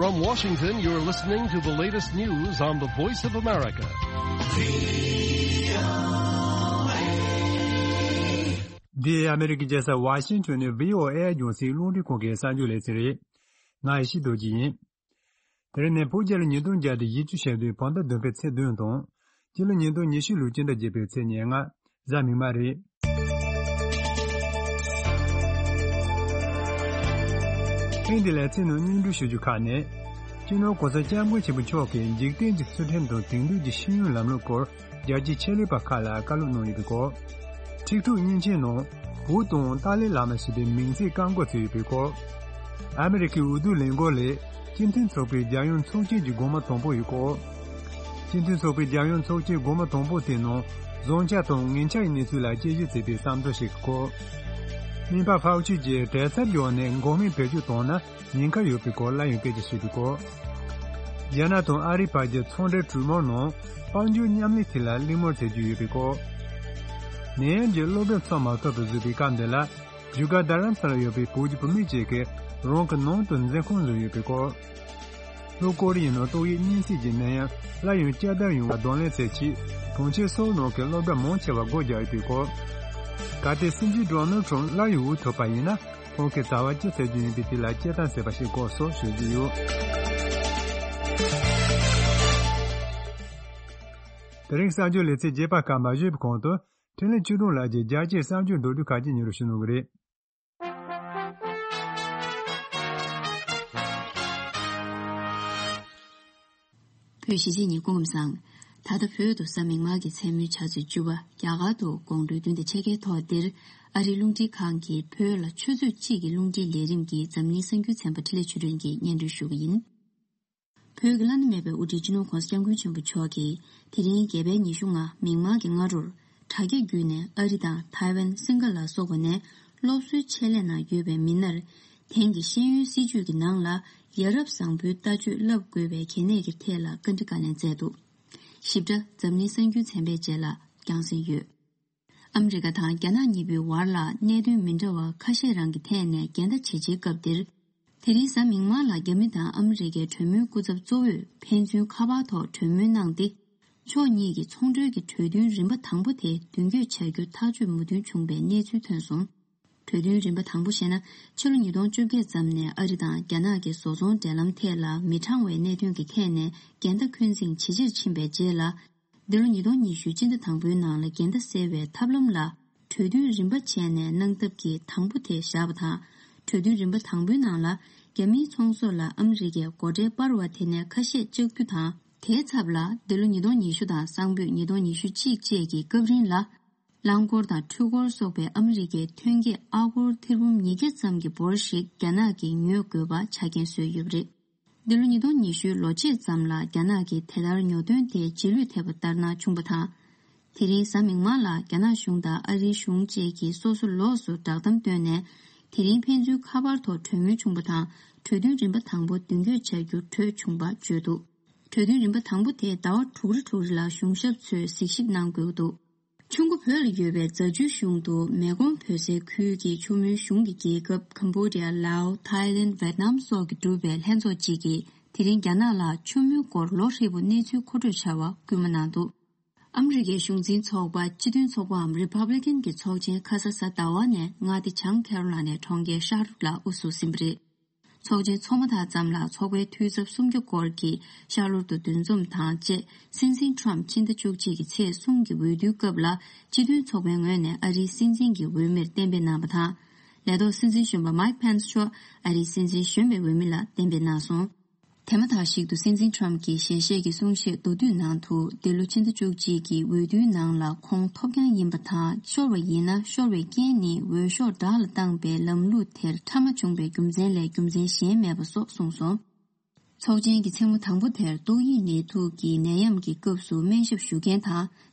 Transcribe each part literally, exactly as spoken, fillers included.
From Washington, you're listening to the latest news on the Voice of America. འདི་ཨ་མི་རི་ཀའི་རྒྱལ་ས་ཝ་ཤིང་ཊོན་ནས་བྷི་ཨོ་ཨེ་རྒྱང་སྲིང་རླུང་འཕྲིན་ཁང་གི་གསར་འགྱུར་ལེ་ཚན་རེད། ང་ཡེ་ཤེས་རྡོ་རྗེ་ཡིན། དེ་རིང་ནི་བོད་རྒྱལ་ལོ་ཉིས་སྟོང་བརྒྱ་དང་བཞི་བཅུ་ཞེ་བདུན་བོད་ཟླ་བདུན་པའི་ཚེས་བདུན་དང་། སྤྱི་ལོ་ཉིས་སྟོང་ཉི་ཤུ་ལོའི་སྤྱི་ཟླ་བརྒྱད་པའི་ཚེས་ཉེར་ལྔ། གཟའ་མིག་དམར་རེད། ཐེངས་འདི་ལ་ཚིག་ནང་སྙན་སྒྲོན་ཞུ་རྒྱུ་ཁག་ནི། སྤྱི་ནོར་༸གོང་ས་༸སྐྱབས་མགོན་ཆེན་པོ་མཆོག་གིས་འཇིག་རྟེན་གྱི་ཚུལ་ཁྲིམས་དང་དེང་དུས་ཀྱི་ཤེས་ཡོན་ལམ་ལུགས་སྐོར་རྒྱལ་སྤྱིའི་ཆེད་ལས་པ་ཁག་ལ་བཀའ་སློབ་གནང་ཡོད་པའི་སྐོར། ཊིག་ཊོག་མཉེན་ཆས་ནང་བོད་དང་ཏཱ་ལའི་བླ་མ་ཞེས་པའི་མིང་ཚིག་བཀག་འགོག་བྱས་ཡོད་པའི་སྐོར། ཨ་མི་རི་ཀའི་འོས་བསྡུ་ལས་འགུལ་ལས་སྤྱི་མཐུན་ཚོགས་པའི་རྒྱལ་ཡོངས་ཚོགས་ཆེན་གྱི་སྒོ་མོ་དང་པོ་ཡི་སྐོར། སྤྱི་མཐུན་ཚོགས་པའི་རྒྱལ་ཡོངས་ཚོགས་ཆེན་སྒོ་མོ་དང་པོ་དེའི་ནང་བཟང་ཆ་དང་ངན་ཆ་ཡི་གནས་ཚུལ་ལ་དཔྱད་ཞིབ་བྱས་པའི་བསམ་ཚུལ་ཞིག་གི་སྐོར། སྨན་པ་ཧྥའོ་ཆི་ཡིས་བྲེལ་འཚབ་བརྒྱབ་ནས་འགོག་སྨན་བེད་སྤྱོད་བཏང་ན་ཉེན་ཁ་ཡོད་པའི་སྐོར་སླར་ཡང་སྐད་ཆ་བཤད་པའི་སྐོར། རྒྱ་ནག་དང་ཨ་རིའི་བར་གྱི་ཚོང་འབྲེལ་གྲོས་མོལ་ནང་དཔལ་འབྱོར་མཉམ་ལས་ཐད་ལ་གླེང་མོལ་བྱེད་རྒྱུ་ཡོད་པའི་སྐོར། ནད་ཡམས་ཀྱིས་སློབ་གྲྭ་ཚུགས་མ་ཐུབ་པར་བཟོས་པའི་སྐབས་འདི་ལ། བཞུགས་སྒར་རྡ་རམ་ས་ལར་ཡོད་པའི་བོད་ཀྱི་བུད་མེད་ཅིག་གིས་རང་གི་ནང་དུ་འཛིན་ཁང་བཟོས་ཡོད་པའི་སྐོར། ལྷོ་ཀོ་རི་ཡའི་ནང་ཏོག་དབྱིབས་གཉན་སྲིན་གྱི་ནད་ཡམས་སླར་ཡང་བསྐྱར་དར་ཡོང་བར་གདོང་ལེན་བྱེད་ཆེད་གྲོང་ཁྱེར་སོའུ་ནང་གི་སློབ་གྲྭ་མང་ཆེ་བ་སྒོ་རྒྱག་ཡོད་པའི་སྐོར། གལ་ཏེ་སྲིད་འཛིན་ཌོ་ནལ་ཊམ་སླར་ཡང་འོས་ཐོབ་པ་ཡིན་ན་ཁོང་གིས་བྱ་བ་ཅི་བྱེད་རྒྱུ་ཡིན་པའི་ཐད་ལ་སྐྱེལ་དམ་བྱས་པ་ཞིག་སྐོར་སོགས་ཞུ་རྒྱུ་ཡོད། དེ་རིང་གསར་འགྱུར་ལེ་ཚན་རྒྱས་པ་སྐར་མ་བཞུས་པའི་གོང་དུ། འཕྲིན་ལས་ཆོས་སྒྲོན་ལགས་ཀྱིས་རྒྱལ་སྤྱིའི་གསར་འགྱུར་མདོར་བསྡུས་ཁག་ཅིག་སྙན་སྒྲོན་ཞུ་གནང་གི་རེད། བོད་གཞིས་བྱེས་གཉིས་སྐུ་ཁམས་བཟང་། ད་ལྟ་བོད་དུ་གཟའ་མིག་དམར་གྱི་མཚན་མོའི་ཆུ་ཚོད་བཅུ་པ། རྒྱ་གར་དུ་དགོང་དྲོའི་བདུན་དང་ཕྱེད་ཀའི་ཐོག་འདིར་ཨ་རིའི་རླུང་འཕྲིན་ཁང་གིས་བོད་ལ་ཆུ་ཚོད་གཅིག་གི་རླུང་འཕྲིན་ལས་རིམ་གྱི་འཛམ་གླིང་གསར་འགྱུར་ཚན་པ་འཕྲིན་ལས་ཆོས་སྒྲོན་གྱིས་སྙན་སྒྲོན་ཞུ་གི་ཡིན། བོད་ཀྱི་བླ་ན་མེད་པའི་དབུ་ཁྲིད་སྤྱི་ནོར་༸གོང་ས་༸སྐྱབས་མགོན་ཆེན་པོ་མཆོག་གིས་དེ་རིང་རྒྱ་བལ་ཉི་ཤུ་ལྔ་མིག་དམར་གྱི་སྔ་དྲོར་དྲ་རྒྱ་བརྒྱུད་ནས་ཨ་རི་དང་ཐའེ་ཝན། སིང་ག་ལ་སོགས་པ་ནས་སློབ་གསོའི་ཆེད་ལས་ནང་ཡོད་པའི་མི་སྣར་དེང་གི་ཤེས་ཡོན་སྲིད་བྱུས་ཀྱི་ནང་ལ་ཡ་རབས་བཟང་པོའི་ལྟ་སྤྱོད་བསླབ་དགོས་པའི་གལ་གནད་ཀྱི་ཐད་ལ་བཀའ་འདྲི་བཀའ་ལན་སྩལ་འདུག། ཞིབ་ཕྲ་འཛམ་གླིང་གསར་འགྱུར་ཚན་པའི་རྗེས་ལ་རྒྱང་སྲིང་ཡོད། ཨ་མི་རི་ཀ་དང་རྒྱ་ནག་གཉིས་པོའི་བར་ལ་གནད་དོན་མི་འདྲ་བ་ཁ་ཤས་རང་གི་ཐད་ནས་འགལ་ཟླ་ཇེ་ཆེའི་སྐབས་འདིར། དེ་རིང་གཟའ་མིག་དམར་ལ་རྒྱ་མི་དང་ཨ་མི་རི་ཀའི་གྲོས་མོལ་སྐུ་ཚབ་གཙོ་བོས་ཕན་ཚུན་ཁ་པར་ཐོག་གྲོས་མོལ་གནང་སྟེ། ཕྱོགས་གཉིས་ཀྱི་ཚོང་འབྲེལ་གྱི་གྲོས་མཐུན་རིམ་པ་དང་པོ་དེ་མདུན་སྐྱོད་བྱ་རྒྱུ་ཐག་གཅོད་མོས་མཐུན་བྱུང་པའི་གནས་ཚུལ་ཐོན་སོང་། གྲོས་མཐུན་རིམ་པ་དང་པོ་ཞེས་ན། ཕྱི་ལོ་ཉིས་སྟོང་བཅོ་བརྒྱད་ཙམ་ནས་ཨ་རི་དང་རྒྱ་ནག་གི་བཟོ་ཚོང་འབྲེལ་ལམ་ཐད་ལ་མི་དྲང་བའི་གནད་དོན་གྱི་ཐད་ནས་འགལ་ཟླ་འཁོན་འཛིན་ཇེ་ཆེར་ཕྱིན་པའི་རྗེས་ལ། འདི་ལོ་ཉིས་སྟོང་ཉི་ཤུ་སྤྱི་ཟླ་དང་པོའི་ནང་ལ་འགལ་ཟླ་སེལ་བའི་ཐབས་ལམ་ལ་གྲོས་མཐུན་རིམ་པ་བྱས་ནས་གནང་ཐབས་ཀྱི་དང་པོ་དེ་བཞག་པ་དང་། གྲོས་མཐུན་རིམ་པ་དང་པོའི་ནང་ལ་རྒྱ་མིའི་ཚོང་ཟོག་ལ་ཨ་མི་རི་ཀས་སྒོ་ཁྲལ་སྤར་བ་དེ་ནས་ཁ་ཤས་བཅག་རྒྱུ་དང་། དེའི་ཚབ་ལ་འདི་ལོ་ཉིས་སྟོང་ཉི་ཤུ་དང་སང་ཕོད་ཉིས་སྟོང་ཉི་ཤུ་གཅིག་བཅས་ཀྱི་སྐབས་རིང་ལ། རླངས་འཁོར་དང་འཕྲུལ་འཁོར་སོགས་པའི་ཨ་མི་རི་ཀའི་ཐོན་སྐྱེད་ཨ་སྒོར་ཐེར་འབུམ་ཉིས་བརྒྱ་ཙམ་གྱི་འབོར་ཞིག་རྒྱ་ནག་གིས་ཉོ་དགོས་པ་ཆ་རྐྱེན་བཟོས་ཡོད་པ་རེད། འདི་ལོ་ཉིས་སྟོང་ཉི་ཤུའི་ལོ་མཇུག་ཙམ་ལ་རྒྱ་ནག་གིས་དེ་ལྟར་ཉོ་འདོད་དེ་རྗེས་ལུས་ཐེབས་པ་ལྟར་སྣང་བྱུང་པ་དང་། དེ་རིང་གཟའ་མིག་དམར་ལ་རྒྱ་ནག་གཞུང་དང་ཨ་རིའི་གཞུང་བཅས་ཀྱིས་སོ་སོ་ལོགས་སུ་བསྒྲགས་གཏམ་བཏོན་ནས། དེ་རིང་ཕན་ཚུན་ཁ་པར་ཐོག་གྲོས་མོལ་བྱུང་པ་དང་། གྲོས་མཐུན་རིམ་པ་དང་པོ་མདུན་སྐྱོད་བྱ་རྒྱུར་གྲོས་བྱུང་བ་བརྗོད་འདུག། གྲོས་མཐུན་རིམ་པ་དང་པོ་དེ་ཟླ་བ་དྲུག་རེ་དྲུག་རེ་ལ་གཞུང་ཞབས་ཚོས་གཟིགས་ཞིབ་གནང་དགོས་ཀྱི་འདུག། ཆུ་མགོ་བོད་ལ་ཡོད་པའི་རྫ་ཆུའི་གཞུང་དུ་མེ་ཀོང་བོད་ཟེར་ཁུལ་གྱི་ཆུ་མོའི་གཞུང་གི་རྒྱལ་ཁབ་ཀམ་བྷོ་ཌི་ཡ། ལའོ། ཐའི་ལེན། ཝེད་ནམ་སོགས་ཀྱིས་གྲུབ་པའི་ལྷན་ཚོགས་གཅིག་གིས་དེ་རིང་རྒྱ་ནག་ལ་ཆུ་མོའི་སྐོར་ལོ་ཧྲིལ་པོ་གནས་ཚུལ་མཁོ་སྤྲོད་བྱ་བ་སྐུལ་མ་གནང་འདུག། ཨ་མི་རི་ཀའི་གཞུང་འཛིན་ཚོགས་པ་སྤྱི་མཐུན་ཚོགས་པའམ་རི་ཕབ་ལི་ཀན་གྱི་ཚོགས་ཆེན་ཁ་ས་གཟའ་ཟླ་བ་ནས་མངའ་སྡེ་བྱང་ཁེ་རོ་ལ་ནའི་གྲོང་ཁྱེར་ཤར་ལོགས་ལ་དབུ་བཞུགས་ཟིན་པ་རེད། ཚོགས་ཆེན་འཚོགས་མ་ཐག་ཙམ་ལ་ཚོགས་པའི་འཐུས་ཚབ་སུམ་བརྒྱ་སྐོར་གྱིས་ཤར་ལོགས་སུ་འདུ་འཛོམས་དང་བཅས། སྲིད་འཛིན་ཊམ་ཕྱི་ཟླ་བཅུ་གཅིག་གི་ཚེས་གསུམ་གྱི་འོས་བསྡུའི་སྐབས་ལ་སྤྱི་མཐུན་ཚོགས་པའི་ངོས་ནས་ཨ་རིའི་སྲིད་འཛིན་གྱི་འོས་མིར་གཏན་འབེབས་གནང་བ་དང་། ལས་ཐོག་སྲིད་འཛིན་གཞོན་པ་མའིག་ཕེན་སི་མཆོག་ཨ་རིའི་སྲིད་འཛིན་གཞོན་པའི་འོས་མི་ལ་གཏན་འབེབས་གནང་སོང་། དེ་མ་ཐག་ཞིག་ཏུ་སྲིད་འཛིན་ཊམ་གྱིས་ཞལ་བཞེས་ཀྱི་གསུང་བཤད་མདོར་བསྡུས་ནང་དུ། འདི་ལོ་ཕྱི་ཟླ་བཅུ་གཅིག་གི་འོས་བསྡུའི་ནང་ལ་ཁོང་ཐོབ་རྐྱང་ཡིན་པ་དང་། ཤོར་བ་ཡིན་ན་ཤོར་བའི་རྐྱེན་ནི་འོས་ཤོག་བྲག་ལ་བཏང་པའི་ལམ་ལུགས་དེར་ཕྲ་མ་བྱུང་བའི་རྒྱུ་མཚན་ལས་རྒྱུ་མཚན་གཞན་མེད་པ་སོགས་གསུངས་སོང་། ཚོགས་ཆེན་གྱི་མཚན་མོ་དང་པོ་དེར་ཏོག་དབྱིབས་ནད་དུག་གི་ནད་ཡམས་ཀྱི་སྐབས་སུ་སྨན་ཞབས་ཞུ་མཁན་དང་།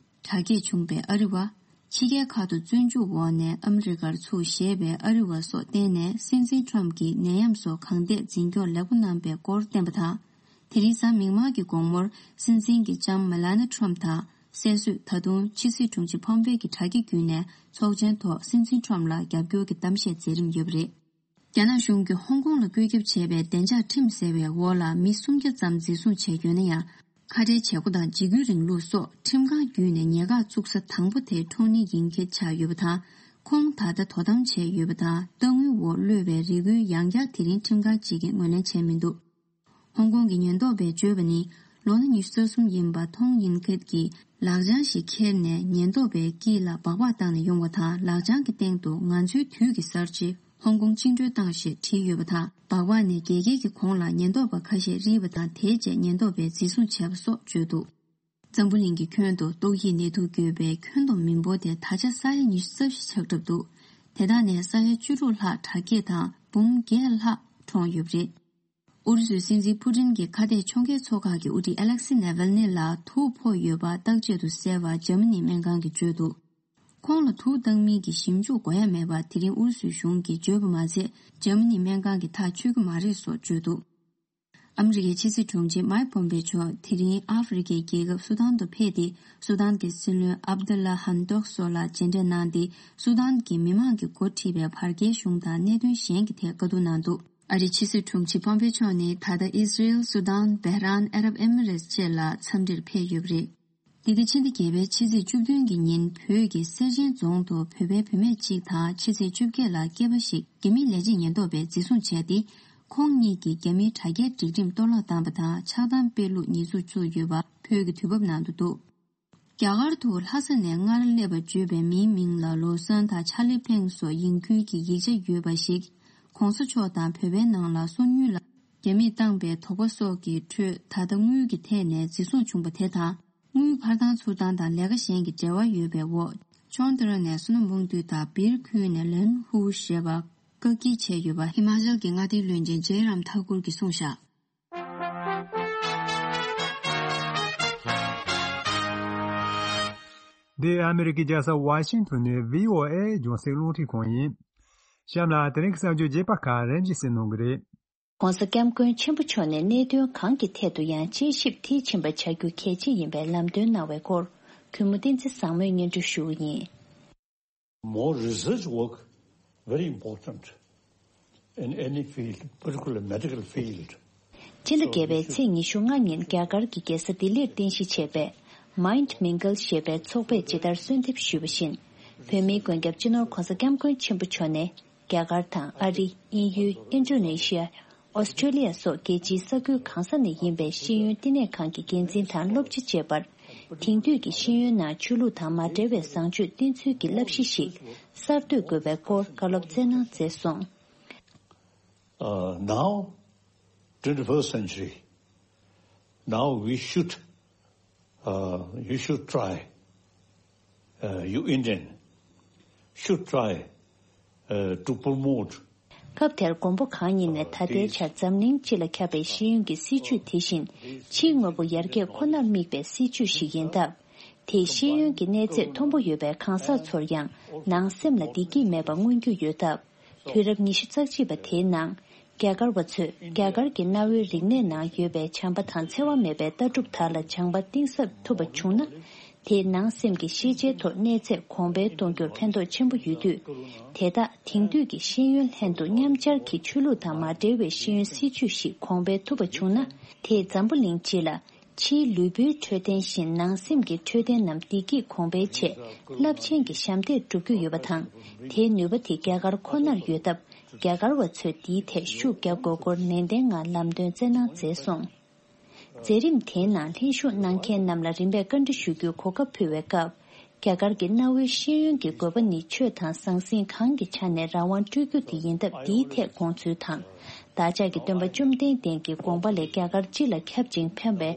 དྲག་སྐྱེད་བྱུང་བའི་ཨ་རི་བ། ཕྱི་རྒྱལ་ཁག་ཏུ་བཙོན་འཇུག་འོག་ནས་ཨ་མི་རི་ཀར་ཚུར་བཞེས་པའི་ཨ་རི་བ་སོགས་བསྟེན་ནས་སྲིད་འཛིན་ཊམ་གྱིས་ནད་ཡམས་སོགས་གང་ཐད་འཛིན་སྐྱོང་ལེགས་པོ་གནང་པའི་སྐོར་བསྟན་པ་དང་། དེ་རིང་གཟའ་མིག་དམར་གྱི་དགོང་མོར་སྲིད་འཛིན་གྱི་ལྕམ་མེ་ལ་ནི་ཊམ་དང་སྲས་གསོས། ད་དུང་ཕྱི་སྲིད་དྲུང་ཆེ་ཕོམ་པེ་གྱི་དྲ་རྒྱ་བརྒྱུད་ནས་ཚོགས་ཆེན་ཐོག་སྲིད་འཛིན་ཊམ་ལ་རྒྱབ་སྐྱོར་གྱི་གཏམ་བཤད་མཛད་རིམ་ཡོད་པ་རེད། རྒྱ་ནག་གཞུང་གིས་ཧོང་ཀོང་ལ་བཀོད་ཁྱབ་བྱས་པའི་བདེ་འཇགས་ཁྲིམས་ཟེར་བའི་འོག་ལ་མི་སུམ་བརྒྱ་ཙམ་འཛིན་བཟུང་བྱས་ཡོད་ན་ཡང་། ཁ་བྲལ་བྱེད་སྒོ་དང་འཇིགས་སྐུལ་རིང་ལུགས་སོགས་ཁྲིམས་ཁང་བརྒྱུད་ནས་ཉེན་བཀག་བཙུགས་ས་དང་པོ་དེ་ཁྲོང་ནི་ཡིན་སྐད་ཆགས་ཡོད་པ་དང་། ཁོང་ད་ལྟ་དོ་དམ་བྱས་ཡོད་པ་དང་། གཏའ་དངུལ་འོག་གློད་པའི་རེ་སྐུལ་ཡང་བསྐྱར་དེ་རིང་ཁྲིམས་ཁང་གཅིག་གིས་ངོས་ལེན་བྱས་མི་འདུག་ཧོང་ཀོང་གི་ཉེན་རྟོག་པས་བརྗོད་པ་ནི། ལོ་ན་ཉི་ཤུ་རྩ་གསུམ་ཡིན་པ་ཐོང་ཡིན་ཁེད་ཀྱིས་ལག་བྱང་ཞིག་ཁྱེར་ནས་ཉེན་རྟོག་པའི་དཀྱིལ་ལ་སྦག་སྦག་བཏང་ནས་ཡོང་བ་དང་། ལག་བྱང་གི་སྟེང་དུ་ང་ཚོའི་དུས་ཀྱི་གསར་བརྗེ། ཧོང་ཀོང་བཅིངས་འགྲོལ་བཏང་ཞེས་བྲིས་ཡོད་པ་དང་། སྦག་སྦག་ནས་རྒྱལ་ཁའི་གི་གོང་ལ་ཉེན་རྟོག་པ་ཁ་ཤས་རིལ་བ་དང་། དེའི་རྗེས་ཉེན་རྟོག་པས་འཛིན་བཟུང་བྱས་པ་སོགས་བརྗོད་འདུག་འཛམ་བུ་གླིང་གི་ཁྱོན་དུ་ཏོག་དབྱིབས་ནད་དུག་བརྒྱུད་པའི་ཁྱོན་བསྡོམས་མི་འབོར་དེ་ད་ཆ་ས་ཡ་ཉི་ཤུ་རྩ་བཞི་ཆགས་གྲབས་འདུག་དེ་དག་ནས་ས་ཡ་བཅུ་དྲུག་ལྷག་དྲག་སྐྱེད་དང་འབུམ་བརྒྱད་ལྷག་གྲོངས་ཡོད་པ་རེད། ཨུ་རུ་སུའི་སྲིད་འཛིན་ཕུ་ཏིན་གྱི་ཁ་གཏད་ཕྱོགས་འགལ་ཚོགས་ཁག་གི་དབུ་ཁྲིད་ཨ་ལེག་སི་ནེ་ཝལ་ནི་ལ་དུག་ཕོག་ཡོད་པ་བརྟག་དཔྱད་དུ་གསལ་བ་འཇར་མ་ནིའི་སྨན་ཁང་གིས་བརྗོད་འདུག་ཁོང་ལ་དུག་བཏང་མིན་གྱི་ཞིབ་འཇུག་དགོས་ཡ་མེད་པ་དེ་རིང་ཨུ་རུ་སུའི་གཞུང་གིས་བརྗོད་པ་མ་ཟད། འཇར་མ་ནིའི་སྨན་ཁང་གིས་ཐག་ཆོད་ཀྱི་མ་རེད་སོགས་བརྗོད་འདུག་ཨ་མི་རི་ཀའི་ཕྱི་སྲིད་དྲུང་ཆེ་མའེ་པོམ་པེ་མཆོག་དེ་རིང་ཨ་ཧྥེ་རི་ཁའི་རྒྱལ་ཁབ་སུ་དཱན་དུ་ཕེབས་ཏེ། སུ་དཱན་གྱི་སྲིད་བློན་ཨབ་དུ་ལ་ཧན་ཏོག་སོགས་ལ་མཇལ་འཕྲད་གནང་སྟེ། སུ་དཱན་གྱི་མི་མང་གིས་འགོ་ཁྲིད་པའི་བར་བརྒལ་གཞུང་དང་གནད་དོན་གཞན་གྱི་ཐད་བཀའ་བསྡུར་གནང་འདུག་ཨ་རིའི་ཕྱི་སྲིད་དྲུང་ཆེ་པོམ་པེ་མཆོག་ནི་ད་ལྟ་ཨི་སི་རེལ། སུ་དཱན། བྷེ་རན། ཨ་རབ་ཨེ་མི་རེས་བཅས་ལ་འཚམས་འདྲིར་ཕེབས་ཡོད་པ་རེད། འདི་ག་ཕྱི་ཟླ་བརྒྱད་པའི་ཕྱི་ཚེས་བཅུ་བདུན་གྱི་ཉིན་བོད་ཀྱི་སེར་ཆེན་རྫོང་དུ་བོད་པའི་བུད་མེད་གཅིག་དང་ཕྱི་ཚེས་བཅོ་བརྒྱད་ལ་སྐྱེས་པ་ཞིག་རྒྱ་མིའི་ལས་བྱེད་ཉེན་རྟོག་པས་འཛིན་བཟུང་བྱས་ཏེ། ཁོང་གཉིས་ཀྱིས་རྒྱ་མིའི་དྲ་རྒྱའི་སྒྲིག་ཁྲིམས་གཏོར་བརླག་བཏང་བ་དང་། ཆགས་སྡང་སྤེལ་ལུགས་ཉེས་འཛུགས་བཙུགས་ཡོད་པ་བོད་ཀྱི་དུས་བབ་ནང་དུ་འདུག་རྒྱ་གར་དུ་ལྷ་ས་ནས་སྔར་སླེབས་པ་བརྗོད་པའི་མིའི་མིང་ལ་ལོ་སོན་དང་ཆ་ལི་ཕེང་སོགས་ཡིན་ཁུལ་གྱི་ཡིག་ཆ་ཡོད་པ་ཞིག་གོང་ས་མཆོག་དང་བོད་པའི་ནང་ལ་སོ་ཉུལ་ལ་རྒྱ་མིས་བཏང་པའི་དོགས་པ་སོགས་ཀྱི་ཁྲོད། ད་ལྟ་དངུལ་གྱི་ཐད་ནས་འཛིན་བཟུང་བྱུང་པ་དེ་དང་། དངུལ་འཕར་ཐང་ཚུར་བཏང་དང་ལས་ཀ་གཞན་གྱི་འབྲེལ་བ་ཡོད་པའི་འོག་ཆོན་ཏི་ར་ནས་སོ་ནམ་བོང་ཏུས་དང་སྦིར་ཁུལ་ནས་ལན་ཧུ་ཞེས་པ་བཀག་སྐྱིལ་བྱས་ཡོད་པ་ཧི་མ་ཅལ་གྱི་མངའ་སྡེའི་བློན་ཆེན་ཇེ་རམ་ཐ་ཀུར་གྱིས་གསུངས་བཞག་འདི་ཨ་མི་རི་ཀའི་རྒྱལ་ས་ཝ་ཤིང་ཏོན་ནས་བྷི་ཨོ་ཨེ་རྒྱང་སྲིང་རླུང་འཕྲིན་ཁང་ཡིན། གཤམ་ལ་དེ་རིང་གི་གསར་འགྱུར་རྒྱས་པ་ཁག་རིམ་བཞིན་གསན་གནང་གི་རེད། ྋགོང་ས་ྋསྐྱབས་མགོན་ཆེན་པོ་མཆོག་ནས་གནད་དོན་གང་གི་ཐད་དུ་ཡང་དཔྱད་ཞིབ་མཐིལ་ཕྱིན་པ་བྱ་རྒྱུ་གལ་ཆེ་ཡིན་པའི་ལམ་སྟོན་གནང་བའི་སྐོར། གུས་མོ་བསྟན་འཛིན་བཟང་མོས་སྙན་སྒྲོན་ཞུ་བ་ཡིན། More research work very important in any field, particularly medical field. ཕྱི་ཟླ་བརྒྱད་པའི་ཚེས་ཉི་ཤུ་ལྔ་ཉིན་རྒྱ་གར་གྱི་རྒྱལ་ས་ལྡི་ལིར་རྟེན་གཞི་བྱས་པའི་Mind Mingle ཞེས་པའི་ཚོགས་པས་ཇི་ལྟར་གསོལ་འདེབས་ཞུས་པ་བཞིན། བོད་མིའི་མགོན་སྐྱབས་སྤྱི་ནོར་༧གོང་ས་༧སྐྱབས་མགོན་ཆེན་པོ་མཆོག་ནས། རྒྱ་གར་དང་ཨ་རི། དབྱིན་ཡུལ། ཨིན་ཌོ་ནེ་ཤི་ཡ། ཨོ་སི་ཀྲོ་ལི་ཡ་སོགས་རྒྱལ་སྤྱིའི་ས་ཁུལ་གང་ས་ནས་ཡིན་པའི་ཤེས་ཡོན་བསྟི་གནས་ཁང་གི་འགན་འཛིན་དང་སློབ་སྤྱི་བཅས་པར། དེང་དུས་ཀྱི་ཤེས་ཡོན་ནང་ཆོས་ལུགས་དང་མ་འབྲེལ་བའི་བཟང་སྤྱོད་བསྟེན་ཚུལ་གྱི་བསླབ་གཞི་ཞིག་གསར་གཏོད་དགོས་པའི་སྐོར་བཀའ་སློབ་སྩལ་གནང་མཛད་སོང་། Uh, now, twenty-first century, now we should, uh, you should try, uh, you Indian should try, uh, to promote སྐབས་དེར་མགོན་པོ་གང་ཉིད་ནས་ད་ལྟའི་ཆར་འཛམ་གླིང་སྤྱི་ལ་ཁྱབ་པའི་ཤེས་ཡོན་གྱི་སྲིད་བྱུས་དེ་བཞིན་ཕྱིའི་དངོས་པོ་ཡར་རྒྱས་ཁོ་ནར་དམིགས་པའི་སྲིད་བྱུས་ཤིག་ཡིན་སྟབས། དེས་ཤེས་ཡོན་གྱི་གནས་ཚད་མཐོན་པོ་ཡོད་པའི་གང་ཟག་ཚོར་ཡང་ནང་སེམས་ལ་བདེ་སྐྱིད་མེད་པ་མངོན་རྒྱུ་ཡོད་སྟབས། དུས་རབས་ཉི་ཤུ་རྩ་གཅིག་པ་དེའི་ནང་། རྒྱ་གར་བ་ཚོས་རྒྱ་གར་གྱི་གནའ་བོའི་རིག་གནས་ནང་ཡོད་པའི་བྱམས་པ་དང་འཚེ་བ་མེད་པའི་ལྟ་གྲུབ་དག་ལ་སྦྱངས་པ་གཏིང་ཟབ་ཐུབ་པ་བྱུང་ན། དེས་ནང་སེམས་ཀྱི་ཤེས་བྱའི་ཐོག་གནས་ཚད་གོང་འཕེལ་གཏོང་རྒྱུར་ཕན་ཐོགས་ཆེན་པོ་ཡོད་དུས། དེ་དག་དེང་དུས་ཀྱི་ཤེས་ཡོན་ལྷན་དུ་མཉམ་སྦྱར་གྱིས་ཆོས་ལུགས་དང་མ་འབྲེལ་བའི་ཤེས་ཡོན་སྲིད་བྱུས་ཤིག་གོང་འཕེལ་ཐུབ་པ་བྱུང་ན། དེས་འཛམ་བུ་གླིང་སྤྱི་ལ། ཕྱིའི་ལུས་པོའི་འཕྲོད་བསྟེན་བཞིན་ནང་སེམས་ཀྱི་འཕྲོད་བསྟེན་རྣམས་བདེ་སྐྱིད་གོང་འཕེལ་ཆེད་རླབས་ཆེན་གྱི་ཞབས་འདེགས་སྒྲུབ་རྒྱུ་ཡོད་པ་དང་། དེའི་ནུས་པ་དེ་རྒྱ་གར་ཁོ་ནར་ཡོད་སྟབས། རྒྱ་གར་བ་ཚོས་འདིའི་ཐད་ཤུགས་རྒྱག་དགོས་སྐོར་ནན་ཏན་ངང་ལམ་སྟོན་སྩལ་གནང་མཛད་སོང་། མཛད་རིམ་དེའི་ནང་ལྷན་ཞུགས་གནང་མཁན་རྣམས་ལ་རིམ་པས་བཀའ་འདྲི་ཞུ་རྒྱུའི་གོ་སྐབས་ཕུལ་བའི་སྐབས། རྒྱ་གར་གྱི་གནའ་བོའི་ཤེས་ཡོན་གྱི་དགོས་པ་ནི་ཆོས་དང་ཟང་ཟིང་གང་གི་ཆ་ནས་རང་དབང་སྤྲོད་རྒྱུ་དེ་ཡིན་སྟབས། འདིའི་ཐད་དགོངས་ཚུལ་དང་། བདག་ཅག་གི་སྟོན་པ་བཅོམ་ལྡན་འདས་ཀྱི་དགོངས་པ་ལས་རྒྱ་གར་སྤྱི་ལ་ཁྱབ་ཅིང་ཕན་པའི་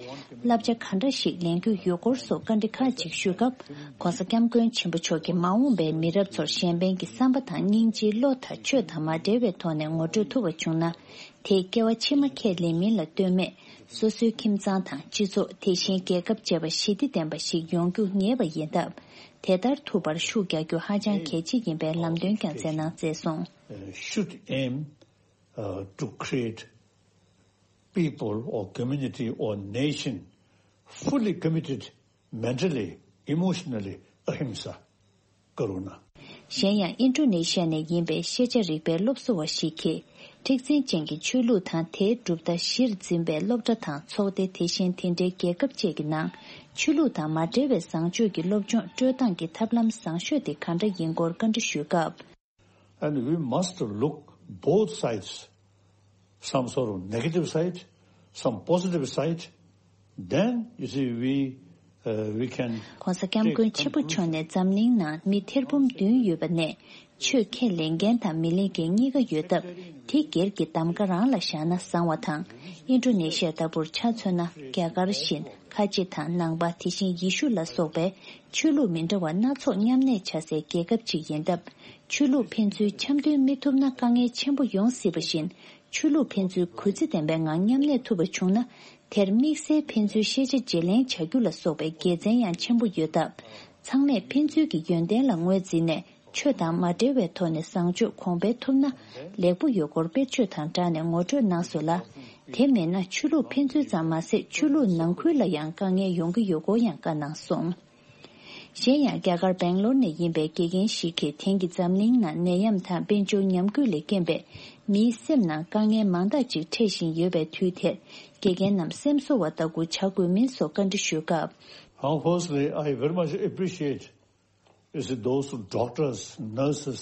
བསླབ་བྱ་ག་འདྲ་ཞིག་ལེན་རྒྱུ་ཡོད་སྐོར་སོགས་བཀའ་འདྲི་ཁག་ཅིག་ཞུས་སྐབས། ྋགོང་ས་ྋསྐྱབས་མགོན་ཆེན་པོ་མཆོག་གིས་མ་འོངས་པའི་མི་རབས་ཚོར་གཞན་ཕན་གྱི་བསམ་པ་དང་སྙིང་རྗེའི་བློ་དང་ཆོས་དང་མ་འབྲེལ་བའི་ཐོག་ནས་ངོ་སྤྲོད་ཐུབ་པ་བྱུང་ན། དེས་སྐྱེ་བ་ཕྱི་མ་ཁས་ལེན་མིན་ལ་ལྟོས་མེད། སོ་སོའི་ཁྱིམ་ཚང་དང་སྤྱི་ཚོགས། དེ་བཞིན་རྒྱལ་ཁབ་བཅས་པ་ཞི་བདེ་ལྡན་པ་ཞིག་ཡོང་རྒྱུ་ངེས་པ་ཡིན་སྟབས། དེ་ལྟར་ཐུབ་པར་ཤུགས་རྒྱག་རྒྱུ་ཧ་ཅང་གལ་ཆེ་ཡིན་པའི་ལམ་སྟོན་ཀྱང་མཛད་གནང་མཛད་སོང་། Uh, should aim, uh, to create people or community or nation fully committed mentally, emotionally, ahimsa, karuna. གཞན་ཡང་ཨིན་ཌོ་ནེ་ཤི་ཡ་ནས་ཡིན་པའི་ཤེས་བྱ་རིག་པའི་སློབ་གསོ་བ་ཞིག་གིས། མཁྲེགས་འཛིན་ཅན་གྱི་ཆོས་ལུགས་དང་དེའི་གྲུབ་མཐའ་གཞིར་འཛིན་པའི་སློབ་གྲྭ་དང་ཚོགས་སྡེ། དེ་བཞིན་དེ་འདྲའི་རྒྱལ་ཁབ་བཅས་ཀྱི་ནང་ཆོས་ལུགས་དང་མ་འབྲེལ་བའི་བཟང་སྤྱོད་ཀྱི་སློབ་སྦྱོང་སྤྲོད་སྟངས་ཀྱི་ཐབས་ལམ་བཟང་ཤོས་དེ་ག་འདྲ་ཡིན་སྐོར་བཀའ་འདྲི་ཞུས་སྐབས། And we must look both sides, some sort of negative side, some positive side, then you see we, uh, we can. ༸གོང་ས་༸སྐྱབས་མགོན་ཆེན་པོ་མཆོག་ནས་འཛམ་གླིང་ནང་མི་ཐེར་འབུམ་བདུན་ཡོད་པ་ནས་ཆོས་ཁས་ལེན་མཁན་དང་མི་ལེན་མཁན་གཉིས་ཀ་ཡོད་སྟབས། དེ་སྒེར་གྱི་གདམ་ག་རང་ལ་བཞག་ན་བཟང་བ་དང་། ཨིན་ཌོ་ནེ་ཤི་ཡ་ལྟ་བུར་ཆ་མཚོན་ན། རྒྱ་གར་བཞིན་ཁ་ཆེ་དང་ནང་པ། དེ་བཞིན་ཡེ་ཤུ་ལ་སོགས་པའི་ཆོས་ལུགས་མི་འདྲ་བ་སྣ་ཚོགས་མཉམ་གནས་བྱ་སའི་རྒྱལ་ཁབ་ཅིག་ཡིན་སྟབས། ཆོས་ལུགས་ཕན་ཚུན་འཆམ་མཐུན་མི་ཐུབ་ན་དཀའ་ངལ་ཆེན་པོ་ཡོང་སྲིད་པ་བཞིན། ཆོས་ལུགས་ཕན་ཚུན་གུས་བརྩི་ལྡན་པའི་ངང་མཉམ་གནས་ཐུབ་པ་བྱུང་ན། དེར་དམིགས་བསལ་ཕན་ཚུན་ཤེས་བྱ་བརྗེ་ལེན་བྱ་རྒྱུ་ལ་སོགས་པའི་དགེ་མཚན་ཡང་ཆེན་པོ་ཡོད་སྟབས། ཚང་མས་ཕན་ཚུན་གྱི་ཡོན་ཏན་ལ་ངོས་འཛིན་ནས། ཆོས་དང་མ་འབྲེལ་བའི་ཐོག་ནས་བཟང་སྤྱོད་གོང་འཕེལ་ཐུབ་ན་ལེགས་པོ་ཡོད་སྐོར་དཔེར་བརྗོད་དང་སྦྲགས་ནས་ངོ་སྤྲོད་གནང་སོང་ལ། དེ་མེད་ན་ཆོས་ལུགས་ཕན་ཚུན་ཙམ་མ་ཟད། ཆོས་ལུགས་ནང་ཁུལ་ལ་ཡང་དཀའ་ངལ་ཡོང་གི་ཡོད་སྐོར་ཡང་བཀའ་གནང་སོང་། གཞན་ཡང་། རྒྱ་གར་སྦེང་ལོར་ནས་ཡིན་པའི་དགེ་རྒན་ཞིག་གིས། དེང་གི་འཛམ་གླིང་ནང་ནད་ཡམས་དང་དཔལ་འབྱོར་ཉམས་རྒུད་ལས་རྐྱེན་པས། མིའི་སེམས་ནང་དཀའ་ངལ་མང་དག་ཅིག་འཕྲད་བཞིན་ཡོད་པའི་དུས་དེར། དགེ་རྒན་རྣམས་སེམས་གསོ་བ་ལྟ་བུ་བྱ་དགོས་མིན་སོགས་བཀའ་འདྲི་ཞུས་སྐབས། Now, firstly, I very much appreciate is those doctors, nurses,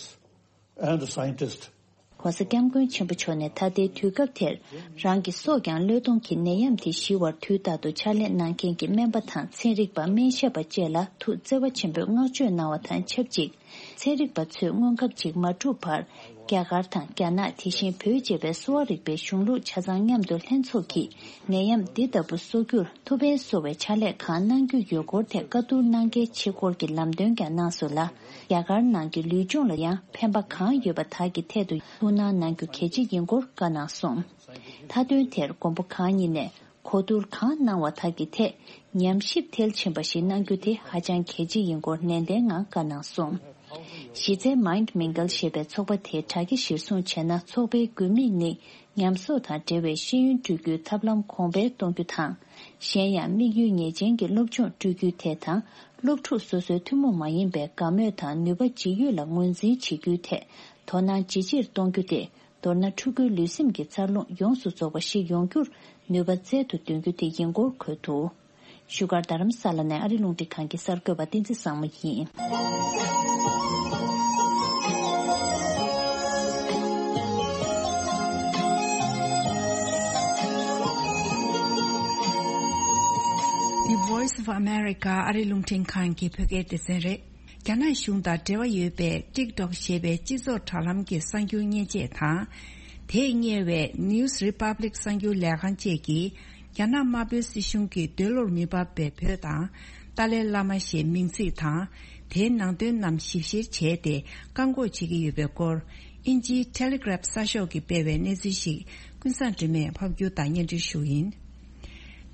and scientists. ༸གོང་ས་༸སྐྱབས་མགོན་ཆེན་པོ་མཆོག་ནས་ད་ལྟའི་དུས་སྐབས་དེར། རང་གི་སྲོག་ཀྱང་བློས་གཏོང་གིས་ནད་ཡམས་དེ་ཞི་བར་དུས་རྟག་ཏུ་ཕྱག་ལས་གནང་མཁན་གྱི་སྨན་པ་དང་ཚན་རིག་པ། སྨན་ཞབས་པ་བཅས་ལ་ཐུགས་བརྩེ་བ་ཆེན་པོས་བསྔགས་བརྗོད་གནང་བ་དང་ཆབས་ཅིག་ཚན་རིག་པ་ཚོས་སྔོན་ཁབ་ཅིག་མ་གྲུབ་བར། རྒྱ་གར་དང་རྒྱ་ནག་དེ་བཞིན་བོད་ཅེས་པའི་གསོ་བ་རིག་པའི་གཞུང་ལུགས་ཆ་ཚང་མཉམ་དུ་ལྷན་ཚོགས་ཀྱིས་ནད་ཡམས་འདི་ལྟ་བུ་གསོ་རྒྱུར་ཐུགས་ཕན་གསོ་བའི་ཕྱག་ལས་གང་གནང་རྒྱུ་ཡོད་སྐོར་ཐད་བཀའ་བསྡུར་གནང་གལ་ཆེ་སྐོར་གྱི་ལམ་སྟོན་ཀྱང་གནང་སོང་ལ། རྒྱ་གར་ནང་གི་ལུས་སྦྱོང་ལ་ཡང་ཕན་པ་གང་ཡོད་པ་དག་གི་ཐད་དུ་ཐུགས་སྣང་གནང་རྒྱུ་གལ་ཆེ་ཡིན་སྐོར་བཀའ་གནང་སོང་། མཐའ་དོན་དེར་མགོན་པོ་གང་ཉིད་ནས། གོ་བསྡུར་གང་གནང་བ་དག་གི་ཐད་ཉམས་ཞིབ་མཐིལ་ཕྱིན་པ་ཞིག་གནང་རྒྱུ་དེ་ཧ་ཅང་གལ་ཆེ་ཡིན་སྐོར་ནན་ཏན་ངང་བཀའ་གནང་སོང་། གཞི་རྩའི་Mind Mingle ཞེས་པའི་ཚོགས་པ་དེའི་དྲ་རྒྱ་གཞིར་བཟུང་བྱས་ན། ཚོགས་པའི་དགོས་དམིགས་ནི་ཉམས་གསོ་དང་འབྲེལ་བའི་ཤེས་ཡོན་སྤྲོད་རྒྱུའི་ཐབས་ལམ་གོང་འཕེལ་གཏོང་རྒྱུ་དང་། གཞན་ཡང་། དམིགས་ཡུལ་ངེས་ཅན་གྱི་སློབ་སྦྱོང་སྤྲོད་རྒྱུའི་ཐད་དང་། སློབ་ཕྲུག་སོ་སོའི་ཐུན་མོང་མ་ཡིན་པའི་དགའ་མོས་དང་ནུས་པ་ཇི་ཡོད་ལ་ངོས་འཛིན་བྱེད་རྒྱུའི་ཐད་དོ་སྣང་ཇི་ཆེར་གཏོང་རྒྱུ་དེ། མདོར་ན། ཕྲུ་གུའི་ལུས་སེམས་ཀྱི་འཚར་ལོངས་ཡོངས་སུ་རྫོགས་པ་ཞིག་ཡོང་རྒྱུར་ནུས་པ་བཙལ་དུ་འདོན་རྒྱུ་དེ་ཡིན་སྐོར་འཁོད་འདུག་བཞུགས་སྒར་རྡ་རམ་ས་ལ་ནས་ཨ་རི་རླུང་འཕྲིན་ཁང་གི་གསར་འགོད་པ་བསྟན་འཛིན་བཟང་མོ་ཡིན། The Voice of America ཨ་རི་རླུང་འཕྲིན་ཁང་གི་བོད་སྐད་སྡེ་ཚན་རེད། རྒྱ་ནག་གཞུང་དང་འབྲེལ་བ་ཡོད་པའི་ཊིག་ཊོག་ཞེས་པའི་སྤྱི་ཚོགས་དྲ་ལམ་གྱི་གསར་འགྱུར་མཉེན་ཆས་དང་། དེས་གཉེར་བའི་News Republic གསར་འགྱུར་ལས་ཁང་བཅས་ཀྱིས། རྒྱ་ནག་དམར་པོའི་སྲིད་གཞུང་གིས་འདོད་བློར་མི་འབབ་པའི་བོད་དང་། ཏཱ་ལའི་བླ་མ་ཞེས་མིང་ཚིག་དང་། དེའི་ནང་དོན་རྣམས་ཞིབ་བཤེར་བྱས་ཏེ། བཀག་འགོག་བྱེད་ཀྱི་ཡོད་པའི་སྐོར། དབྱིན་ཇིའི་Telegraph གསར་ཤོག་གིས་སྤེལ་བའི་གནས་ཚུལ་ཞིག་ཀུན་བཟང་སྒྲོལ་མས་ཕབ་སྒྱུར་དང་སྙན་སྒྲོན་ཞུ་ཡིན།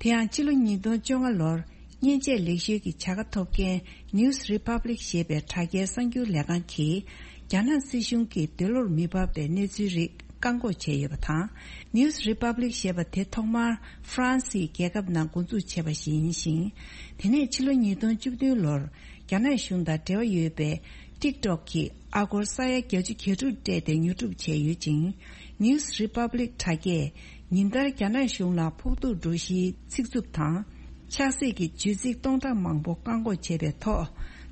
དེ་ཡང་། ཕྱི་ལོ་ཉིས་སྟོང་བཅོ་ལྔ་ལོར། མཉེན་ཆས་ལེགས་ཤོས་ཀྱི་བྱ་དགའ་ཐོབ་མཁན་News Republic ཞེས་པའི་དྲ་རྒྱའི་གསར་འགྱུར་ལས་ཁང་གིས། རྒྱ་ནག་སྲིད་གཞུང་གིས་འདོད་བློར་མི་འབབ་པའི་གནས་ཚུལ་རིགས་བཀག་འགོག་བྱས་ཡོད་པ་དང་། News Republic ཞེས་པ་དེ་ཐོག་མར་ཧྥ་རན་སིའི་རྒྱལ་ཁབ་ནང་འགོ་འཛུགས་བྱས་པ་ཞིག་ཡིན་ཞིང་། དེ་ནས་ཕྱི་ལོ་ཉིས་སྟོང་བཅུ་བདུན་ལོར། རྒྱ་ནག་གཞུང་དང་འབྲེལ་བ་ཡོད་པའི་ཊིག་ཊོག་གིས་ཨ་སྒོར་ས་ཡ་བརྒྱད་ཅུ་གྱ་དྲུག་སྤྲད་དེ་ཉོ་སྒྲུབ་བྱས་ཡོད་ཅིང་། News Republic དྲ་རྒྱས་ཉིན་ལྟར་རྒྱ་ནག་གཞུང་ལ་ཕོག་ཐུག་འགྲོ་གཞིའི་ཚིག་རྩུབ་དང་། ཆགས་སྲེད་ཀྱི་བརྗོད་ཚིག་སྟོང་ཕྲག་མང་པོ་བཀག་འགོག་བྱས་པའི་ཐོག་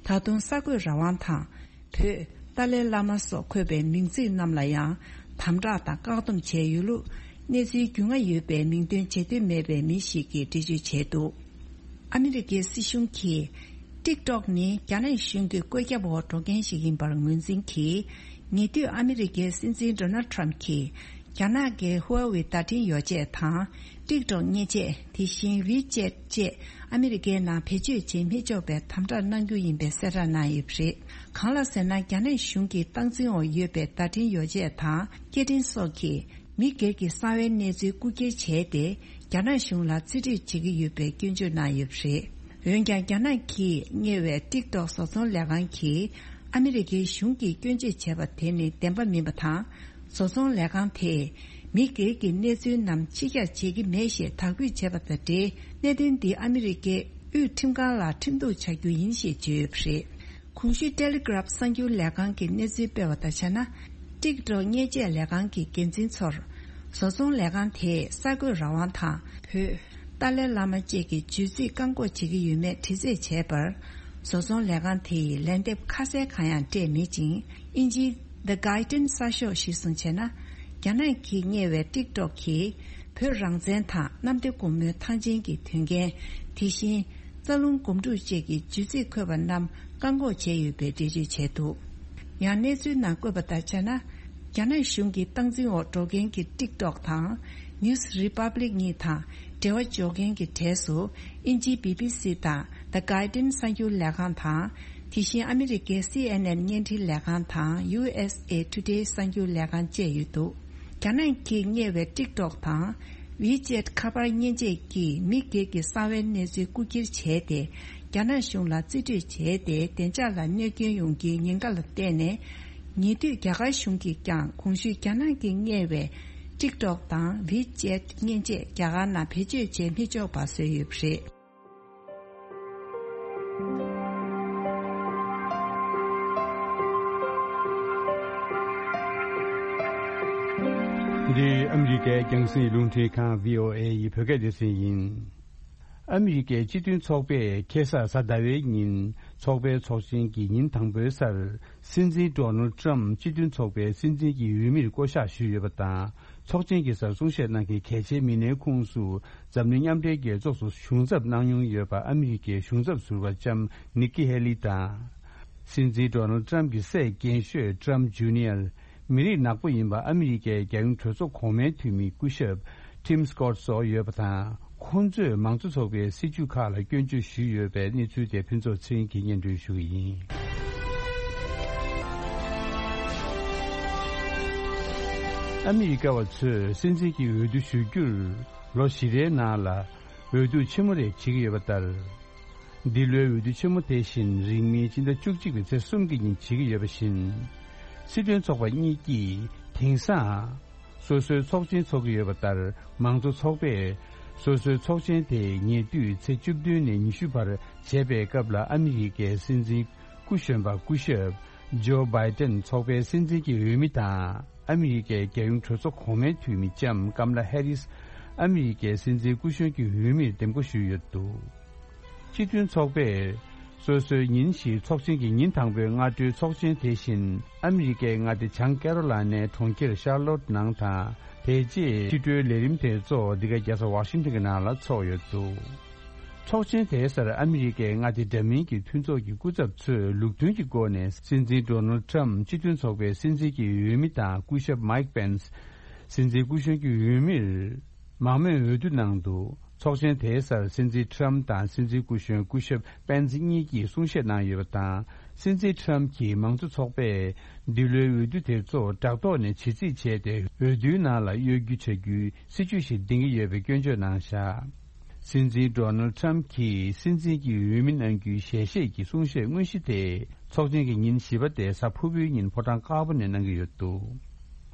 ད་དུང་གསར་འགོད་རང་དབང་དང་། བོད། ཏཱ་ལའི་བླ་མ་སོགས་འཁོད་པའི་མིང་ཚིག་རྣམས་ལ་ཡང་དམ་དྲག་དང་བཀག་སྡོམ་བྱས་ཡོད་ལུགས། གནས་ཚུལ་རྒྱུས་མངའ་ཡོད་པའི་མིང་འདོན་བྱེད་འདོད་མེད་པའི་མི་ཞིག་གིས་འགྲེལ་བརྗོད་བྱས་འདུག་ཨ་མི་རི་ཀའི་སྲིད་གཞུང་གིས། ཊིག་ཊོག་ནི་རྒྱ་ནག་གཞུང་གི་བཀོད་ཁྱབ་འོག་འགྲོ་མཁན་ཞིག་ཡིན་པར་ངོས་འཛིན་གྱིས། ཉེ་དུས་ཨ་མི་རི་ཀའི་སྲིད་འཛིན་ཌོ་ནལ་ཊམ་གྱིས། རྒྱ་ནག་གི་ཧུའེ་ཝེ་བརྡ་འཕྲིན་ཡོ་བྱད་དང་། ཊིག་ཊོག་མཉེན་ཆས། དེ་བཞིན་ཝི་ཅེཊ་བཅས་ཨ་མི་རི་ཀའི་ནང་བེད་སྤྱོད་བྱེད་མི་ཆོག་པའི་དམ་དྲག་གནང་རྒྱུ་ཡིན་པའི་གསལ་བསྒྲགས་གནང་ཡོད་པ་རེད། གང་ལགས་ཟེར་ན། རྒྱ་ནག་གཞུང་གི་སྟངས་འཛིན་འོག་ཡོད་པའི་བརྡ་འཕྲིན་ཡོ་བྱད་དང་སྐད་འཕྲིན་སོགས་ཀྱིས། མི་སྒེར་གྱི་གསང་བའི་གནས་ཚུལ་རྐུ་འཁྱེར་བྱས་ཏེ། རྒྱ་ནག་གཞུང་ལ་རྩིས་སྤྲོད་བྱེད་ཀྱི་ཡོད་པའི་སྐྱོན་བརྗོད་གནང་ཡོད་པ་རེད། འོན་ཀྱང་། རྒྱ་ནག་གིས་གཉེར་བའི་ཊིག་ཊོག་བཟོ་ཚོང་ལས་ཁང་གིས། ཨ་མི་རི་ཀའི་གཞུང་གིས་སྐྱོན་བརྗོད་བྱས་པ་དེ་ནི་བདེན་པ་མིན་པ་དང་། བཟོ་ཚོང་ལས་ཁང་དེས། མི་སྒེར་གྱི་གནས་ཚུལ་རྣམས་ཕྱི་གྱར་བྱེད་ཀྱི་མེད་ཞེས་དག་འབུད་བྱས་པ་དང་འབྲེལ། གནད་དོན་འདི་ཨ་མི་རི་ཀའི་དབུས་ཁྲིམས་ཁང་ལ་ཁྲིམས་གཏུག་བྱ་རྒྱུ་ཡིན་ཞེས་བརྗོད་ཡོད་པ་རེད། གོང་ཞུས་ཊེ་ལི་གྷ་རབ་གསར་འགྱུར་ལས་ཁང་གི་གནས་ཚུལ་སྤེལ་བ་ལྟར་བྱས་ན། ཊིག་ཊོག་བརྙན་བཅད་ལས་ཁང་གི་འགན་འཛིན་ཚོར། བཟོ་ཚོང་ལས་ཁང་དེས་གསར་འགོད་རང་དབང་དང་བོད། ཏཱ་ལའི་བླ་མ་བཅས་ཀྱི་བརྗོད་ཚིག་བཀག་འགོག་བྱེད་ཀྱི་ཡོད་མེད་དྲི་རྩད་བྱས་པར། བཟོ་ཚོང་ལས་ཁང་དེ་ཡིས་ལན་འདེབས་ཁ་གསལ་གང་ཡང་སྤྲད་མེད་ཅིང་། དབྱིན་ཇིའི་The Guardian གསར་ཤོག་གཞིར་བཟུང་བྱས་ན། རྒྱ་ནག་གིས་གཉེར་བའི་ཊིག་ཊོག་གིས་བོད་རང་བཙན་དང་གནམ་བདེ་སྒོ་མོའི་ཐང་ཆེན་གྱི་དོན་རྐྱེན། དེ་བཞིན། རྩ་རླུང་སྒོམ་སྒྲུབ་བཅས་ཀྱི་བརྗོད་ཚིག་འཁོད་པ་རྣམས་བཀག་འགོག་བྱས་ཡོད་པའི་འགྲེལ་བརྗོད་བྱས་འདུག། ཡང་གནས་ཚུལ་ནང་བཀོད་པ་ལྟར་བྱས་ན། རྒྱ་ནག་གཞུང་གི་སྟངས་འཛིན་འོག་འགྲོ་མཁན་གྱི་ཊིག་ཊོག་དང་། News Republic གཉིས་དང་འབྲེལ་བ་འཇོག་མཁན་གྱི་གྲས་སུ། དབྱིན་ཇིའི་བི་བི་སི་དང་The Guardian གསར་འགྱུར་ལས་ཁང་དང་། དེ་བཞིན་ཨ་མི་རི་ཀའི་སི་ཨེན་ཨེན་བརྙན་འཕྲིན་ལས་ཁང་དང་ཡུ་ཨེས་ཨེ་ཊུ་ཌེ་གསར་འགྱུར་ལས་ཁང་བཅས་ཡོད་འདུག། རྒྱ་ནག་གིས་གཉེར་བའི་ཊིག་ཊོག་དང་། ཝི་ཅེད་ཁ་པར་བརྙན་བཅད་ཀྱིས་མི་སྒེར་གྱི་གསང་བའི་གནས་ཚུལ་རྐུ་འཁྱེར་བྱས་ཏེ། རྒྱ་ནག་གཞུང་ལ་རྩིས་སྤྲོད་བྱས་ཏེ། བདེ་འཇགས་ལ་གནོད་སྐྱོན་ཡོང་རྒྱུའི་ཉེན་ཁ་ལ་བརྟེན་ནས། ཉེ་དུས་རྒྱ་གར་གཞུང་གིས་ཀྱང་གོང་ཞུས་རྒྱ་ནག་གིས་གཉེར་བའི་ཊིག་ཊོག་དང་ཝི་ཅེད་བརྙན་བཅད་རྒྱ་གར་ནང་བེད་སྤྱོད་བྱེད་མི་ཆོག་པ་བཟོས་ཡོད་པ་རེད། འདི་ཨ་མི་རི་ཀའི་རྒྱང་སྲིང་རླུང་འཕྲིན་ཁང་བྷི་ཨོ་ཨེ་ཡི་བོད་སྐད་སྡེ་ཚན་ཡིན། ཨ་མི་རི་ཀའི་སྤྱི་མཐུན་ཚོགས་པས་ཁ་སང་གཟའ་ཟླ་བའི་ཉིན་ཚོགས་པའི་ཚོགས་ཆེན་གྱི་ཉིན་དང་པོའི་སར། སྲིད་འཛིན་ཌོ་ནལ་ཊམ་སྤྱི་མཐུན་ཚོགས་པའི་སྲིད་འཛིན་གྱི་འོས་མིར་བསྐོ་གཞག་ཞུས་ཡོད་པ་དང་། ཚོགས་ཆེན་གྱི་སར་གསུང་བཤད་གནང་མཁན་གལ་ཆེའི་མི་སྣའི་ཁོངས་སུ། འཛམ་གླིང་མཉམ་འབྲེལ་རྒྱལ་ཚོགས་སུ་གཞུང་ཚབ་གནང་མྱོང་ཡོད་པ་ཨ་མི་རི་ཀའི་གཞུང་ཚབ་ཟུར་པ་ལྕམ་ནིག་ཀི་ཧེ་ལི་དང་། སྲིད་འཛིན་ཌོ་ནལ་ཊམ་གྱི་སྲས་རྒན་ཤོས་ཊམ་ཇུ་ནི་ཡར། མི་རིགས་ནག་པོ་ཡིན་པ་ཨ་མི་རི་ཀའི་རྒྱལ་ཡོངས་གྲོས་ཚོགས་གོང་མའི་འཐུས་མི་སྐུ་ཞབས་ཊིམ་སི་ཀོཊ་སོགས་ཡོད་པ་དང་། ཁོང་ཚོས་མང་གཙོ་ཚོགས་པའི་སྲིད་བྱུས་ཁག་ལ་སྐྱོན་བརྗོད་ཞུས་ཡོད་པའི་གནས་ཚུལ་དེ་ཕུན་ཚོགས་ཚེ་རིང་གིས་སྙན་སྒྲོན་ཞུ་གི་ཡིན། ཨ་མི་རི་ཀ་བ་ཚོས་སྲིད་འཛིན་གྱི་འོས་བསྡུ་ཞུ་རྒྱུར་ལོ་བཞི་རེའི་ནང་ལ་འོས་བསྡུ་ཆེན་མོ་རེ་བྱེད་ཀྱི་ཡོད་པ་ལྟར། འདི་ལོའི་འོས་བསྡུ་ཆེན་མོ་དེ་བཞིན་རིང་མིན་སྤྱི་ཟླ་བཅུ་གཅིག་པའི་ཚེས་གསུམ་གྱི་ཉིན་བྱེད་ཀྱི་ཡོད་པ་བཞིན། སྲིད་དོན་ཚོགས་པ་གཉིས་ཀྱིས་དེང་སང་སོ་སོའི་ཚོགས་ཆེན་འཚོགས་ཀྱི་ཡོད་པ་ལྟར། མང་གཙོ་ཚོགས་པས་སོ་སོའི་ཚོགས་ཆེན་དེ་ཉེ་དུས་ཚེས་བཅུ་བདུན་ནས་ཉི་ཤུ་བར་བྱས་པའི་སྐབས་ལ་ཨ་མི་རི་ཀའི་སྲིད་འཛིན་སྐུ་གཞོན་པ་སྐུ་ཞབས་ཇོ་བྷའི་ཏན་ཚོགས་པའི་སྲིད་འཛིན་གྱི་འོས་མི་དང་། ཨ་མི་རི་ཀའི་རྒྱལ་ཡོངས་གྲོས་ཚོགས་གོང་མའི་འཐུས་མི་ལྕམ་ཀམ་ལ་ཧེ་རིས་ཨ་མི་རི་ཀའི་སྲིད་འཛིན་སྐུ་གཞོན་གྱི་འོས་མིར་འདེམས་བསྐོ་ཞུས་ཡོད་འདུག། སྤྱི་མཐུན་ཚོགས་པས་སོ་སོའི་ཉིན་བཞིའི་ཚོགས་ཆེན་གྱི་ཉིན་དང་པོའི་སྔ་དྲོའི་ཚོགས་ཆེན་དེ་བཞིན་ཨ་མི་རི་ཀའི་མངའ་སྡེ་བྱང་ཀེ་རོ་ལ་ནའི་གྲོང་ཁྱེར་ཤར་ལོཊ་ནང་དང་། དེ་རྗེས་ཕྱི་དྲོའི་ལས་རིམ་དེ་གཙོ་བོ་འདི་ག་རྒྱལ་ས་ཝ་ཤིང་ཊོན་གྱི་ནང་ལ་འཚོགས་ཡོད་འདུག། ཚོགས་ཆེན་དེའི་སར་ཨ་མི་རི་ཀའི་མངའ་སྡེ་འདྲ་མིན་གྱི་མཐུན་ཚོགས་ཀྱི་སྐུ་ཚབ་ཚོས་ལུགས་མཐུན་གྱི་སྒོ་ནས་སྲིད་འཛིན་ཌོ་ནལ་ཊམ་སྤྱི་མཐུན་ཚོགས་པའི་སྲིད་འཛིན་གྱི་འོས་མི་དང་སྐུ་ཞབས་མའིག་པེན་སི་སྲིད་འཛིན་སྐུ་གཞོན་གྱི་འོས་མིར་མང་མོས་འོས་བསྡུ་གནང་འདུག། ཚོགས་ཆེན་དེའི་སར་སྲིད་འཛིན་ཊམ་དང་སྲིད་འཛིན་སྐུ་གཞོན་སྐུ་ཞབས་པེན་སི་གཉིས་ཀྱིས་གསུང་བཤད་གནང་ཡོད་པ་དང་། སྲིད་འཛིན་ཊམ་གྱིས་མང་གཙོ་ཚོགས་པས་འདི་ལོའི་འོས་བསྡུ་དེ་ཚོ་དྲག་ཐོག་ནས་བྱེད་རྩིས་བྱས་ཏེ། འོས་བསྡུའི་ནང་ལ་གཡོ་སྒྱུ་བྱ་རྒྱུའི་སྲིད་བྱུས་ཤིག་འདིང་གི་ཡོད་པའི་སྐྱོན་བརྗོད་གནང་བཞག། སྲིད་འཛིན་ཌོ་ནལ་ཊམ་གྱིས་སྲིད་འཛིན་གྱི་འོས་མི་གནང་རྒྱུའི་ཞལ་བཞེས་ཀྱི་གསུང་བཤད་དངོས་གཞི་དེ་ཚོགས་ཆེན་གྱི་ཉིན་བཞི་པ་སྟེ་གཟའ་ཕུར་བུའི་ཉིན་ཕོ་བྲང་དཀར་པོ་ནས་གནང་གི་ཡོད་འདུག།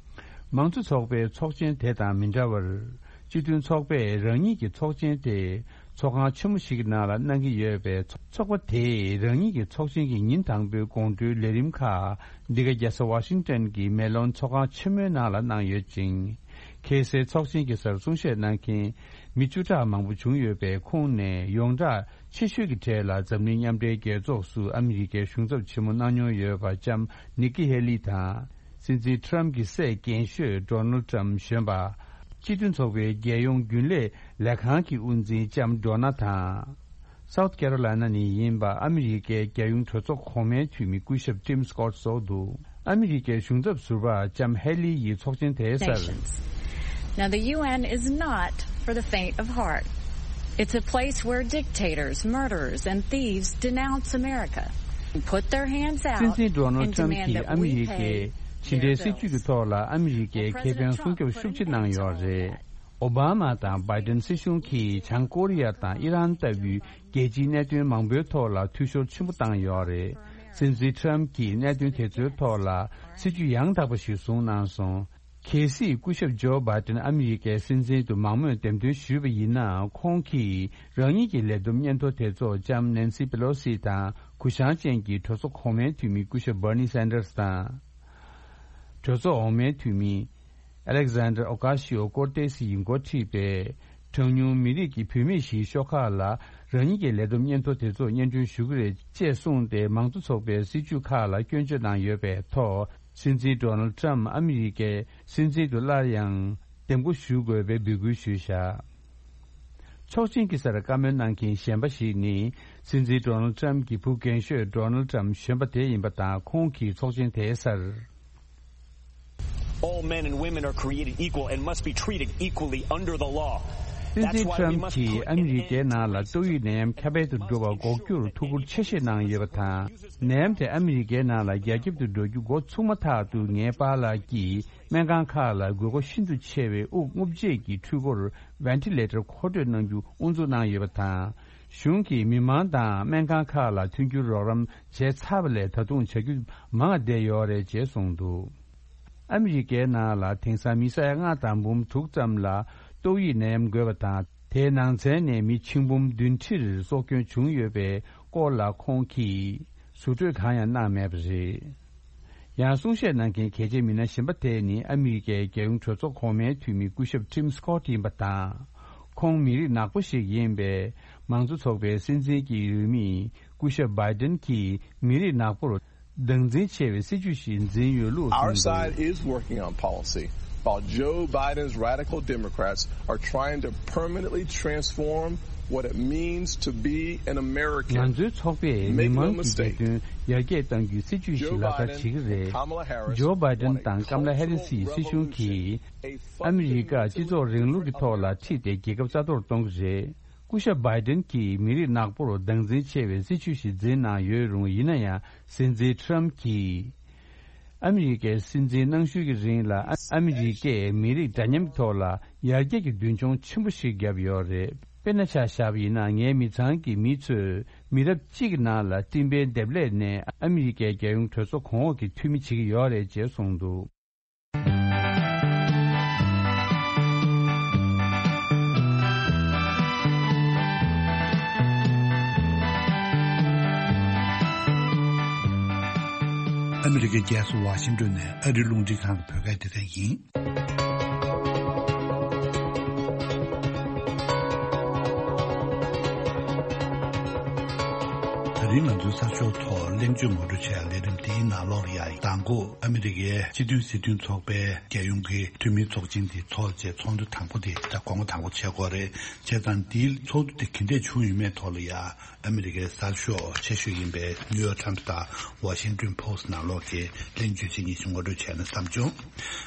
མང་གཙོ་ཚོགས་པའི་ཚོགས་ཆེན་དེ་དང་མི་འདྲ་བར། སྤྱི་མཐུན་ཚོགས་པས་རང་ཉིད་ཀྱི་ཚོགས་ཆེན་དེ་ཚོགས་ཁང་ཆེན་མོ་ཞིག་གི་ནང་ལ་གནང་གི་ཡོད་པས། ཚོགས་པ་དེས་རང་ཉིད་ཀྱི་ཚོགས་ཆེན་གྱི་ཉིན་དང་པོའི་དགོང་དྲོའི་ལས་རིམ་ཁག་འདི་ག་རྒྱལ་ས་ཝ་ཤིང་ཊོན་གྱི་མེ་ལོན་ཚོགས་ཁང་ཆེན་མོའི་ནང་ལ་གནང་ཡོད་ཅིང་། ཁ་སང་ཚོགས་ཆེན་གྱི་སར་གསུང་བཤད་གནང་མཁན་མི་བཅུ་ཕྲག་མང་པོ་བྱུང་ཡོད་པའི་ཁོངས་ནས་ཡོངས་གྲགས་ཆེ་ཤོས་ཀྱི་གྲས་ལ་འཛམ་གླིང་མཉམ་འབྲེལ་རྒྱལ་ཚོགས་སུ་ཨ་མི་རི་ཀའི་གཞུང་ཚབ་ཆེན་མོ་གནང་མྱོང་ཡོད་པ་ལྕམ་ནིག་ཀི་ཧེ་ལི་དང་། སྲིད་འཛིན་ཊམ་གྱི་སྲས་རྒན་ཤོས་ཌོ་ནལ་ཊམ་གཞོན་པ། སྤྱི་མཐུན་ཚོགས་པའི་རྒྱལ་ཡོངས་རྒྱུན་ལས་ལས་ཁང་གི་དབུ་འཛིན་ལྕམ་ཌོ་ན་དང་། སའུཐ་ཀེ་རོ་ལའི་ན་ནས་ཡིན་པ་ཨ་མི་རི་ཀའི་རྒྱལ་ཡོངས་གྲོས་ཚོགས་གོང་མའི་འཐུས་མི་སྐུ་ཞབས་ཊིམ་སི་ཀོཊ་སོགས་འདུག། ཨ་མི་རི་ཀའི་གཞུང་ཚབ་ཟུར་པ་ལྕམ་ཧེ་ལི་ཡིས་ཚོགས་ཆེན་དེའི་སར། Sanctions. Now, the U N is not for the faint of heart. It's a place where dictators, murderers, and thieves denounce America and put their hands out and demand that we pay their bills. སྲིད་འཛིན་ཌོ་ནལ་ཊམ་གྱིས་ཨ་མི་རི་ཀའི་ཕྱི་འབྲེལ་སྲིད་ཇུས་ཀྱི་ཐོག་ལ་ཨ་མི་རི་ཀའི་ཁེ་ཕན་སྲུང་སྐྱོབ་ཤུགས་ཆེ་གནང་ཡོད་རེད། ཨོ་བྷ་མ་དང་བྷའི་ཏན་སྲིད་གཞུང་གིས་བྱང་ཀོ་རི་ཡ་དང་ཨི་རན་ལྟ་བུའི་རྒྱལ་སྤྱིའི་གནད་དོན་མང་པོའི་ཐོག་ལ་འཐུས་ཤོར་ཆེན་པོ་བཏང་ཡོད་རེད། སྲིད་འཛིན་ཊམ་གྱིས་གནད་དོན་དེ་ཚོའི་ཐོག་ལ་སྲིད་ཇུས་ཡང་དག་པ་ཞིག་བཟུང་གནང་སོང་། གལ་སྲིད་སྐུ་ཞབས་ཇོ་བྷའི་ཏན་ཨ་མི་རི་ཀའི་སྲིད་འཛིན་དུ་མང་མོས་འདེམས་ཐོན་ཞུས་པ་ཡིན་ན། ཁོང་གིས་རང་ཉིད་ཀྱི་ལས་བསྡོམས་སྙན་ཐོ་དེ་ཚོ་ལྕམ་ནན་སི་པེ་ལོ་སི་དང་ གུ་ཡངས་ཅན་གྱི་གྲོས་ཚོགས་གོང་མའི་འཐུས་མི་སྐུ་ཞབས་Bernie Sanders་དང་། གྲོས་ཚོགས་འོག་མའི་འཐུས་མི་Alexandria Ocasio-Cortez་ཡིས་འགོ་ཁྲིད་པའི་གྲངས་ཉུང་མི་རིགས་ཀྱི་བུད་མེད་ཞིག་ཤོག་ཁག་ལ་རང་ཉིད་ཀྱི་ལས་བསྡོམས་སྙན་ཐོ་དེ་ཚོ་སྙན་སྒྲོན་ཞུ་གི་རེད་ཅེས་གསུངས་ཏེ། མང་གཙོ་ཚོགས་པའི་སྲིད་བྱུས་ཁག་ལ་སྐྱོན་བརྗོད་གནང་ཡོད་པའི་ཐོག་སྲིད་འཛིན་Donald Trump་ཨ་མི་རི་ཀའི་སྲིད་འཛིན་དུ་སླར་ཡང་འདེམས་བསྐོ་ཞུ་དགོས་པའི་འབོད་སྐུལ་ཞུས་བཞག་ཚོགས་ཆེན་གྱི་སར་བཀའ་མོལ་གནང་མཁན་གཞན་པ་ཞིག་ནི། སྲིད་འཛིན་Donald Trump་གྱི་བུ་རྒན་ཤོས་Donald Trump་གཞོན་པ་དེ་ཡིན་པ་དང་། ཁོང་གིས་ཚོགས་ཆེན་དེའི་སར། All men and women are created equal and must be treated equally under the law. སྲིད་འཛིན་Trump་གྱིས་ཨ་མི་རི་ཀའི་ནང་ལ་ཏོག་དབྱིབས་ནད་ཡམས་ཁྱབ་སྤེལ་དུ་འགྲོ་བ་འགོག་རྒྱུར་ཐུགས་ཁུར་ཆེ་བཞེས་གནང་ཡོད་པ་དང་། ནད་ཡམས་དེ་ཨ་མི་རི་ཀའི་ནང་ལ་རྒྱ་ཁྱབ་ཏུ་འགྲོ་རྒྱུ་འགོ་ཚུགས་མ་ཐག་ཏུ། ངའི་པཱ་ལགས་ཀྱིས་སྨན་ཁང་ཁག་ལ་དགོས་མཁོ་ཤིན་ཏུ་ཆེ་བའི་དབུགས་རྔུབ་བྱེད་ཀྱི་འཕྲུལ་འཁོར་Ventilator་མཁོ་སྤྲོད་གནང་རྒྱུ་དབུ་འཛུགས་གནང་ཡོད་པ་དང་། གཞུང་གིས་མི་མང་དང་སྨན་ཁང་ཁག་ལ་མཐུན་འགྱུར་རོགས་རམ་བྱས་ཚར་བ་ལས་ད་དུང་བྱ་རྒྱུ་མང་བ་བསྡད་ཡོད་རེད་ཅེས་གསུངས་འདུག་ཨ་མི་རི་ཀའི་ནང་ལ་དེང་སང་མི་ས་ཡ་ལྔ་དང་འབུམ་དྲུག་ཙམ་ལ་ཏོག་དབྱིབས་ནད་ཡམས་འགོས་པ་དང་། དེའི་ནང་ཚན་ནས་མི་ཆིག་འབུམ་བདུན་ཁྲིར་སྲོག་སྐྱོན་བྱུང་ཡོད་པའི་སྐོར་ལ་ཁོང་གིས་ཟུར་འགྲོས་གང་ཡང་གནང་མེད་པ་རེད། ཡང་གསུང་བཤད་གནང་མཁན་གལ་ཆེའི་མི་སྣ་གཞན་པ་དེ་ནི་ཨ་མི་རི་ཀའི་རྒྱལ་ཡོངས་གྲོས་ཚོགས་གོང་མའི་འཐུས་མི་སྐུ་ཞབས་Tim Scott་ཡིན་པ་དང་། ཁོང་མི་རིགས་ནག་པོ་ཞིག་ཡིན་པས། མང་གཙོ་ཚོགས་པའི་སྲིད་འཛིན་གྱི་འོས་མི་སྐུ་ཞབས་Biden་གྱིས་མི་རིགས་ནག་པོར་བདག་འཛིན་ཆེ་བའི་སྲིད་ཇུས་ཤིག་འཛིན་ཡོད་ལུགས་Our གསུངས་འདུག side is working on policy, while Joe Biden's radical Democrats are trying to permanently transform what it means to be an American. ང་ཚོའི་ཚོགས་པས་མི་མང་གི་བདེ་དོན་ཡར་རྒྱས་གཏང་རྒྱུའི་སྲིད་ཇུས་ཤིག་ལག་བསྟར་བྱེད་ཀྱི་རེད། Joe Biden and Kamala Harris Joe Biden དང་ཀམ་ལ་ཧེ་རི་སི་ཡི་སྲིད་གཞུང་གིས་ཨ་མི་རི་ཀ་སྤྱི་ཚོགས་རིང་ལུགས་ཀྱི་ཐོག་ལ་ཁྲིད་དེ་རྒྱལ་ཁབ་རྩ་གཏོར་གཏོང་གི་རེད། སྐུ་ཞབས་Biden་གྱིས་མི་རིགས་ནག་པོར་བདག་འཛིན་ཆེ་བའི་སྲིད་ཇུས་ཤིག་འཛིན་གནང་ཡོད་རུང་། ཡིན་ན་ཡང་སྲིད་འཛིན་Trump་གྱིས་ཨ་མི་རི་ཀའི་སྲིད་འཛིན་གནང་ཤུལ་གྱི་རིང་ལ་ཨ་ཨ་མི་རི་ཀས་མི་རིགས་འདྲ་མཉམ་ཐོག་ལ་ཡར་རྒྱས་ཀྱི་མདུན་མཆོང་ཆེན་པོ་ཞིག་བརྒྱབ་ཡོད་རེད། དཔེར་ན་ཆ་བཞག་པ་ཡིན་ན། ངའི་མི་ཚང་གི་མི་ཚོས་མི་རབས་གཅིག་གི་ནང་ལ་སྤྲིན་པའི་འདེབས་ལས་ནས་ཨ་མི་རི་ཀའི་རྒྱལ་ཡོངས་གྲོས་ཚོགས་གོང་འོག་གི་འཐུས་མི་བྱེད་ཀྱི་ཡོད་རེད་ཅེས་གསུངས་འདུག་ཨ་མི་རི་ཀའི་རྒྱལ་ས་ཝ་ཤིང་ཏོན་ནས་ཨ་རིའི་རླུང་འཕྲིན་ཁང་གི་བོད་སྐད་སྡེ་ཚན་ཡིན། ད་རིང་ང་ཚོའི་གསར་ཤོག་ཐོག་གླེང་བརྗོད་ངོ་སྤྲོད་བྱས་ལས་རིམ་འདིའི་ནང་ལོགས་ལ་ཡ། མདང་དགོང་ཨ་མི་རི་ཀའི་སྤྱི་མཐུན་སྲིད་དོན་ཚོགས་པའི་རྒྱལ་ཡོངས་ཀྱི་འཐུས་མིའི་ཚོགས་ཆེན་འདི་ཚོགས་རྗེས་ཚོགས་འདུ་དང་པོ་དེ་ད་དགོང་མོ་དང་པོ་བྱེད་དགོས་རེད། བྱས་ཙང་འདིའི་ཚོགས་འདུ་དེ་ག་འདྲས་བྱུང་ཡོད་མེད་ཐོག་ལ་ཡ། ཨ་མི་རི་ཀའི་གསར་ཤོག་ཆེ་ཤོས་ཡིན་པའི་New York Times་དང་Washington Post་ནང་ལོགས་ཀྱི་གླེང་བརྗོད་ཅིག་གཉིས་ཤིག་ངོ་སྤྲོད་བྱས་ན་བསམ་བྱུང་།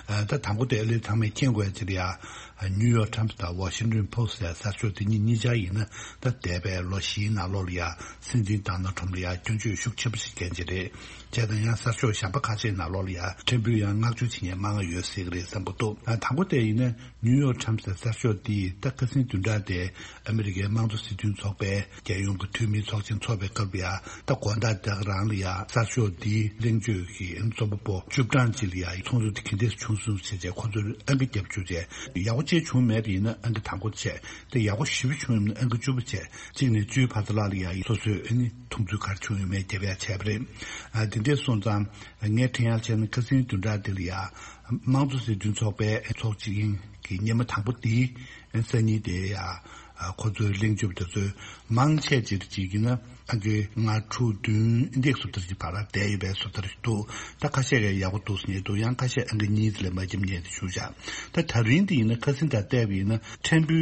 ཨ་ད་དང་པོ་དེ་ཨ་ལེ་ཚང་མས་མཁྱེན་དགོས་ཡ་ཅིག་ལ་ཡ། New York Times་དང་Washington Post་ལ་གསར་ཤོག་དེ་གཉིས་གཉིས་ཆ་ཡིན་ན། ད་འདས་པའི་ལོ་བཞིའི་ནང་ལོགས་ལ་ཡ་སྲིད་འཛིན་Donald Trump་ལ་ཡ་སྐྱོན་བརྗོད་ཤུགས་ཆེན་པོ་ཞིག་བསྐྱལ་གྱི་རེད། བྱས་ཙང་ཡང་གསར་ཤོག་གཞན་པ་ཁ་ཤས་ནང་ལོགས་ལ་ཡ་ཕྲན་བུ་ཡང་བསྔགས་བརྗོད་བྱེད་མཁན་མང་བ་ཡོད་སྲིད་ཀྱི་རེད་བསམ་གྱི་འདུག་ཨ་དང་པོ་དེ་ཡིན་ན་New York Times་གསར་ཤོག་འདིས་ད་ཁ་སང་བདུན་ཕྲག་དེ་ཨ་མི་རི་ཀའི་དམངས་གཙོ་སྲིད་དོན་ཚོགས་པའི་རྒྱལ་ཡོངས་ཀྱི་འཐུས་མིའི་ཚོགས་ཆེན་འཚོགས་པའི་སྐབས་ལ་ཡ་ད་དགོང་དག་དེ་ག་རང་ལ་ཡ་གསར་ཤོག་འདིའི་གླེང་བརྗོད་ཀྱི་རྩོམ་པ་པོ་བཅུ་གྲངས་ཅིག་ལ་ཡ་ཚོགས་འདུ་དེ་ག་འདྲས་བྱུང་སོང་ཟེར་བྱས་ཁོ་ཚོར་ཨང་ཀི་བརྒྱབ་བཅུག་བྱས། ཡག་པོ་ཅིག་བྱུང་མེད་པ་ཡིན་ན་ཨང་ཀི་དང་པོ་བྱས། དེ་ཡག་པོ་ཞེ་པོ་བྱུང་ཡོད་ན་ཨང་ཀི་བཅུ་པ་བྱས། གཅིག་ནས་བཅུའི་བར་དུ་ལ་ལ་ཡ་སོ་སོས་ཨ་ནི་མཐོང་ཚུལ་ག་རེ་བྱུང་ཡོད་མེད་རྒྱབ་ཡ་བྱས་པ་རེད། ཨ་དེ་འདྲས་སོང་ཙང་ངས་དྲན་ཡ་བྱས་ན་ཁ་སང་བདུན་ཕྲག་འདི་ལ་ཡ་དམངས་གཙོ་སྲིད་དོན་ཚོགས་པའི་ཚོགས་ཆེན་གྱི་སྙེ་མ་དང་པོ་འདིའི་སང་ཉིན་དེ་ཡ་ཁོ་ཚོའི་གླེང་བརྗོད་དེ་ཚོའི་མང་ཆེ་ཅིག་ཅིག་ཡིན་ན་ཨང་ཀི་ལྔ་དྲུག་བདུན་འདི་འདྲས་སུ་ལྟར་གྱི་བར་ལ་བསྡད་ཡོད་པའི་སུ་ལྟར་ཞིག་འདུག་ད་ཁ་ཤས་ཀྱིས་ཡག་པོ་འདུག་ཟེར་མཁན་འདུག་ཡང་ཁ་ཤས་ཨང་ཀི་གཉིས་ཙམ་ལས་མ་བརྒྱབ་མཁན་དེ་བཞུགས་བཞག་ད་ད་རིང་འདི་ཡིན་ན་ཁ་སང་དང་བལྟས་པ་ཡིན་ན་ཕྲན་བུ་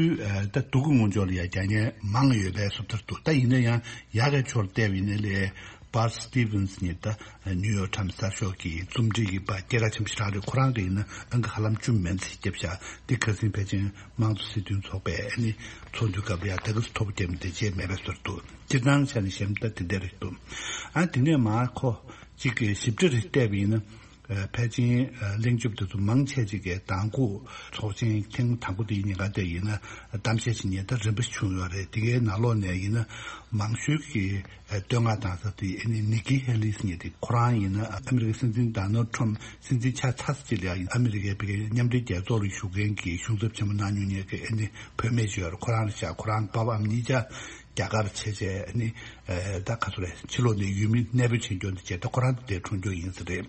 ད་སྡུག་གི་ངོས་ཕྱོགས་ལ་ཡ་རྒྱག་མཁན་མང་ཡོད་པའི་སུ་ལྟར་འདུག་ད་ཡིན་ན་ཡང་ཡག་གི་ཕྱོགས་ལ་བལྟས་པ་ཡིན་ན་ལས། Bud Stevens་ནི་ད་New York Times་གསར་ཤོག་གི་རྩོམ་སྒྲིག་གི་པ་སྐད་གྲགས་ཆེན་པོ་ཞིག་རང་རེད། ཁོ་རང་གི་ཡིན་ན་ཨང་ཀི་ཧ་ལམ་བཅུ་མན་ཙམ་བརྒྱབ་བཞག་འདི་ཁ་སང་ཕལ་ཆེར་དམངས་གཙོ་སྲིད་དོན་ཚོགས་པའི་ཨ་ནི་ཚོགས་འདུའི་སྐབས་ལ་ཡ་ད་ག་སུ་ཐོབ་བརྒྱབ་མི་དེ་བྱས་མེད་པའི་ཟུར་དུ་སྤྱིར་བཏང་ཆ་ནས་བཤད་ན་ད་དེ་འདྲ་རེད་འདུག་ཨ་དེ་ནས་མར་ཁོ་གཅིག་གི་ཞིབ་ཕྲ་རེ་བལྟས་པ་ཡིན་ན། ཕལ་ཆེར་གླེང་བརྗོད་དེ་ཚོ་མང་ཆེ་ཅིག་གིས་མདང་དགོང་ཚོགས་ཆེན་ཐེངས་དང་པོ་དེའི་ཉིན་ཀ་དེ་ཡིན་ན་གཏམ་བཤད་ཅིག་ཉན་ད་རིམ་པ་བྱུང་ཡོད་རེད། དེ་གའི་ནང་ལོགས་ནས་ཡིན་ན་མང་ཤོས་ཀྱི་བསྟོད་བསྔགས་བཏང་ས་དེ་ཨ་ནི་Nikki Haley་ཟེར་མཁན་དེ་ཁོ་རང་ཡིན་ན་ཨ་མི་རི་ཀའི་སྲིད་འཛིན་Donald Trump་སྲིད་འཛིན་ཆགས་ཚར་ས་ཅིག་ལ་ཡ་ཨ་མི་རི་ཀའི་ཕ་གིའི་མཉམ་འབྲེལ་རྒྱལ་ཚོགས་ལ་བཞུགས་མཁན་གྱི་གཞུང་ཚབ་ཆེན་མོ་གནང་མྱོང་མཁན་གྱི་ཨ་ནི་བུད་མེད་ཅིག་ཡོད་རེད། ཁོ་རང་རེད་ཤག་ཁོ་རང་པ་ཕ་ཨ་མ་གཉིས་ཆ། རྒྱ་གར་བྱས་བྱས་ནི་ད་ག་ཚོད་རེད། ཕྱི་ལོགས་ནས་ཡུལ་མི་གནས་སྤོ་བྱེད་རྒྱུ་འདི་བྱས་ད་ཁོ་རང་དེ་འཁྲུངས་རྒྱུ་ཡིན་ས་རེད།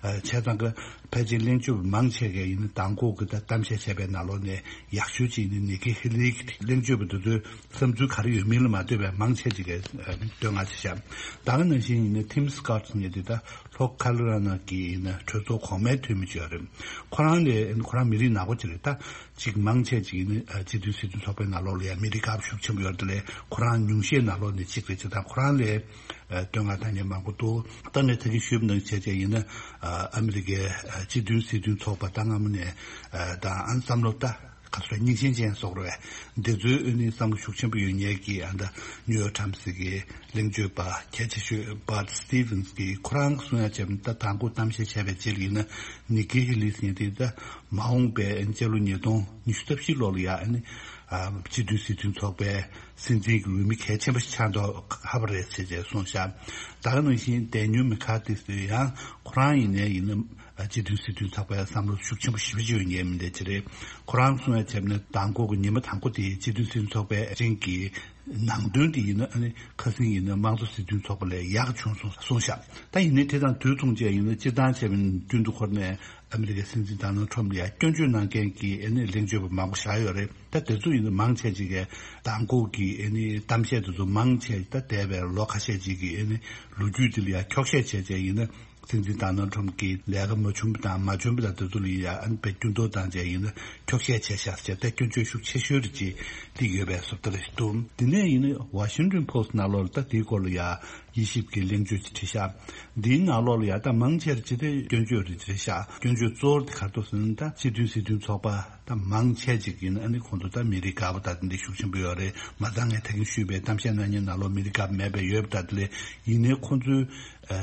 བྱས་ཙང་གི་ཕལ་ཆེར་གླེང་བརྗོད་མང་ཆེ་གས་ཡིན་ན་མདང་དགོང་གི་ད་གཏམ་བཤད་བྱས་པའི་ནང་ལོགས་ནས་ཡག་ཤོས་ཅིག་ནི་ནི་ཀི་ཧི་ལི་གི་གླེང་བརྗོད་པ་འདི་ཚོའི་བསམ་ཚུལ་ག་རེ་ཡོད་མིན་ལ་མ་ལྟོས་པའི་མང་ཆེ་ཅིག་གས་བསྟོད་བསྔགས་བྱས་ཤག་ད་ག་ནང་བཞིན་ཡིན་ན་ཐིམ་སི་ཀོཊ་ཟེར་མཁན་དེ་ད་ལྷོ་ཁ་ལི་ཧྥོ་ནི་ཡ་གི་ཡིན་ན་གྲོས་ཚོགས་གོང་མའི་འཐུས་མི་ཅིག་ཡོད་རེད། ཁོ་རང་ལས་ཁོ་རང་མི་རིགས་ནག་པོ་ཅིག་རེད། ད་ཅིག་མང་ཆེ་ཅིག་ཡིན་ན་སྤྱི་མཐུན་སྲིད་དོན་ཚོགས་པའི་ནང་ལོགས་ལ་ཡང་མི་རིགས་དགའ་པོ་ཤུགས་ཆེན་པོ་ཡོད་རེད། དེ་ལས་ཁོ་རང་ཉུང་ཤས་ནང་ལོགས་ནས་གཅིག་རེད། ཅེས་དང་ཁོ་རང་ལས་བསྟོད་བསྔགས་བཏང་མཁན་མང་པོ་འདུག་ད་ངས་ད་གིན་ཞུས་པ་ནང་བྱས་བྱས་ཡིན་ན་ཨ་མི་རི་ཀའི་སྤྱི་མཐུན་སྲིད་དོན་ཚོགས་པ་ད་སྔ་མོ་ནས་དང་ཨ་བསམ་བློ་ད་ག་ཚོད་རྙིང་ཞེན་ཅན་སོགས་རེད། འདི་ཚོའི་ཨ་ནི་བསམ་བློ་ཤུགས་ཆེན་པོ་ཡོད་མཁན་གྱི་ཨ་ད་ནིའུ་ཡོག་ཊའིམ་སི་གི་གླེང་བརྗོད་པ་གལ་ཆེ་ཤོས་Bud Stevens་གིས་ཁོ་རང་གིས་གསུང་ཡ་བྱས་པ་ད་དང་པོ་གཏམ་བཤད་བྱས་པའི་རྗེས་ལ་ཡིན་ན་ནི་ཀི་ཧི་ལི་ཟེར་མཁན་དེ་ད་མ་འོངས་པའི་སྤྱི་ལོ་ཉིས་སྟོང་ཉི་ཤུ་རྩ་བཞི་ལོ་ལ་ཡ་ཨ་ནི་སྤྱི་མཐུན་སྲིད་དོན་ཚོགས་པའི་སྲིད་འཛིན་གྱི་འོས་མི་གལ་ཆེན་པོ་ཞིག་ཆགས་མདོག་ཁ་པོ་རེད་ཟེར་བྱས་གསུངས་ཤག་ད་ག་ནང་བཞིན་ཌེ་ནིལ་མེ་ཁ་ཐི་ཟེར་ཡང་ཁོ་རང་ཡིན་ནའི་ཡིན་ན་སྤྱི་མཐུན་སྲིད་དོན་ཚོགས་པའི་བསམ་བློ་ཤུགས་ཆེན་པོ་ཞེ་པོ་ཅིག་ཡོད་མཁན་མི་འདྲ་ཅིག་རེད། ཁོ་རང་གསུང་ཡ་བྱས་ན་དང་པོ་གི་ཉི་མ་དང་པོ་དེ་སྤྱི་མཐུན་སྲིད་དོན་ཚོགས་པའི་རིང་གི་ནང་དོན་དེ་ཡིན་ན་ཨ་ནི་ཁ་སང་ཡིན་ན་དམངས་གཙོ་སྲིད་དོན་ཚོགས་པ་ལས་ཡག་བྱུང་སོང་གསུངས་ཤག་ད་ཡིན་ནའི་དེ་དང་དུས་མཚུངས་བཅས་ཡིན་ན་སྤྱིར་བཏང་བྱས་པ་ཡིན་ན་རྒྱུན་དུ་འཁོར་ནས་ཨ་མི་རི་ཀའི་སྲིད་འཛིན་ཌོ་ནལ་ཊམ་ལ་ཡ་སྐྱོན་བརྗོད་གནང་མཁན་གྱི་ཨ་ནི་གླེང་བརྗོད་པ་མང་པོ་བཞག་ཡོད་རེད། ད་དེ་ཚོ་ཡིན་ན་མང་ཆེ་ཅིག་གིས་མདང་དགོང་གི་ཨ་ནི་གཏམ་བཤད་དེ་ཚོ་མང་ཆེ་ད་འདས་པའི་ལོ་ཁ་ཤས་ཅིག་གི་ཨ་ནི་ལོ་རྒྱུས་དེ་ལ་ཡ་འཁྱོག་བཤད་བྱས་བྱས་ཡིན་ན་སྲིད་འཛིན་ཌོ་ནལ་ཊམ་གྱི་ལས་ཀ་མ་བྱུང་བ་དང་མ་བྱུང་བ་དང་དེ་ཚོ་ལ་ཡ་ཨ་ནི་དཔེ་སྐྱོན་འདོགས་བཏང་བྱས་ཡིན་ན་འཁྱོག་བཤད་བྱས་ཤག་ཟེར་ད་སྐྱོན་བརྗོད་ཤུགས་ཆེ་ཤོས་རེ་ཅིག་སླེབས་ཡོད་པའི་བཟོ་ལྟ་རེད་འདུག་དེ་ནས་ཡིན་ན་Washington Post་ནང་ལོགས་ལ་ད་དེའི་སྐོར་ལ་ཡ་དབྱེ་ཞིབ་ཀྱི་གླེང་བརྗོད་ཅིག་བྲིས་ཤག་འདིའི་ནང་ལོགས་ལ་ཡ་ད་མང་ཆེར་ཇི་ལྟར་སྐྱོན་བརྗོད་རེ་རེ་བྱས། སྐྱོན་བརྗོད་གཙོ་བོར་དེ་ག་རེ་འདུག་ཟེར་ན་ད་སྤྱི་མཐུན་སྲིད་དོན་ཚོགས་པ་ད་མང་ཆེ་ཅིག་ཡིན་ན་ཨ་ནི་ཁོང་ཚོ་ད་མི་རིགས་དགའ་པོ་ད་དེ་འདྲ་ཤུགས་ཆེན་པོ་ཡོད་རེད། མ་ཚད་ངས་ད་གིན་ཞུས་པའི་གཏམ་བཤད་གནང་མཁན་ནང་ལོགས་མི་རིགས་དགའ་པོ་མེད་པ་ཡོད་པ་ད་དེ་ལས་ཡིན་ནའི་ཁོང་ཚོའི་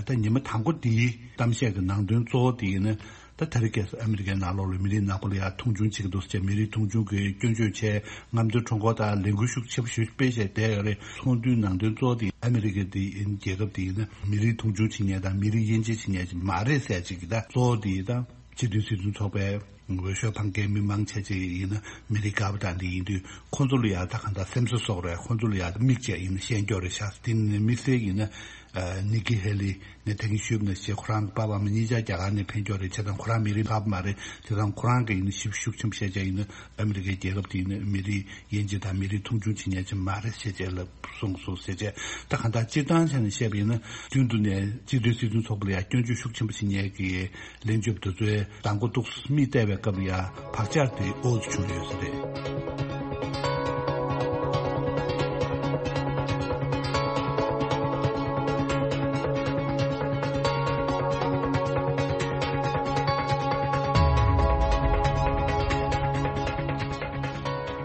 ད་ཉི་མ་དང་པོ་དེའི་གཏམ་བཤད་ཀྱི་ནང་དོན་གཙོ་བོ་དེ་ཡིན་ན་ད་ད་རེས་ཁ་སང་ཨ་མི་རི་ཀའི་ནང་ལོགས་ལ་མི་རིགས་ནག་པོ་ལ་ཡ་མཐོང་ཆུང་བྱེད་ཀྱི་འདུག་ཟེར་བྱས་མི་རིགས་མཐོང་ཆུང་གི་སྐྱོན་བརྗོད་བྱས། རྔམ་སྟོན་ཁྲོམ་སྐོར་དང་ལས་འགུལ་ཤུགས་ཆེ་པོ་ཞིག་སྤེལ་བྱས་བསྡད་ཡོད་རེད། ཚོགས་འདུའི་ནང་དོན་གཙོ་བོ་དེ་ཨ་མི་རི་ཀ་དེ་ཡིན། རྒྱལ་ཁབ་དེ་ཡིན་ན་མི་རིགས་མཐོང་ཆུང་བྱེད་མཁན་དང་མི་རིགས་དབྱེ་འབྱེད་བྱེད་མཁན་ཅིག་མ་རེད་ཟེར་ཅིག་གི་ད་གཙོ་བོ་དེ་ད་སྤྱི་མཐུན་སྲིད་དོན་ཚོགས་པའི་འོས་ཤོག་འཕང་མཁན་མི་མང་ཆེ་ཆེ་ཡིན་ན་མི་རིགས་དགའ་པོ་དང་དེ་ཡིན་དུས་ཁོང་ཚོ་ལ་ཡང་ད་གང་ལྟར་སེམས་གསོ་སོགས་རེད། ཁོང་ཚོ་ལ་ཡང་མིག་ཅིག་ཡིན་ན་ཤེས་རྒྱུ་རེད་ཤག་དེ་ནི་དམིགས་བསལ་ཡིན་ན་ནི་ཀི་ཧེ་ལི་ནས་ད་གིན་ཞུས་པ་ནང་བཞིན་ཁོ་རང་གི་པ་ཕ་མ་གཉིས་ཆ་རྒྱ་གར་ནས་ཕེབས་རྒྱུ་རེད། བྱས་ཙང་ཁོ་རང་མི་རིགས་དགའ་པོ་མ་རེད། བྱས་ཙང་ཁོ་རང་གི་ཡིན་ན་ཞིབ་ཤུགས་ཆེན་པོ་བཤད་བྱས་ཡིན་ན་ཨ་མི་རི་ཀའི་རྒྱལ་ཁབ་དེ་ཡིན་ན་མི་རིགས་དབྱེ་འབྱེད་དང་མི་རིགས་མཐོང་ཆུང་བྱེད་མཁན་ཅིག་མ་རེད་ཟེར་བྱས་ལབ་གསུངས་སོང་ཟེར་བྱས། ད་གང་ལྟར་སྤྱིར་བཏང་བྱས་ནས་བཤད་པ་ཡིན་ན་རྒྱུན་དུ་ནས་སྤྱི་མཐུན་སྲིད་དོན་ཚོགས་པ་ལ་ཡང་སྐྱོན་བརྗོད་ཤུགས་ཆེན་པོ་བྱེད་མཁན་གྱི་གླེང་བརྗོད་དེ་ཚོའི་མདང་དགོང་ཏོག་ཙམ་མིག་བལྟས་པའི་སྐབས་ལ་ཡང་བག་ཆགས་དེ་ཨོ་ཙམ་བྱུང་ཡོད་ས་རེད།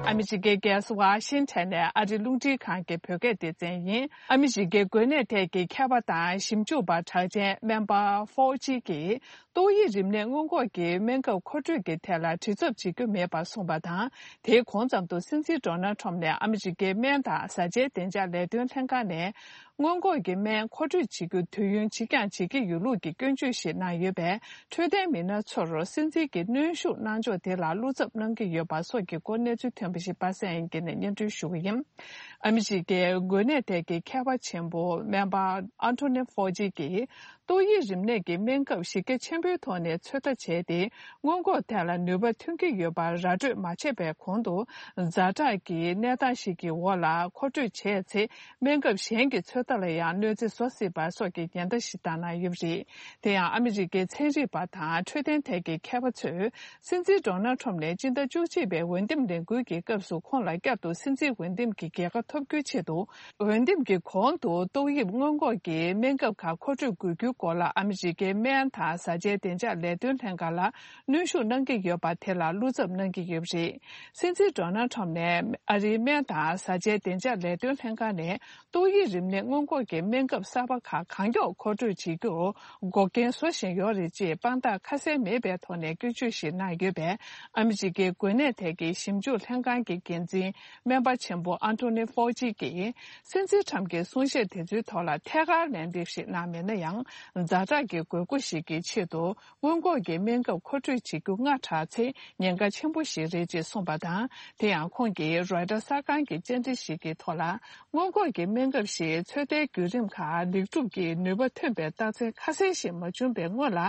ཨ་མི་རི་ཀའི་རྒྱལ་ས་ཝ་ཤིང་ཊོན་ནས་ཨ་རི་རླུང་འཕྲིན་ཁང་གི་བོད་སྐད་སྡེ་ཚན་ཡིན། ཨ་མི་རི་ཀའི་འགོས་ནད་ཐད་ཀྱི་མཁས་པ་དང་ཞིབ་འཇུག་པ་གྲགས་ཅན་སྨན་པ་ཧྥོ་ཅི་གིས་ཏོག་དབྱིབས་རིམས་ནད་སྔོན་འགོག་གི་སྨན་ཁབ་མཁོ་སྤྲོད་ཀྱི་ཐད་ལ་དྲི་ཚབ་བྱེད་རྒྱུ་མེད་པ་གསུངས་པ་དང་། དེའི་གོང་ཙམ་དུ་སྲིད་འཛིན་ཌོ་ནལ་ཁྲོམ་ནས་ཨ་མི་རི་ཀའི་སྨན་དང་བཟའ་བཅའི་བདེ་འཇགས་ལས་དོན་ལྷན་ཁང་ནས་སྔོན་འགོག་གི་སྨན་མཁོ་སྤྲོད་བྱེད་རྒྱུ་དུས་ཡུན་ཕྱིས་འགྱངས་བྱེད་ཀྱི་ཡོད་ལུགས་ཀྱི་སྐྱོན་བརྗོད་ཞིག་གནང་ཡོད་པས། འཕྲོད་བསྟེན་མི་སྣ་ཚོར་སྲིད་འཛིན་གྱི་གནོན་ཤུགས་གནང་ཕྱོགས་དེ་ལ་བློ་འཚབ་གནང་གི་ཡོད་པ་སོགས་ཀྱི་སྐོར་གནས་ཚུལ་ཐོན་པ་ཞིག་པ་སངས་དབྱངས་སྐྱིད་ནས་སྙན་སྒྲོན་ཞུ་གི་ཡིན། ཨ་མི་རི་ཀའི་འགོས་ནད་ཐད་ཀྱི་མཁས་པ་ཆེན་པོ་སྨན་པ་ཨན་ཐོ་ནི་ཧྥོ་ཅི་གིས་ཏོག་དབྱིབས་རིམས་ནད་ཀྱི་སྨན་ཁབ་གཞི་རྒྱ་ཆེན་པོའི་ཐོག་ནས་ཚོད་ལྟ་བྱས་ཏེ། སྔོན་འགོག་ཐད་ལ་ནུས་པ་ཐོན་གྱི་ཡོད་པ་ར་སྤྲོད་མ་བྱས་པའི་གོང་དུ། ཛ་དྲག་གི་གནས་སྟངས་ཤིག་གི་འོག་ལ་མཁོ་སྤྲོད་བྱས་ཚེ། སྨན་ཁབ་གཞན་གྱི་ཚོད་ལྟ་ལ་ཡང་གནོད་འཚེ་བཟོ་སྲིད་པ་སོགས་ཀྱི་ཉེན་བརྡ་ཞིག་བཏང་གནང་ཡོད་པ་རེད། དེ་ཡང་ཨ་མི་རི་ཀའི་ཚན་རིག་པ་དང་འཕྲོད་བསྟེན་ཐད་ཀྱི་མཁས་པ་ཚོས། སྲིད་འཛིན་ཌོ་ནལ་ཁྲོམ་ནས་སྤྱི་ཟླ་བཅུ་གཅིག་པའི་འོས་འདེམས་ལས་འགུལ་གྱི་སྐབས་སུ་ཁོང་ལ་བསྐྱར་དུ་སྲིད་འཛིན་འོས་འདེམས་ཀྱི་རྒྱལ་ཁ་ཐོབ་རྒྱུའི་ཆེད་དུ། འོས་འདེམས་ཀྱི་གོང་དུ་ཏོག་དབྱིབས་སྔོན་འགོག་གི་སྨན་ཁབ་ཁག་མཁོ་སྤྲོད་དགོས་རྒྱུའི་སྐོར་ལ་ཨ་མི་རི་ཀའི་སྨན་དང་བཟའ་བཅའི་བདེ་འཇགས་ལས་དོན་ལྷན་ཁང་ལ་གནོན་ཤུགས་གནང་གི་ཡོད་པ་དེ་ལ་བློ་འཚབ་གནང་གི་ཡོད་པ་རེད། སྲིད་འཛིན་ཌོ་ནལ་ཁྲོམ་ནས་ཨ་རིའི་སྨན་དང་བཟའ་བཅའི་བདེ་འཇགས་ལས་དོན་ལྷན་ཁང་ནས་ཏོག་དབྱིབས་རིམས་ནད་སྔོན་འགོག་གི་སྨན་ཁབ་གསར་པ་ཁག་གང་མགྱོགས་མཁོ་སྤྲོད་བྱེད་རྒྱུར་འགོག་རྐྱེན་བཟོ་བཞིན་ཡོད་རེད་ཅེས་དཔང་རྟགས་ཁ་གསལ་མེད་པའི་ཐོག་ནས་སྐྱོན་བརྗོད་ཞིག་གནང་ཡོད་པས། ཨ་མི་རི་ཀའི་འགོས་ནད་ཐད་ཀྱི་ཞིབ་འཇུག་ལྷན་ཁང་གི་འགན་འཛིན་སྨན་པ་ཆེན་པོ་ཨན་ཐོ་ནི་ཧྥོ་ཅི་གིས། སྲིད་འཛིན་ཁྲམ་གྱི་གསུང་བཤད་དེ་ཚོའི་ཐོག་ལ་ཐད་ཀར་ལན་འདེབས་ཤིག་གནང་མེད་ན་ཡང་ ཛ་དྲག་གི་དགོས་མཁོ་ཞིག་གི་ཆེད་དུ་སྔོན་འགོག་གི་སྨན་ཁབ་མཁོ་སྤྲོད་བྱེད་རྒྱུ་སྔ་དྲགས་ཚེ་ཉེན་ཁ་ཆེན་པོ་ཞིག་རེད་ཅེས་གསུངས་པ་དང་། དེ་ཡང་ཁོང་གིས་རོའི་ཊར་གསར་ཁང་གི་བཅར་འདྲི་ཞིག་གི་ཐོག་ལ། སྔོན་འགོག་གི་སྨན་ཁབ་ཞིག་ཚོད་ལྟའི་བརྒྱུད་རིམ་ཁག་ལེགས་གྲུབ་ཀྱིས་ནུས་པ་ཐོན་པའི་རྟགས་མཚན་ཁ་གསལ་ཞིག་མ་བྱུང་པའི་སྔོན་ལ།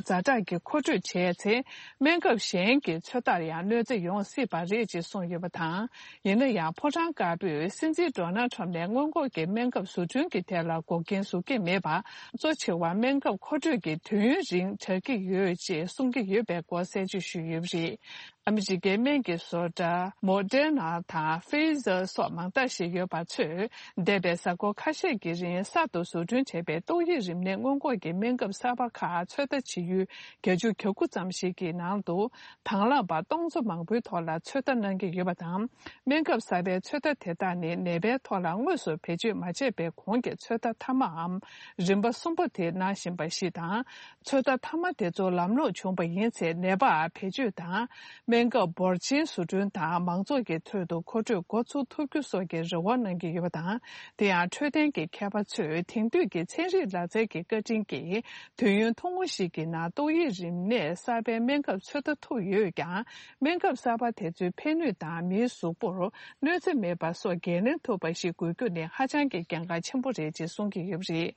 ཛ་དྲག་གི་མཁོ་སྤྲོད་བྱས་ཚེ། སྨན་ཁབ་གཞན་གྱི་ཚོད་ལྟར་ཡང་གནོད་འཚེ་ཡོང་སྲིད་པ་རེད་ཅེས་གསུངས་ཡོད་པ་དང་། ཡིན་ན་ཡང་ཕོ་བྲང་དཀར་པོས་སྲིད་འཛིན་ཌོ་ནལ་ཁྲམ་ནས་སྔོན་འགོག་གི་སྨན་ཁབ་བཟོ་སྐྲུན་གྱི་ཐད་ལ་འགོག་རྐྱེན་བཟོ་གི་མེད་པ། གཙོ་ཆེ་བ་སྨན་ཁབ་མཁོ་སྤྲོད་ཀྱི་དུས་ཡུན་རིང་དྲག་གི་ཡོད་ཅེས་གསུང་གི་ཡོད་པའི་སྐོར་གསལ་བརྗོད་ཞུས་ཡོད་པ་རེད། ཨ་མི་རི་ཀའི་སྨན་གྱི་བཟོ་གྲྭ་མོ་ཌེར་ན་དང་ཕེ་ཟར་སོགས་མང་དག་ཞིག་ཡོད་པ་ཚོས། འདས་པའི་གཟའ་འཁོར་ཁ་ཤས་ཀྱི་རིང་གསར་དུ་བཟོ་སྐྲུན་བྱས་པའི་ཏོག་དབྱིབས་རིམས་ནད་སྔོན་འགོག་གི་སྨན་ཁབ་གསར་པ་ཁག་ཚོད་ལྟ་བྱེད་ཡུལ་བརྒྱད་ཅུ་གྱ་དགུ་ཙམ་ཞིག་གི་ནང་དུ། དང་བླངས་པ་སྟོང་ཚོ་མང་པོའི་ཐོག་ལ་ཚོད་ལྟ་གནང་གི་ཡོད་པ་དང་། སྨན་ཁབ་གསར་པའི་ཚོད་ལྟ་དེ་དག་ནི་ནད་པའི་ཐོག་ལ་དངོས་སུ་བེད་སྤྱོད་མ་བྱས་པའི་གོང་གི་ཚོད་ལྟ་མཐའ་མའམ། རིམ་པ་གསུམ་པ་དེ་གནང་བཞིན་པ་ཞིག་དང་། ཚོད་ལྟ་མཐའ་མ་དེ་ཚོ་ལམ་ལྷོང་བྱུང་པ་ཡིན་ཚེ། ནད་པར་བེད་སྤྱོད་དང་། སྨན་ཁབ་འབོར་ཆེན་བཟོ་སྐྲུན་དང་མང་ཚོགས་ཀྱི་ཁྲོད་དུ་མཁོ་སྤྲོད་འགོ་ཚུགས་ཐུབ་རྒྱུ་སོགས་ཀྱི་རེ་བ་གནང་གི་ཡོད་པ་དང་། དེ་ཡང་འཕྲོད་བསྟེན་གྱི་མཁས་པ་ཚོས་དེང་དུས་ཀྱི་ཚན་རིག་ལག་རྩལ་གྱི་བཀའ་དྲིན་གྱིས། དུས་ཡུན་ཐུང་ངུ་ཞིག་གི་ནང་ཏོག་དབྱིབས་རིམས་ནད་གསར་པའི་སྨན་ཁབ་ཚོད་ལྟ་ཐུབ་ཡོད་ཀྱང་། སྨན་ཁབ་གསར་པ་དེ་ཚོའི་ཕན་ནུས་དང་མིའི་གཟུགས་པོར་གནོད་འཚེ་མེད་པ་སོགས་འགན་ལེན་ཐུབ་པ་ཞིག་དགོས་རྒྱུ་ནི་ཧ་ཅང་གི་གལ་འགངས་ཆེན་པོ་རེད་ཅེས་གསུང་གི་ཡོད་པ་རེད།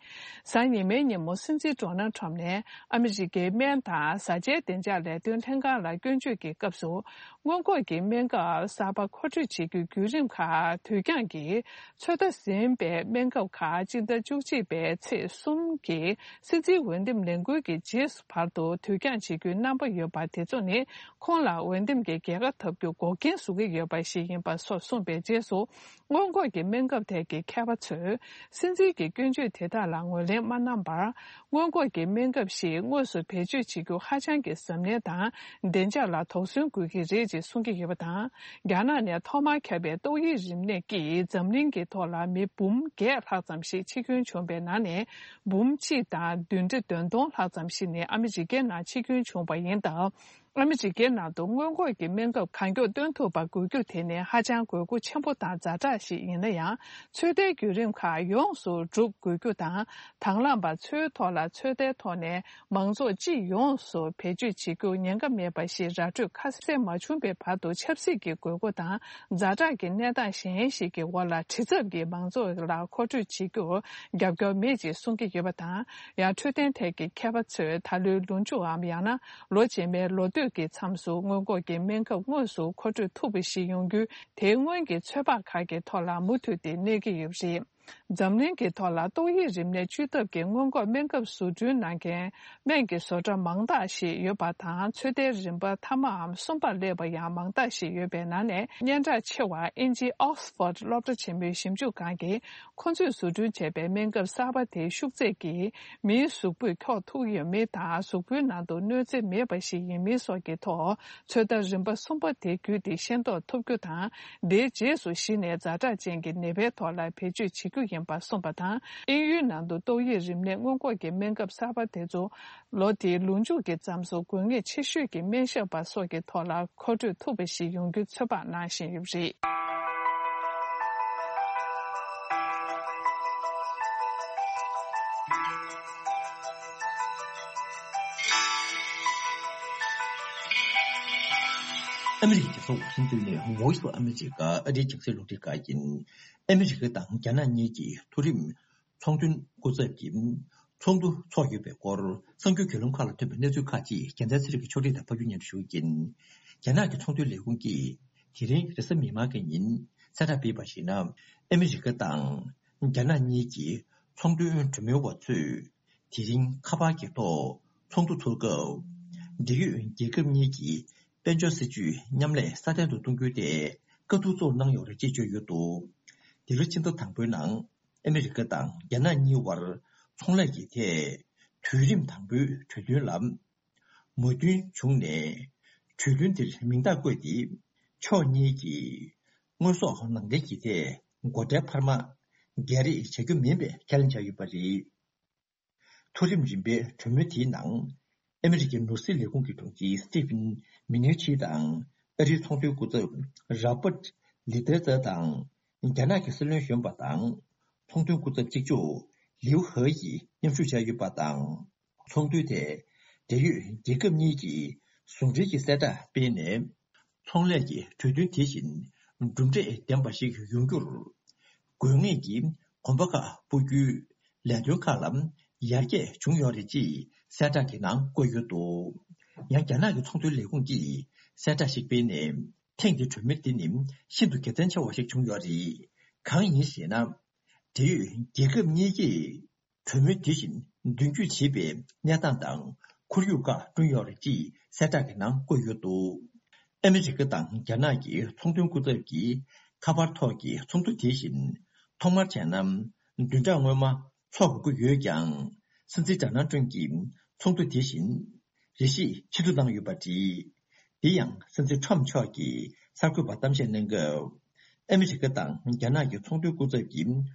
གཟའ་ཉི་མའི་ཉིན་མོ་སྲིད་འཛིན་ཌོ་ནལ་ཁྲམ་ནས་ཨ་མི་རི་ཀའི་སྨན་དང་བཟའ་བཅའི་བདེ་འཇགས་ལས་དོན་ལྷན་ཁང་ལ་སྐྱོན་བརྗོད་ཀྱི་སྐབས་སུ། སྔོན་འགོག་གི་སྨན་ཁབ་གསར་པ་མཁོ་སྤྲོད་བྱེད་རྒྱུའི་བརྒྱུད་རིམ་ཁག་དུས་འགྱངས་ཀྱིས། ཚོད་ལྟ་ཟིན་པའི་སྨན་ཁབ་ཁག་སྤྱི་ཟླ་བཅུ་གཅིག་པའི་ཚེས་གསུམ་གྱི་སྲིད་འཛིན་འོས་འདེམས་ལས་འགུལ་གྱི་རྗེས་སུ་བར་དུ་དུས་འགྱངས་བྱེད་རྒྱུའི་རྣམ་པ་ཡོད་པ་དེ་ཚོ་ནི། ཁོང་ལ་འོས་འདེམས་ཀྱི་རྒྱལ་ཁ་ཐོབ་རྒྱུ་འགོག་རྐྱེན་བཟོ་གི་ཡོད་པ་ཞིག་ཡིན་པ་སོགས་གསུངས་པའི་རྗེས་སུ། སྔོན་འགོག་གི་སྨན་ཁབ་ཐད་ཀྱི་མཁས་པ་ཚོས། སྲིད་འཛིན་གྱི་སྐྱོན་བརྗོད་དེ་དག་ལ་ངོས་ལེན་མ་གནང་བར། སྔོན་འགོག་གི་སྨན་ཁབ་ཞིག་དངོས་སུ་བེད་སྤྱོད་བྱེད་རྒྱུ་ཧ་ཅང་གི་གཟབ་ནན་དང་། བདེ་འཇགས་ལ་དོགས་ཟོན་དགོས་ཀྱི་རེད་ཅེས་གསུང་གི་ཡོད་པ་དང་། རྒྱ་ནག་ནས་ཐོག་མར་ཁྱབ་པའི་ཏོག་དབྱིབས་རིམས་ནད་ཀྱིས་འཛམ་གླིང་གི་ཐོག་ལ་མི་འབུམ་བརྒྱད་ལྷག་ཙམ་ཞིག་འཆི་སྐྱོན་བྱུང་བའི་ནང་ནས། འབུམ་གཅིག་དང་བདུན་ཁྲི་བདུན་སྟོང་ལྷག་ཙམ་ཞིག་ནི་ཨ་མི་རི་ཀའི་ནང་འཆི་སྐྱོན་བྱུང་བ་ཡིན་སྟབས། ཨ་མི་རི་ཀའི་ནང་དུ་སྔོན་འགོག་གི་སྨན་ཁབ་གང་མགྱོགས་བཏོན་ཐུབ་པ་དགོས་རྒྱུ་དེ་ནི་ཧ་ཅང་དགོས་མཁོ་ཆེན་པོ་དང་ཛ་དྲག་ཞིག་ཡིན་ན་ཡང་། ཚོད་ལྟའི་བརྒྱུད་རིམ་ཁག་ཡོངས་སུ་འགྲུབ་དགོས་རྒྱུ་དང་། དང་བླངས་པ་ཚོའི་ཐོག་ལ་ཚོད་ལྟའི་ཐོག་ནས་མང་ཚོགས་སྤྱི་ཡོངས་སུ་བེད་སྤྱོད་བྱེད་རྒྱུ་ཉེན་ཁ་མེད་པ་ཞིག་ར་སྤྲོད་ཁ་གསལ་མ་བྱུང་བའི་བར་དུ། ཆབ་སྲིད་ཀྱི་དགོས་མཁོ་དང་ཛ་དྲག་གི་གནས་སྟངས་གཞན་ཞིག་གི་འོག་ལ་དྲི་ཚབ་ཀྱིས་མང་ཚོགས་ལ་མཁོ་སྤྲོད་བྱེད་རྒྱུར་རྒྱབ་སྐྱོར་མེད་ཅེས་གསུང་གི་ཡོད་པ་དང་། ཡང་འཕྲོད་བསྟེན་ཐད་ཀྱི་མཁས་པ་ཚོས་ད་ལོའི་ལོ་མཇུག་འམ། ཡང་ན། ལོ་རྗེས་མའི་ལོ་སྟོད་ཀྱི་མཚམས་སུ་སྔོན་འགོག་གི་སྨན་ཁབ་དངོས་སུ་མཁོ་སྤྲོད་ཐུབ་པ་ཞིག་ཡོང་རྒྱུའི་དེའི་སྔོན་གྱི་ཚོད་དཔག་ཁག་གི་ཐོག་ལ་མུ་མཐུད་དེ་གནས་ཀྱི་ཡོད་པ་རེད། འཛམ་གླིང་གི་ཐོག་ལ་ཏོག་དབྱིབས་རིམས་ནད་བཅོས་ཐབས་ཀྱི་སྔོན་འགོག་སྨན་ཁབ་བཟོ་སྐྲུན་གནང་མཁན་སྨན་གྱི་བཟོ་གྲྭ་མང་དག་ཞིག་ཡོད་པ་དང་། ཚོད་ལྟའི་རིམ་པ་མཐའ་མའམ་གསུམ་པར་སླེབས་པ་ཡང་མང་དག་ཞིག་ཡོད་པའི་ནང་ནས། སྙན་གྲགས་ཆེ་བ་དབྱིན་ཇིའི་ཨོག་སི་ཕོར་སློབ་གྲྭ་ཆེན་མོའི་ཞིབ་འཇུག་ཁང་གིས། ཁོ་ཚོས་བཟོ་སྐྲུན་བྱས་པའི་སྨན་ཁབ་གསར་པ་དེའི་ཤུགས་ཚད་ཀྱིས་མིའི་གཟུགས་པོས་འཁྱོག་ཐུབ་ཡོད་མེད་དང་། གཟུགས་པོའི་ནང་དུ་གནོད་འཚེ་མེད་པ་ཞིག་ཡིན་མིན་སོགས་ཀྱི་ཐོག་ཚོད་ལྟ་རིམ་པ་གསུམ་པ་དེ་བརྒྱུད་དེ་ཤེས་རྟོགས་ཐུབ་རྒྱུ་དང་། དེའི་རྗེས་སུ་གཞི་ནས་ཛ་དྲག་ཅན་གྱི་ནད་པའི་ཐོག་ལ་བེད་སྤྱོད་བྱེད་རྒྱུ་ཡིན་པ་གསུངས་པ་དང་། དབྱིན་ཡུལ་ནང་དུ་ཏོག་དབྱིབས་རིམས་ནད་སྔོན་འགོག་གི་སྨན་ཁབ་གསར་པ་དེ་ཚོ། ལོ་དེའི་ལོ་མཇུག་གི་མཚམས་སུ་དགོས་ངེས་ཆེ་ཤོས་ཀྱི་སྨན་ཞབས་པ་སོགས་ཀྱི་ཐོག་ལ་མཁོ་སྤྲོད་ཐུབ་པ་ཞིག་ཡོང་རྒྱུའི་ཚོད་དཔག་གནང་བཞིན་ཡོད་པ་རེད། ཨ་མི་རི་ཀའི་རྒྱལ་ས་ཝ་ཤིང་ཏོན་ནས་Voice of America ཨ་རིའི་རྒྱང་སྲིང་རླུང་འཕྲིན་ཁང་ཡིན། ཨ་མི་རི་ཀ་དང་རྒྱ་ནག་གཉིས་ཀྱི་མཐོ་རིམ་ཚོང་དོན་སྐུ་ཚབ་ཀྱི་ཚོགས་འདུ་འཚོགས་ཡོད་པའི་སྐོར་གསར་འགྱུར་བརྒྱུད་ལམ་ཁག་ལ་ཐོན་པའི་གནས་ཚུལ་ཁག་ཅིག་རྒྱལ་མཚན་ཚེ་རིང་གིས་ཕྱོགས་སྒྲིག་དང་ཕབ་སྒྱུར་སྙན་སྒྲོན་ཞུ་གི་ཡིན། རྒྱ་ནག་གི་ཚོང་དོན་ལས་ཁུངས་ཀྱིས་དེ་རིང་རེས་གཟའ་མིག་དམར་གྱི་ཉིན་གསལ་བསྒྲགས་སྤེལ་བར་གཞིགས་ན། ཨ་མི་རི་ཀ་དང་རྒྱ་ནག་གཉིས་ཀྱི་ཚོང་དོན་གྲོས་མོལ་བ་ཚོས་དེ་རིང་ཁ་པར་གྱི་ཐོག་ཚོགས་འདུ་ཚོགས་སྐབས། འབྲེལ་ཡོད་རྒྱལ་ཁབ་གཉིས་ཀྱི་དཔལ་འབྱོར་སྲིད་ཇུས་མཉམ་ལས་སྲ་བརྟན་དུ་གཏོང་རྒྱུའི་ཐད་བཀའ་བསྡུར་གཙོ་བོར་གནང་ཡོད་རེད་ཅེས་བརྗོད་ཡོད་འདུག་འདི་ལོ་ཕྱི་ཟླ་དང་པོའི་ནང་ཨ་མི་རི་ཀ་དང་རྒྱ་ནག་གཉིས་བར་ཚོང་ལས་ཀྱི་ཐད་དུས་རིམ་དང་པོའི་གྲོས་མཐུན་ལ་མོས་མཐུན་བྱུང་ནས། གྲོས་མཐུན་དེར་མིང་རྟགས་བཀོད་དེ། ཕྱོགས་གཉིས་ཀྱིས་དངོས་ཟོག་ནང་འདྲེན་གྱི་ཐད་སྒོ་ཁྲལ་འཕར་མ་སྒལ་རེས་བྱ་རྒྱུ་མིན་པའི་ཁས་ལེན་བྱས་ཡོད་པ་རེད། མཐོ་རིམ་རིམ་པའི་གྲོས་མོལ་དེའི་ནང་། ཨ་མི་རི་ཀའི་ནོར་སྲིད་ལས་ཁུངས་ཀྱི་དྲུང་ཆེ་སི་ཊི་ཕིན་མི་ནེར་ཆི་དང་། ཨ་རིའི་ཚོང་དོན་སྐུ་ཚབ་རོ་བྷར་ལི་ཏེ་ཙེ་དང་། རྒྱ་ནག་གི་སྲིད་བློན་གཞོན་པ་དང་། ཚོང་དོན་སྐུ་ཚབ་གཅིག་ལྕོགས་ ལིའུ་ཧེ་ཡིས་མཉམ་ཞུགས་བྱས་ཡོད་པ་དང་། ཚོགས་འདུའི་ཐད། འབྲེལ་ཡོད་རྒྱལ་ཁབ་གཉིས་ཀྱིས་ཟུང་འབྲེལ་གྱི་གསལ་བསྒྲགས་སྤེལ་ནས། ཚོང་ལས་ཀྱི་གྲོས་མཐུན་དེ་བཞིན་གྲུབ་འབྲས་ལྡན་པ་ཞིག་ཡོང་རྒྱུར། དགོས་ངེས་ཀྱི་གོམ་པ་ཁག་སྤོ་རྒྱུའི་ལས་དོན་ཁག་ལ་ཡར་རྒྱས་བྱུང་ཡོད་རེད་ཅེས་གསལ་བསྒྲགས་ཀྱི་ནང་བཀོད་ཡོད་འདུག་ཡང་། རྒྱ་ནག་གི་ཚོང་དོན་ལས་ཁུངས་ཀྱིས་གསལ་བསྒྲགས་ཤིག་སྤེལ་ནས། ཐེངས་འདིའི་གྲོས་མོལ་འདི་ནི་ཤིན་ཏུ་དགེ་མཚན་ཆེ་བ་ཞིག་བྱུང་ཡོད་རེད། གང་ཡིན་ཞེ་ན། འབྲེལ་ཡོད་རྒྱལ་ཁབ་གཉིས་ཀས་གྲོས་མོལ་དེ་བཞིན་མདུན་སྐྱོད་བྱེད་པའི་གནས་སྟངས་དང་ཁོར་ཡུག་ཁག་བསྐྲུན་ཡོད་རེད་ཅེས་གསལ་བསྒྲགས་ཀྱི་ནང་བཀོད་ཡོད་འདུག་ཨ་མི་རི་ཀ་དང་རྒྱ་ནག་གི་ཚོང་དོན་སྐུ་ཚབ་ཀྱིས་ཁ་པར་ཐོག་གི་ཚོགས་འདུ་དེ་བཞིན་ཐོག་མར་བྱས་ན་བདུན་ཕྲག་སྔོན་མ་འཚོགས་དགོས་ཀྱི་ཡོད་ཀྱང་། སྲིད་འཛིན་ཌོ་ནལ་ཊམ་གྱིས་ཚོགས་འདུ་དེ་བཞིན་རེ་ཞིག་ཕྱིར་བསྡུ་གནང་ཡོད་པ་རེད། དེ་ཡང་སྲིད་འཛིན་ཊམ་མཆོག་གིས་གསར་འགོད་པར་གཏམ་བཤད་གནང་སྐབས། ཨ་མི་རི་ཀ་དང་རྒྱ་ནག་གི་ཚོང་དོན་སྐུ་ཚབ་ཀྱིས་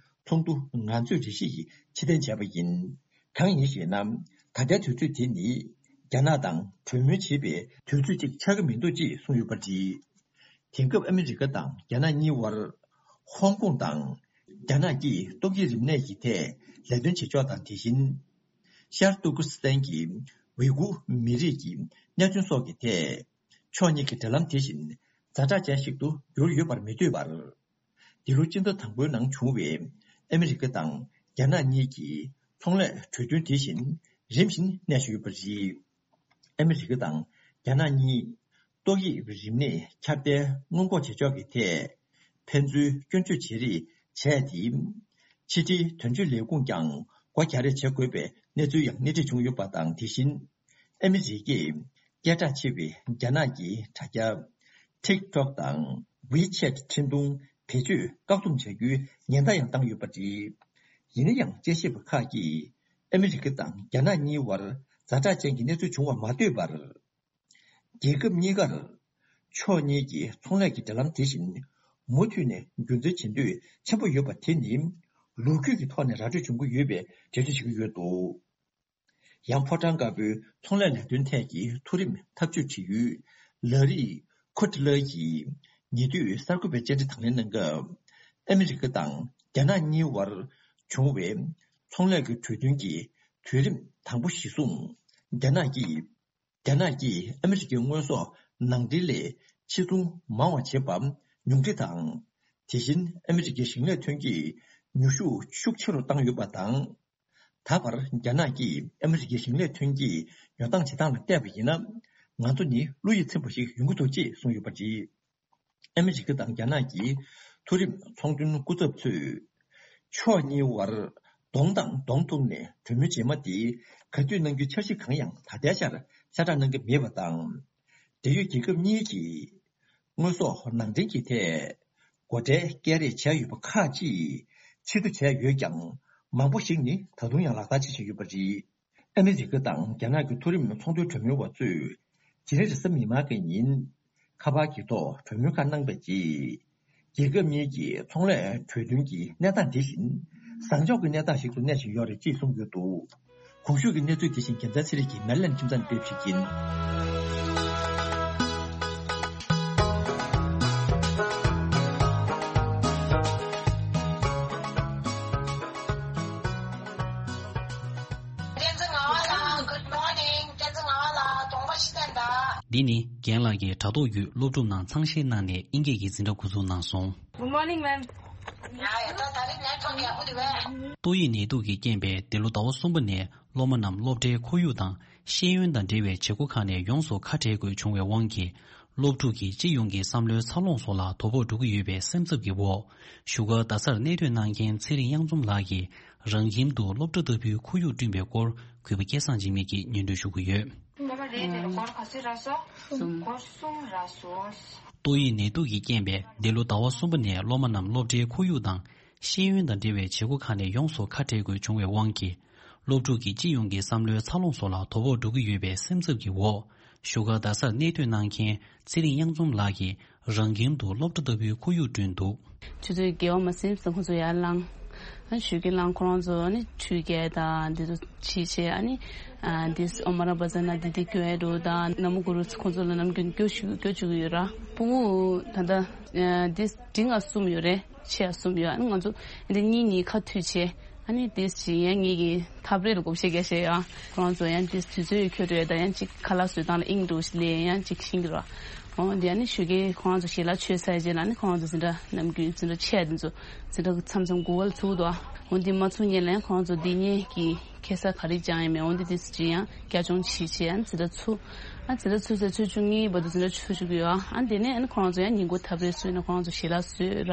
ཚོགས་འདུ་ང་ཚོས་རེ་ཞིག་ཕྱིར་འཐེན་བྱས་པ་ཡིན། གང་ཡིན་ཞེ་ན། ད་ལྟའི་དུས་ཚོད་དེ་ནི་རྒྱ་ནག་དང་གྲོས་མོལ་བྱེད་པའི་དུས་ཚོད་ཅིག་ཆགས་ཀྱི་མི་འདུག་ཅེས་གསུངས་ཡོད་པ་རེད། དེང་སྐབས་ཨ་མི་རི་ཀ་དང་རྒྱ་ནག་གཉིས་བར། ཧོང་ཀོང་དང་རྒྱ་ནག་གིས་ཏོག་དབྱིབས་རིམས་ནད་ཀྱི་ཐད་ལས་དོན་བྱེད་ཕྱོགས་དང་། དེ་བཞིན་ཤར་ཏུར་ཀི་སི་ཐན་གྱི་ཝི་གུར་མི་རིགས་ཀྱི་གནད་དོན་སོགས་ཀྱི་ཐད། ཕྱོགས་གཉིས་ཀྱི་འབྲེལ་ལམ་དེ་བཞིན་ཛ་དྲག་ཅན་ཞིག་ཏུ་གྱུར་ཡོད་པར་མི་འདོད་པར། འདི་ལོ་སྤྱི་ཟླ་དང་པོའི་ནང་བྱུང་བའི་ཨ་མི་རི་ཀ་དང་རྒྱ་ནག་གཉིས་ཀྱི་ཚོང་ལས་གྲོས་མཐུན་དེ་བཞིན་རིམ་བཞིན་གནས་བཞིན་ཡོད་པ་རེད། ཨ་མི་རི་ཀ་དང་རྒྱ་ནག་གཉིས་ཏོག་དབྱིབས་རིམས་ནད་ཁྱབ་གདལ་སྔོན་འགོག་བྱེད་ཕྱོགས་ཀྱི་ཐད་ཕན་ཚུན་སྐྱོན་བརྗོད་བྱེད་རེས་བྱས་ཏེ། ཕྱི་འབྲེལ་དོན་གཅོད་ལས་ཁུངས་ཀྱང་སྒོ་རྒྱག་རེས་བྱེད་དགོས་པའི་གནས་ཚུལ་ཡང་སྣེ་ཁྲིད་བྱུང་ཡོད་པ་དང་། དེ་བཞིན་ཨ་མི་རི་ཀས་སྐད་གྲགས་ཆེ་བའི་རྒྱ་ནག་གི་དྲ་རྒྱ་ཊིག་ཊོག་དང་ཝི་ཆེ་ཊི་འཕྲིན་ཐུང་བེད་སྤྱོད་བཀག་སྡོམ་བྱ་རྒྱུའི་ཉེན་བརྡ་ཡང་བཏང་ཡོད་པ་རེད། ཡིན་ན་ཡང་། དཔྱད་ཞིབ་པ་ཁག་གིས་ཨ་མི་རི་ཀ་དང་རྒྱ་ནག་གཉིས་བར་ཛ་དྲག་ཅན་གྱི་གནས་ཚུལ་བྱུང་བ་མ་ལྟོས་པར། རྒྱལ་ཁབ་གཉིས་ཀར་ཕྱོགས་གཉིས་ཀྱི་ཚོང་ལས་ཀྱི་འབྲེལ་ལམ་དེ་བཞིན་མུ་མཐུད་ནས་རྒྱུན་འཛིན་བྱེད་འདོད་ཆེན་པོ་ཡོད་པ་དེ་ནི་ལོ་རྒྱུས་ཀྱི་ཐོག་ནས་ར་སྤྲོད་བྱུང་གི་ཡོད་པའི་འགྲེལ་བརྗོད་བྱེད་ཀྱི་ཡོད་འདུག་ཡང་། ཕོ་བྲང་དཀར་པོའི་ཚོང་ལས་ལས་དོན་ཐད་ཀྱི་མཐོ་རིམ་འཐབ་ཇུས་དྲི་ཡུལ་ལ་རི་ཁོ་ཏི་ལ་ཡིས་ཉེ་དུས་གསར་འགོད་པའི་བཅར་འདྲི་དང་ལེན་གནང་སྐབས། ཨ་མི་རི་ཀ་དང་རྒྱ་ནག་གཉིས་བར་བྱུང་བའི་ཚོང་ལས་ཀྱི་གྲོས་མཐུན་གྱི་དུས་རིམ་དང་པོ་གཞིར་བཟུང་། རྒྱ་ནག་གིས། རྒྱ་ནག་གིས་ཨ་མི་རི་ཀའི་དངོས་ཟོག་ནང་འདྲེན་ལས་ཕྱིར་ཚོང་མང་བ་བྱེད་པ་ཉུང་འཕྲི་དང་། དེ་བཞིན་ཨ་མི་རི་ཀའི་ཞིང་ལས་ཐོན་སྐྱེད་ཉོ་ཤུགས་ཤུགས་ཆེ་རུ་བཏང་ཡོད་པ་དང་། ད་བར་རྒྱ་ནག་གིས་ཨ་མི་རི་ཀའི་ཞིང་ལས་ཐོན་སྐྱེད་ཉོ་སྟངས་བྱེད་སྟངས་ལ་བལྟས་པ་ཡིན་ན། ང་ཚོ་ནི་བློ་ཡིད་ཚིམ་པ་ཞིག་ཡོང་གི་འདུག་ཅེས་གསུངས་ཡོད་པ་རེད། ཨ་མི་རི་ཀ་དང་རྒྱ་ནག་གི་མཐོ་རིམ་ཚོང་དོན་སྐུ་ཚབ་ཚོས། ཕྱོགས་གཉིས་བར་གདོང་དང་གདོང་ཐུག་ནས་གྲོས་མོལ་རྗེས་མ་དེ་ག་དུས་གནང་རྒྱུའི་འཆར་གཞི་གང་ཡང་ད་ལྟའི་ཆར་གསལ་བསྒྲགས་གནང་གི་མེད་པ་དང་། འབྲེལ་ཡོད་རྒྱལ་ཁབ་གཉིས་ཀྱིས་དངོས་ཟོག་ནང་འདྲེན་གྱི་ཐད་སྒོ་ཁྲལ་སྐྱེལ་རེས་བྱས་ཡོད་པ་ཁག་ཅིག་ཕྱིར་བསྡུ་བྱས་ཡོད་ཀྱང་། མང་པོ་ཞིག་ནི་ད་དུང་ཡང་ལག་བསྟར་བྱེད་བཞིན་ཡོད་པ་རེད། ཨ་མི་རི་ཀ་དང་རྒྱ་ནག་གི་མཐོ་རིམ་ཚོང་དོན་གྲོས་མོལ་བ་ཚོས་ཕྱི་ཚེས་རེས་གཟའ་མིག་དམར་གྱི་ཉིན་ཁ་པར་གྱི་ཐོག་གྲོས་མོལ་ཁག་གནང་པའི་རྗེས། རྒྱལ་ཁབ་གཉིས་ཀྱི་ཚོང་ལས་གྲོས་མཐུན་གྱི་གནས་སྟངས་དེ་བཞིན་བཟང་ཕྱོགས་ཀྱི་གནས་སྟངས་ཤིག་ཏུ་གནས་བཞིན་ཡོད་རེད་ཅེས་གསུངས་ཡོད་འདུག་གོང་ཞུས་ཀྱི་གནས་ཚུལ་དེ་བཞིན་རྒྱལ་མཚན་ཚེ་རིང་གིས་མེ་ལན་ཁྱིམ་ཚང་ནས་སྤེལ་བ་ཞིག་ཡིན། བསྟན་འཛིན་ངག་དབང་ལགས། Good morning. བསྟན་འཛིན་ངག་དབང་ལགས། གདོང་པ་ཤི་བསྟན་དང་། འདི་ནི་རྒན་ལགས་ཀྱིས་དྲ་ཐོག་བརྒྱུད་སློབ་ཕྲུག་རྣམས་ཚངས་བཤད་གནང་ནས་དབྱིན་སྐད་ཀྱི་འཛིན་གྲྭ་འགོ་འཛུགས་གནང་སོང་། Good morning, ma'am. ཡ་ཡ། ད་ད་རེས་ནེཊ་ཝརཀ་ཡག་པོ་འདུག་པས། ཏོག་དབྱིབས་ནད་དུག་གི་རྐྱེན་པས་འདི་ལོ་ཟླ་བ་གསུམ་པ་ནས་སློབ་མ་རྣམས་སློབ་གྲྭའི་ཁོར་ཡུག་དང་ཤེས་ཡོན་དང་འབྲེལ་བའི་བྱེད་སྒོ་ཁག་ནས་ཡོངས་སུ་ཁ་བྲལ་དགོས་བྱུང་བའི་དབང་གིས། སློབ་ཕྲུག་གི་སྤྱི་ཡོངས་ཀྱི་བསམ་བློའི་འཚར་ལོངས་སོགས་ལ་དོ་ཕོག་འགྲོ་གི་ཡོད་པའི་སེམས་འཚབ་ཀྱི་འོག་བཞུགས་སྒར་རྡ་སར་གནས་སྡོད་གནང་མཁན་ཚེ་རིང་གཡང་འཛོམས་ལགས་ཀྱིས་རང་ཁྱིམ་དུ་སློབ་གྲྭ་ལྟ་བུའི་ཁོར་ཡུག་བསྐྲུན་པའི་སྐོར་གུས་པ་སྐལ་བཟང་འཇིགས་མེད་ཀྱིས་སྙན་སྒྲོན་ཞུ་གི་ཡོད། ཏོག་དབྱིབས་ནད་དུག་གི་རྐྱེན་པས་འདི་ལོ་ཟླ་བ་གསུམ་པ་ནས་སློབ་མ་རྣམས་སློབ་གྲྭའི་ཁོར་ཡུག་དང་ཤེས་ཡོན་དང་འབྲེལ་བའི་བྱེད་སྒོ་ཁག་ནས་ཡོངས་སུ་ཁ་བྲལ་དགོས་བྱུང་བའི་དབང་གིས། སློབ་ཕྲུག་གི་སྤྱི་ཡོངས་ཀྱི་བསམ་བློའི་འཚར་ལོངས་སོགས་ལ་དོ་ཕོག་འགྲོ་གི་ཡོད་པའི་སེམས་འཚབ་ཀྱི་འོག་བཞུགས་སྒར་རྡ་སར་གནས་སྡོད་གནང་མཁན་ཚེ་རིང་གཡང་འཛོམས་ལགས་ཀྱིས་རང་ཁྱིམ་དུ་སློབ་གྲྭ་ལྟ་བུའི་ཁོར་ཡུག་བསྐྲུན་འདུག་ཆུ་ཚོད་བརྒྱད་པ་མ་ཟིན་ཙམ་ཁོང་ཚོ་ཡར་ལངས། ཨ་ནི་ཞོགས་ཀས་ལངས་ཁོ་རང་ཚོ་ཨ་ནི་ཁྲུས་བརྒྱབ་དང་འདི་ཚོ་བྱས་བྱས། ཨ་ནི་ཨ་འདི་ཨོ་མ་ར་བ་ཛ་ན་འདི་འདི་སྐྱོར་ཡ་འགྲོ་དང་། ན་མོ་གུ་རུ་ཁོང་ཚོ་ལ་ནམ་རྒྱུན་སྐྱོར་བཅུག་སྐྱོར་བཅུག་གི་ཡོད་ར། ཕྲུ་གུ་ད་ལྟ་ཨ་འདི་འབྲིང་ང་གསུམ་ཡོད་རེད། ཆེ་ཡ་གསུམ་ཡོད། ཨ་ནི་ང་ཚོ་འདི་གཉིས་གཉིས་ཁ་མཐུད་བྱས། ཨ་ནི་དེ་བཞིན་ཡང་ངེད་ཀྱི་འཐབ་རེས་ལ་བགོ་བཤའ་རྒྱག་བཤད་ཡ། ཁོ་རང་ཚོ་ཡང་དེ་དུས་ཚོད་འཁྱོལ་འགྲོ་ཡ་དང་ཡང་ཅིག་ཁ་ལག་བཟོས་སྟངས་ལ་དབྱིངས་འགྲོ་ལས་ཡང་ཅིག་ཤེས་ཀྱི་ར། འོ་དེ་ཨ་ནི་ཞོགས་ཀས་ཁོ་རང་ཚོ་ཞལ་ལག་མཆོད་ཚར་རྗེས་ལ་ནི་ཁོ་རང་ཚོ་འཛིན་གྲྭ་ནམ་རྒྱུན་འཛིན་གྲྭ་ཆེ་ཡ་དེ་ཚོ་འཛིན་གྲྭ་མཚམས་མཚམས་དགུ་པ་ལ་ཚུགས་འདུག་འོ་དེ་མ་ཚུགས་སྔོན་ལ་ཡང་ཁོ་རང་ཚོ་འདི་ཉིད་ཀྱི་ཁེ་ས་ག་རེ་བཅག་ཡ་མེད། འོ་དེ་དེ་ཚོ་ཅིག་ཡང་རྒྱ་སྐྱོང་བྱེད་བྱེད་ཡང་འཛིན་གྲྭ་ཚུགས། ཨ་འཛིན་གྲྭ་ཚུགས་ཚེ་ཚོུད་བཅུ་གཉིས་བར་དུ་འཛིན་གྲྭ་ཚུགས་བཅུག་གི་ཡོད། ཨ་དེ་ནས་ཨ་ནི་ཁོ་རང་ཚོ་ཡང་ཉིན་གུང་འཐབ་རེས་བཟོས་ནས་ཁོ་རང་ཚོ་ཞལ་ལག་བཟོས་ར།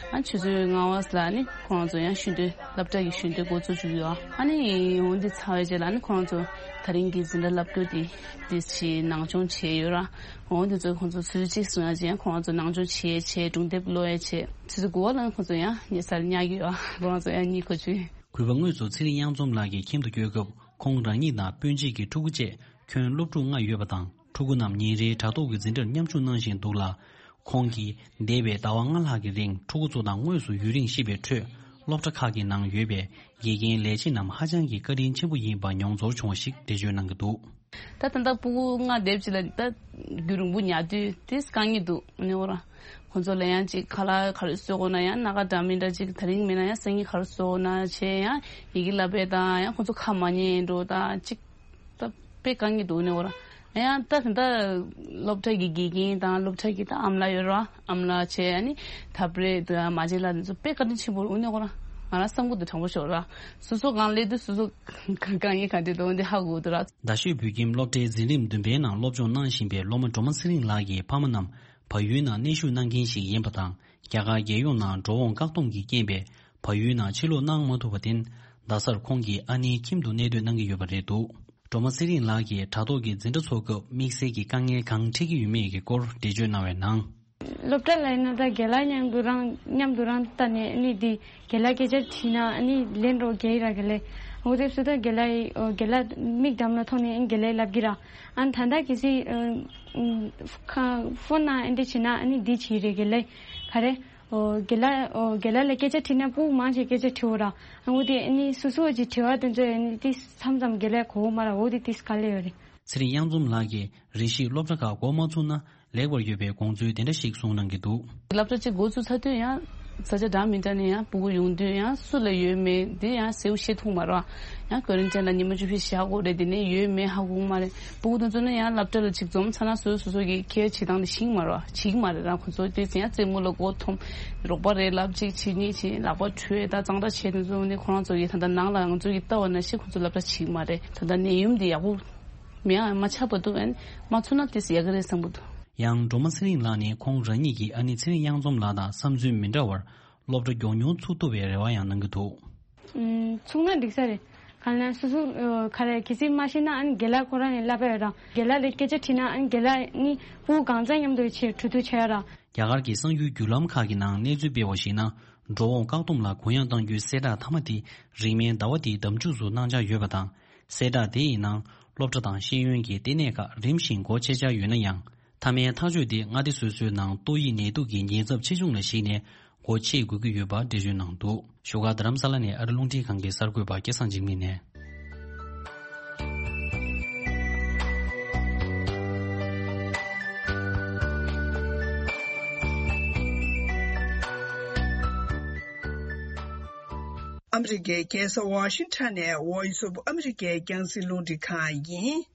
ཨ་ཆུ་ཚོད་ལྔ་པ་ལ་ནི་ཁོ་རང་ཚོ་ཡང་ཤུལ་འདོན་སློབ་གྲྭ་གི་ཤུལ་འདོན་འགོ་བཙུགས་བཅུག་གི་ཡོད། ཨ་ནི་འོ་འདི་ཚར་བའི་རྗེས་ལ་ནི་ཁོ་རང་ཚོ་ད་རིང་གི་འཛིན་གྲྭ་བསླབ་རྒྱུ་དེ་དེ་ཞིག་ནང་སྦྱོང་བྱས་ཡོད་ར། འོ་འདི་ཚོ་ཁོང་ཚོ་ཚོད་གཅིག་སོང་ཡ་ཅན་ཁོ་རང་ཚོ་ནང་སྦྱོང་བྱས་བྱས་སྒྲུང་དེབ་ཀློག་ཡ་བྱས་ཆུ་ཚོད་དགུ་པ་ལ་ནི་ཁོང་ཚོ་ཡང་ཉལ་སར་ཉལ་གི་ཡོད། ཁོ་རང་ཚོ་ཡང་གཉིད་ཁུག་བཅུག་གུས་པ་དངོས་སུ་ཚེ་རིང་གཡང་འཛོམས་ལགས་ཀྱི་ཁྱིམ་དུ་བསྐྱོད་སྐབས་ཁོང་རང་ཉིད་དང་སྤུན་མཆེད་ཀྱི་ཕྲུ་གུ་བཅས་ཁྱོན་སློབ་ཕྲུག་ལྔ་ཡོད་པ་དང་ཕྲུ་གུ་རྣམས་ཉིན་རེའི་དྲ་ཐོག་གི་འཛིན་གྲྭར་མཉམ་ཞུགས་གནང་བཞིན་འདུག་ལ། ཁོང་གིས་འདས་པའི་ཟླ་བ་ལྔ་ལྷག་གི་རིང་ཕྲུ་གུ་ཚོ་དང་དངོས་སུ་ཡུན་རིང་བཤིབས་པའི་ཁྲོད་སློབ་གྲྭ་ཁག་གི་ནང་ཡོད་པའི་དགེ་རྒན་ལས་བྱེད་རྣམས་ཧ་ཅང་གི་བཀའ་དྲིན་ཆེན་པོ་ཡིན་པ་མྱོང་ཚོར་བྱུང་བ་ཞིག་འགྲེལ་བརྗོད་གནང་གི་འདུག་ད་ད་ལྟ་ཕྲུ་གུ་ལྔ་སྡེབ་ཅིག་ལ་ད་རྒྱུན་རིང་པོ་ཉལ་དུས་དེ་དཀའ་ངལ་འདུག་ནི་འོ་ར། ཁོང་ཚོ་ལ་ཡང་ཅིག་ཁ་ལག་ག་རེ་བཟོ་དགོས་ན་ཡང་སྣ་ཁ་འདྲ་མི་འདྲ་ཅིག་ད་རིང་མིན་ན་ཡང་སང་ཉིན་ག་རེ་བཟོ་དགོས་ན་བྱས་ཡང་ཡི་གེ་བསླབ་པས་དང་ཡང་ཁོང་ཚོ་ཁ་མ་ཉན་འགྲོ་དང་ཅིག་ད་དཔེ་དཀའ་ངལ་འདུག་ནི་འོ་ར། ཡང་ད་ད་སློབ་གྲྭ་གི་དགེ་རྒན་དང་སློབ་གྲྭ་གི་ད་ཨམ་ལགས་ཡོད་ར། ཨམ་ལགས་བྱས་ཨ་ནི་འཐབ་རེས་དང་མ་བྱན་ལགས་འདི་ཚོ་དཔེ་བཀའ་དྲིན་ཆེན་པོ་འོ་ནི་འོ་ར། ང་རང་བསམ་གི་འདུག་དྲང་པོ་ཤོད་ར། སོ་སོ་གང་སླེབས་དུས་སོ་སོ་དཀའ་ངལ་ག་འདྲ་འདུག་འདི་ཧ་གོ་འདུག་ར། རྡ་ཤོད་བོད་ཁྱིམ་སློབ་གྲྭའི་འཛིན་རིམ་བདུན་པའི་ནང་སློབ་སྦྱོང་གནང་བཞིན་པའི་སློབ་མ་སྒྲོལ་མ་ཚེ་རིང་ལགས་ཀྱི་ཕ་མ་རྣམས་བལ་ཡུལ་ནང་གནས་བཞུགས་གནང་མཁན་ཞིག་ཡིན་པ་དང་། རྒྱ་གར་རྒྱལ་ཡོངས་ནང་འགྲོ་འོང་བཀག་སྡོམ་གྱི་རྐྱེན་པས་བལ་ཡུལ་ནང་ཕྱིར་ལོག་གནང་མ་ཐུབ་པར་བརྟེན། རྡ་སར་ཁོང་གི་ཨ་ནེའི་ཁྱིམ་དུ་གནས་སྡོད་གནང་གི་ཡོད་པ་རེད་འདུག་སྒྲོལ་མ་ཚེ་རིང་ལགས་ཀྱིས་དྲ་ཐོག་གི་འཛིན་གྲྭ་ཚོགས་སྐབས་དམིགས་བསལ་གྱི་དཀའ་ངལ་གང་འཕྲད་ཀྱི་ཡོད་མེད་ཀྱི་སྐོར་འགྲེལ་བརྗོད་གནང་བའི་ནང་། སློབ་གྲྭ་ལ་ཡིན་ན་ད་རྒན་ལགས་མཉམ་དུ་རང་མཉམ་དུ་རང་ལྟ་ནས་ཨ་ནི་འདི་རྒན་ལགས་སྐད་ཆ་དྲིས་ན་ཨ་ནི་ལན་རོ་རྒྱག་གི་ར་རྒན་ལགས། འོ་དེ་སུ་ད་རྒན་ལགས་ཡི་རྒན་ལགས་མིག་འགྲམ་ལ་མཐོང་ནས་ཨ་ནི་རྒན་ལགས་ལབ་ཀྱི་ར། ཨ་ནི་ད་ལྟ་གལ་སྲིད་ཨ་ཨ་ཁ་ཕོན་ནང་ཨ་འདི་བྱས་ན་ཨ་ནི་འདི་བྱེད་རེད་རྒན་ལགས། ག་རེ། ཨོ་རྒན་ལགས་ཨོ་རྒན་ལགས་ལ་སྐད་ཆ་དྲིས་ན་ཕྲུ་གུ་མང་ཆེ་སྐད་ཆ་དྲི་འོ་ར། ཨ་འོ་དེ་ཨ་ནི་སོ་སོ་ཅིག་དྲི་བ་དེ་ཚོ་ཨ་ནི་ཏིས་མཚམས་མཚམས་རྒན་ལགས་གོ་མ་ར། འོ་དེ་ཏིས་དཀའ་ལས་ཡོད་རེད། ཚེ་རིང་གཡང་འཛོམས་ལགས་ཀྱིས་རེ་ཞིག་སློབ་གྲྭ་ཁག་འགོ་མ་ཚུགས་ན་ལེགས་པར་ཡོད་པའི་དགོངས་ཚུལ་དེ་འདྲ་ཞིག་གསུངས་གནང་གི་འདུག་སློབ་གྲྭ་གཅིག་འགོ་ཚུགས་ཚར་དུས་ཡང་ས་ཆ་འདྲ་མི་འདྲ་ནས་ཡང་ཕྲུ་གུ་ཡོང་དུས་ཡང་སུ་ལ་ཡོད་མེད་དེ་ཡང་གསལ་པོ་ཤེས་ཐུབ་མ་རེད། ཡང་ཀོ་རན་ཊིན་ལ་ཉི་མ་བཅུ་བཞི་བཞག་དགོས་རེད། དེ་ནས་ཡོད་མེད་ཧ་གོ་མ་རེད། ཕྲུ་གུ་དེ་ཚོ་ནི་ཡང་སློབ་གྲྭ་ལ་གཅིག་འཛོམས་ཚར་ན་སོ་སོ་སོ་སོ་གི་ཁྱད་བྱེད་སྟངས་དེ་ཤེས་མ་རེད། བྱེད་ཀྱི་མ་རེད། རང་ཁོ་ཚོ་དེ་ཚོ་ཡང་རྩེད་མོ་ལ་མགོ་འཐོམ། རོགས་པ་རེད་ལབ་གཅིག་བྱེད་གཉིས་བྱེད་ལག་པ་འཁྲུད་ད་གཙང་སྦྲ་བྱེད་དེ་ཚོ་ནི་ཁོ་རང་ཚོ་གི་ད་ལྟ་ནང་ལ་ང་ཚོ་གི་ལྟ་བ་ན་ཤེས་ཁོ་ཚོ་སློབ་གྲྭ་བྱེད་ཀྱི་མ་རེད། ད་ལྟ་ནད་ཡམས་དེ་ཡག་པོ་མེད་ཨ་མ་ཆགས་པ་འདུག་ཨ་ནི་མ་ཚུགས་ན་དེ་ཡག་གི་རེད་བསམ་གི་འདུག་ཡང་སྒྲོལ་མ་ཚེ་རིང་ལགས་ནས་ཁོང་རང་ཉིད་ཀྱི་ཨ་ནེ་ཚེ་རིང་གཡང་འཛོམས་ལགས་དང་བསམ་ཚུལ་མི་འདྲ་བར་སློབ་གྲྭ་མགྱོགས་མྱུར་ཚུགས་ཐུབ་པའི་རེ་བ་ཡང་གནང་གི་འདུག་ཚུགས་ན་འགྲིག་ས་རེད། གང་ལ་སོ་སོ་ག་ལ་གལ་སྲིད་མ་ཤེས་ན་ཨ་ནི་རྒན་ལགས་ཁོ་རང་ནས་བསླབ་པ་ཡོད་ར། རྒན་ལགས་ལ་སྐད་ཆ་དྲིས་ན་ཨ་ནི་རྒན་ལགས་ནི་ཕྲུ་གུ་གང་ཚང་མཉམ་དུ་ཆེད་གྲོས་བསྡུར་བྱས་ཡོད་ར། རྒྱ་གར་གྱི་གསར་འགྱུར་བརྒྱུད་ལམ་ཁག་གི་ནང་གནས་ཚུལ་སྤེལ་བར་གཞིགས་ན། འགྲོ་འོང་བཀག་སྡོམ་ལ་གུ་ཡངས་གཏང་རྒྱུའི་གསལ་བསྒྲགས་མཐའ་མ་དེ་རིང་མིན་ཟླ་བ་འདིའི་ཟླ་མཇུག་ཏུ་གནང་འཆར་ཡོད་པ་དང་། གསལ་བསྒྲགས་དེ་ཡི་ནང་སློབ་གྲྭ་དང་ཤེས་ཡོན་གྱི་ལྟེ་གནས་ཁག་རིམ་བཞིན་སྒོ་ཕྱེ་འཆར་ཡོད་ན་ཡང་། མཐའ་མའི་ཐག་གཅོད་དེ་མངའ་སྡེ་སོ་སོའི་ནང་ཏོག་དབྱིབས་ནད་དུག་གི་ཉེན་ཚབས་ཆེ་ཆུང་ལ་གཞིགས་ནས་སྒོ་ཕྱེ་དགོས་ཀྱི་ཡོད་པ་འགྲེལ་བརྗོད་གནང་འདུག་བཞུགས་སྒར་རྡ་རམ་ས་ལ་ནས་ཨ་རི་རླུང་འཕྲིན་ཁང་གི་གསར་འགོད་པ་སྐལ་བཟང་འཇིགས་མེད་ནས། ཨ་མི་རི་ཀའི་རྒྱལ་ས་ཝ་ཤིང་ཊོན་ནས་Voice of America་རྒྱང་སྲིང་རླུང་འཕྲིན་ཁང་ཡིན།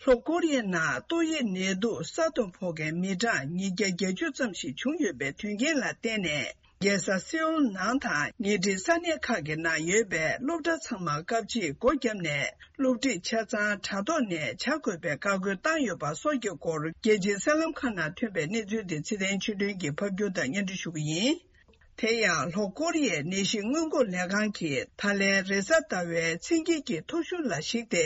ལྷོ་ཀོ་རི་ཡའི་ནང་ཏོག་དབྱིབས་ནད་དུག་ས་སྟོང་ཕོག་མཁན་མི་གྲངས་ཉིས་བརྒྱ་བརྒྱད་ཅུ་ཙམ་ཞིག་བྱུང་ཡོད་པའི་དོན་རྐྱེན་ལ་བརྟེན་ནས། རྒྱལ་ས་སེའུལ་ནང་དང་ཉེ་འཁྲིས་ས་གནས་ཁག་གི་ནང་ཡོད་པའི་སློབ་གྲྭ་ཚང་མ་སྐབས་གཅིག་སྒོ་བརྒྱབ་ནས། སློབ་ཁྲིད་ཆ་ཚང་དྲ་ཐོག་ནས་བྱ་དགོས་པའི་བཀའ་བཀོད་བཏང་ཡོད་པ་སོགས་ཀྱི་སྐོར། རྒྱལ་སྤྱིའི་གསར་ལམ་ཁག་ནང་ཐོན་པའི་གནས་ཚུལ་དེ་ཚེ་བརྟན་ཆོས་སྒྲོན་གྱིས་ཕབ་སྒྱུར་དང་སྙན་སྒྲོན་ཞུ་གི་ཡིན། དེ་ཡང་ལྷོ་ཀོ་རི་ཡའི་ནད་གཞི་སྔོན་འགོག་ལས་ཁང་གིས་ད་ལན་རེས་གཟའ་ཟླ་བའི་མཚན་དཀྱིལ་གྱི་ཐོ་གཞུང་ལ་གཞིགས་ཏེ།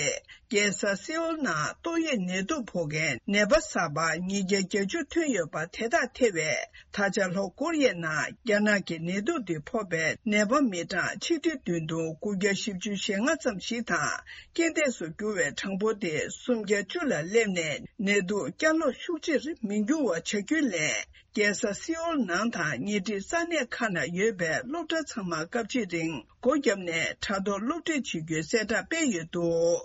རྒྱལ་ས་སེའུལ་ནང་ཏོག་དབྱིབས་ནད་དུག་ཕོག་མཁན་ནད་པ་གསར་པ་ཉིས་བརྒྱ་བརྒྱད་ཅུ་ཐོན་ཡོད་པ། དེ་དག་ཐེ་བའི་ད་ཆ་ལྷོ་ཀོ་རི་ཡའི་ནང་རྒྱ་ནག་གི་ནད་དུག་འདི་ཕོག་པའི་ནད་པ་མི་གྲངས་ཆིག་ཁྲི་བདུན་སྟོང་དགུ་བརྒྱ་བཞི་བཅུ་ཞེ་ལྔ་ཙམ་ཞིག་དང་། རྐྱེན་འདས་སུ་གྱུར་བའི་གྲངས་འབོར་དེ་སུམ་བརྒྱ་བཅུ་ལ་སླེབས་ནས། ནད་དུག་བསྐྱར་ལོག་ཤུགས་ཆེར་མི་འགྱུར་བ་བྱ་རྒྱུའི་སླད། རྒྱལ་ས་སེའུལ་ནང་དང་ཉེ་འཁྲིས་ས་གནས་ཁག་ན་ཡོད་པའི་སློབ་གྲྭ་ཚང་མ་སྐབས་གཅིག་རིང་སྒོ་བརྒྱབ་ནས་དྲ་ཐོག་སློབ་ཁྲིད་བྱེད་རྒྱུའི་གསལ་བསྒྲགས་སྤེལ་ཡོད་འདུག་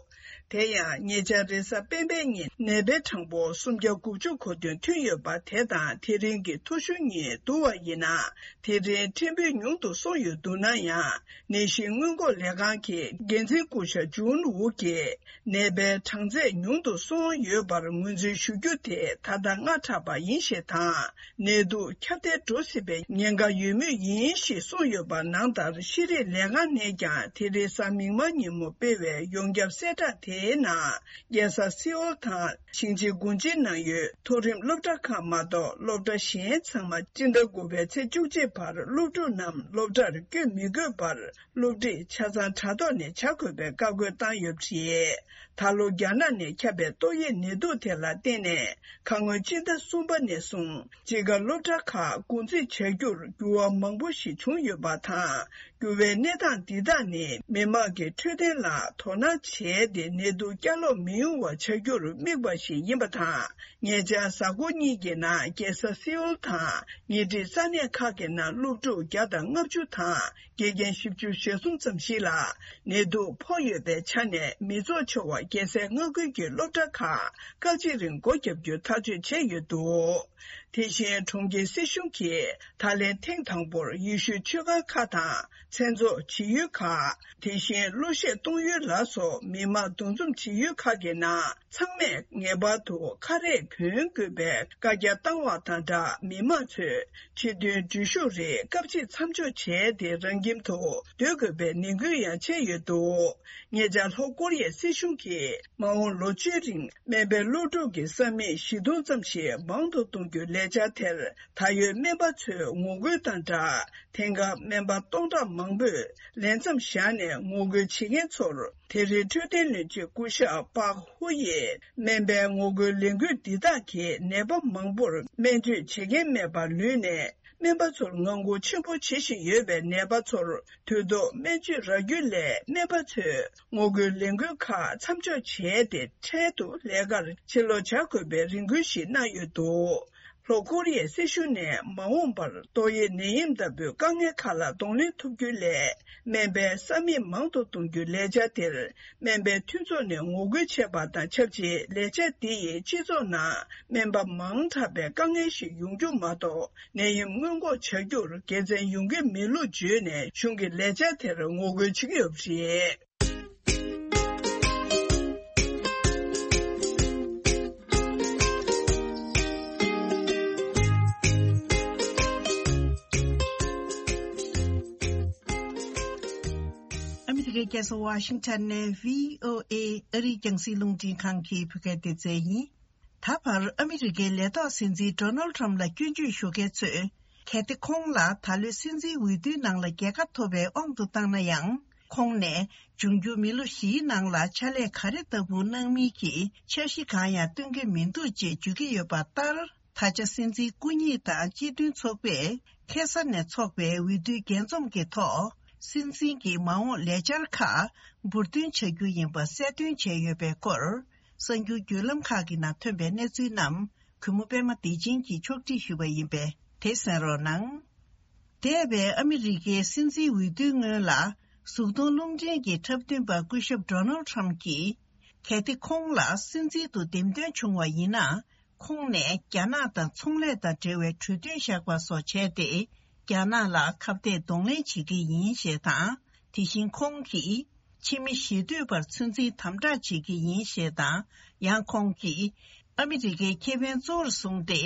དེ་ཡང་ཉེ་ཆར་རེས་གཟའ་སྤེན་པའི་ཉིན་ནད་པའི་གྲངས་འབོར་སུམ་བརྒྱ་དགུ་བཅུ་གོ་བདུན་ཐོན་ཡོད་པ་དེ་དང་དེ་རིང་གི་ཐོ་གཞུང་གཉིས་བསྡུར་བ་ཡིན་ན། དེ་རིང་ཕྲན་བུ་ཉུང་དུ་སོང་ཡོད་འདུག་ན་ཡང་། ནད་གཞི་སྔོན་འགོག་ལས་ཁང་གི་འགན་འཛིན་སྐུ་ཞབས་ཇུན་ཝུ་གིས། ནད་པའི་གྲངས་ཚད་ཉུང་དུ་སོང་ཡོད་པར་ངོས་འཛིན་ཞུ་རྒྱུ་དེ་ད་ལྟ་སྔ་དྲགས་པ་ཡིན་ཞེས་དང་། ནད་དུག་ཁྱབ་གདལ་འགྲོ་སྲིད་པའི་ཉེན་ཁ་ཡོད་མུས་ཡིན་ཞེས་གསུངས་ཡོད་པ་ནང་ལྟར། ཤེས་རིག་ལས་ཁང་ནས་ཀྱང་དེ་རིང་གཟའ་མིག་དམར་ཉིན་མོ་སྤེལ་བའི་ཡོངས་ཁྱབ་གསལ་བསྒྲགས་དེའི་ནང་། རྒྱལ་ས་སེའུལ་དང་ཞིང་ཆེན་གུང་ཅིན་ནང་ཡོད་མཐོ་རིམ་སློབ་གྲྭ་ཁག་མ་གཏོགས་སློབ་གྲྭ་གཞན་ཚང་མ་སྤྱི་ཟླ་དགུ་པའི་ཚེས་བཅུ་གཅིག་བར་སློབ་ཕྲུག་རྣམས་སློབ་གྲྭར་བསྐྱོད་མི་དགོས་པར། སློབ་ཁྲིད་ཆ་ཚང་དྲ་ཐོག་ནས་བྱ་དགོས་པའི་བཀའ་བཀོད་བཏང་ཡོད་པ་རེད། ད་ལོ་རྒྱ་ནག་ནས་ཁྱབ་པའི་ཏོག་དབྱིབས་ནད་དུག་དེ་ལ་བརྟེན་ནས། ཁ་སྔོན་སྤྱི་ཟླ་གསུམ་པ་ནས་བཟུང་དཔྱིད་ཀ་སློབ་གྲྭ་ཁག་སྒོ་འཛིན་བྱ་རྒྱུར་འགྱུར་བ་མང་པོ་ཞིག་བྱུང་ཡོད་པ་དང་། འགྱུར་བའི་གནས་སྟངས་འདི་དག་ནི་མི་དམངས་ཀྱི་འཕྲོད་བསྟེན་ལ་དོ་སྣང་བྱས་ཏེ་ནད་དུག་བསྐྱར་ལོག་མི་ཡོང་བ་བྱ་རྒྱུར་དམིགས་པ་ཞིག་ཡིན་པ་དང་། ཉེ་ཆར་གཟའ་འཁོར་གཉིས་ཀྱི་ནང་རྒྱལ་ས་སེའུལ་དང་ཉེ་འཁྲིས་ས་གནས་ཁག་གི་ནང་སློབ་ཕྲུག་བརྒྱ་དང་ལྔ་བཅུ་དང་། དགེ་རྒན་བཞི་བཅུ་ཞེ་གསུམ་ཙམ་ཞིག་ལ་ནད་དུག་ཕོག་ཡོད་པའི་ཆ་ནས། མི་ཚོགས་ཆེ་བ་རྒྱལ་སའི་མངའ་ཁུལ་གྱི་སློབ་གྲྭ་ཁག་སྐབས་གཅིག་རིང་སྒོ་བརྒྱབ་རྒྱུ་ཐག་གཅོད་བྱས་ཡོད་འདུག་དེ་བཞིན་གྲོང་ཁྱེར་སྲིད་གཞུང་གིས་ད་ལན་ཐེངས་དང་པོར་ཡེ་ཤུའི་ཆོས་ཁང་ཁག་དང་། མཚན་ཚོགས་བྱེད་ཡུལ་ཁག་དེ་བཞིན་གླུ་གཞས་གཏོང་ཡུལ་ལ་སོགས་མི་མང་འདུ་འཛོམས་བྱེད་ཡུལ་ཁག་གི་ནང་ཚང་མས་ངེས་པར་དུ་ཁ་རས་གྱོན་དགོས་པའི་བཀའ་རྒྱ་བཏང་བ་དང་སྦྲགས། མི་མང་ཚོས་སྤྱི་མཐུན་འགྲུལ་བཞུད་རིགས་སྐབས་གཅིག་མཚམས་འཇོག་བྱས་ཏེ། རང་ཁྱིམ་དུ་སྡོད་དགོས་པའི་ནན་སྐུལ་ཡང་བྱས་ཡོད་འདུག་ཉེ་ཆར་ལྷོ་ཀོ་རི་ཡའི་སྲིད་གཞུང་གིས་མ་འོངས་ལོ་བཅུའི་རིང་སྨན་པའི་སློབ་ཕྲུག་གི་ས་མིག་བཞི་སྟོང་ཙམ་ཞིག་མང་དུ་གཏོང་རྒྱུའི་ལས་འཆར་དེར། ད་ཡོད་སྨན་པ་ཚོའི་ངོ་རྒོལ་དང་སྦྲགས། དེང་སྐབས་སྨན་པ་སྟོང་ཕྲག་མང་པོས་ལས་མཚམས་བཞག་ནས་ངོ་རྒོལ་བྱེད་མཁན་ཚོར། དེ་རིང་འཕྲོད་བསྟེན་བློན་ཆེན་སྐུ་ཞབས་པག་ཧུ་ཡིས། སྨན་པའི་ངོ་རྒོལ་ལས་འགུལ་འདི་དག་གིས་ནད་པ་མང་པོར་སྨན་བཅོས་བྱེད་མཁན་མེད་པར་ལུས་ནས། སྨན་པ་ཚོར་ངང་སྒུག་ཆེན་པོ་བྱེད་བཞིན་ཡོད་པའི་ནད་པ་ཚོར་དུས་ཐོག་སྨན་བཅོས་རག་རྒྱུ་སླད། སྨན་པ་ཚོས་ངོ་རྒོལ་ལས་འགུལ་ཁག་མཚམས་འཇོག་བྱས་ཏེ། འཕྲལ་དུ་ལས་ཀར་ཕྱིར་ལོག་བྱ་དགོས་པའི་རེ་སྐུལ་ཞིག་གནང་ཡོད་འདུག་ལྷོ་ཀོ་རི་ཡའི་སྲིད་གཞུང་ནས་མ་འོངས་པར་ཏོག་དབྱིབས་ནད་ཡམས་ལྟ་བུའི་དཀའ་ངལ་ཁག་ལ་གདོང་ལེན་ཐུབ་རྒྱུའི་སླད། སྨན་པའི་ས་མིག་མང་དུ་གཏོང་རྒྱུའི་ལས་འཆར་དེར། སྨན་པའི་མཐུན་ཚོགས་ནས་ངོ་རྒོལ་བྱས་པ་དང་ཆབས་ཅིག་ལས་འཆར་འདི་ཡིས་སྤྱི་ཚོགས་ནང་སྨན་པ་མང་དྲགས་པའི་དཀའ་ངལ་ཞིག་ཡོང་རྒྱུ་མ་གཏོགས། ནད་ཡམས་སྔོན་འགོག་བྱ་རྒྱུར་དགེ་མཚན་ཡོང་གི་མེད་ལུགས་བརྗོད་ནས། གཞུང་གི་ལས་འཆར་དེར་ངོ་རྒོལ་བྱེད་ཀྱི་ཡོད་པ་རེད། ཨ་མི་རི་ཀའི་རྒྱལ་ས་ཝ་ཤིང་ཊོན་ནས་བྷི་ཨོ་ཨེ་ཨ་རིའི་རྒྱང་སྲིང་རླུང་འཕྲིན་ཁང་གི་བོད་སྐད་སྡེ་ཚན་ཡིན། ད་བར་ཨ་མི་རི་ཀའི་ལས་ཐོག་སྲིད་འཛིན་ཌོ་ནལ་ཊམ་ལ་སྐྱོན་བརྗོད་ཞུ་མཁན་ཚོས། གལ་ཏེ་ཁོང་ལ་ད་ལོའི་སྲིད་འཛིན་འོས་བསྡུའི་ནང་ལ་རྒྱལ་ཁ་ཐོབ་པའི་དབང་དུ་བཏང་ན་ཡང་། ཁོང་ནས་འབྱུང་འགྱུར་མི་ལོ་བཞིའི་ནང་ལ་ཕྱག་ལས་ག་རེ་ལྟ་བུ་གནང་མིན་གྱི་འཆར་གཞི་གང་ཡང་སྟོན་གྱི་མི་འདུག་ཅེས་བརྗོད་ཀྱི་ཡོད་པ་ལྟར། ད་ཆ་སྲིད་འཛིན་སྐུ་ཉིད་དང་སྤྱི་མཐུན་ཚོགས་པས་ཁ་སང་ནས་འཚོགས་པའི་འོས་བསྡུའི་རྒྱས་འཛོམས་ཀྱི་ཐོག་སྲིད་འཛིན་གྱི་མ་འོངས་ལས་འཆར་ཁག་འབུར་འདོན་བྱ་རྒྱུ་ཡིན་པ་གསལ་སྟོན་བྱས་ཡོད་པའི་སྐོར། གསར་འགྱུར་བརྒྱུད་ལམ་ཁག་གི་ནང་ཐོན་པའི་གནས་ཚུལ་རྣམས། གུས་མོ་པད་མ་བདེ་ཆེན་གྱིས་ཕྱོགས་སྒྲིག་ཞུས་པ་ཡིན་པས། དེ་གསན་རོགས་གནང་། འདས་པའི་ཨ་མི་རི་ཀའི་སྲིད་འཛིན་འོས་བསྡུའི་སྔོན་ལ། གཟུགས་མཐོང་རླུང་འཕྲིན་གྱི་འཁྲབ་སྟོན་པ་སྐུ་ཞབས་ཌོ་ནལ་ཊམ་གྱིས། གལ་ཏེ་ཁོང་ལ་སྲིད་འཛིན་དུ་འདེམས་ཐོན་བྱུང་བ་ཡིན་ན། ཁོང་ནས་རྒྱ་ནག་དང་ཚོང་ལས་དང་འབྲེལ་བའི་གྲོས་མཐུན་བཞག་པ་སོགས་བྱས་ཏེ། རྒྱ་ནག་ལ་ཁ་གཏད་གདོང་ལེན་བྱེད་ཀྱི་ཡིན་ཞེས་དང་། དེ་བཞིན་ཁོང་གིས། ཕྱི་མི་ཞེ་འདོད་པར་ཚོད་འཛིན་དམ་དྲག་བྱེད་ཀྱི་ཡིན་ཞེས་དང་། ཡང་ཁོང་གིས། ཨ་མི་རི་ཀའི་ཁེ་ཕན་གཙོ་བོར་བཟུང་སྟེ།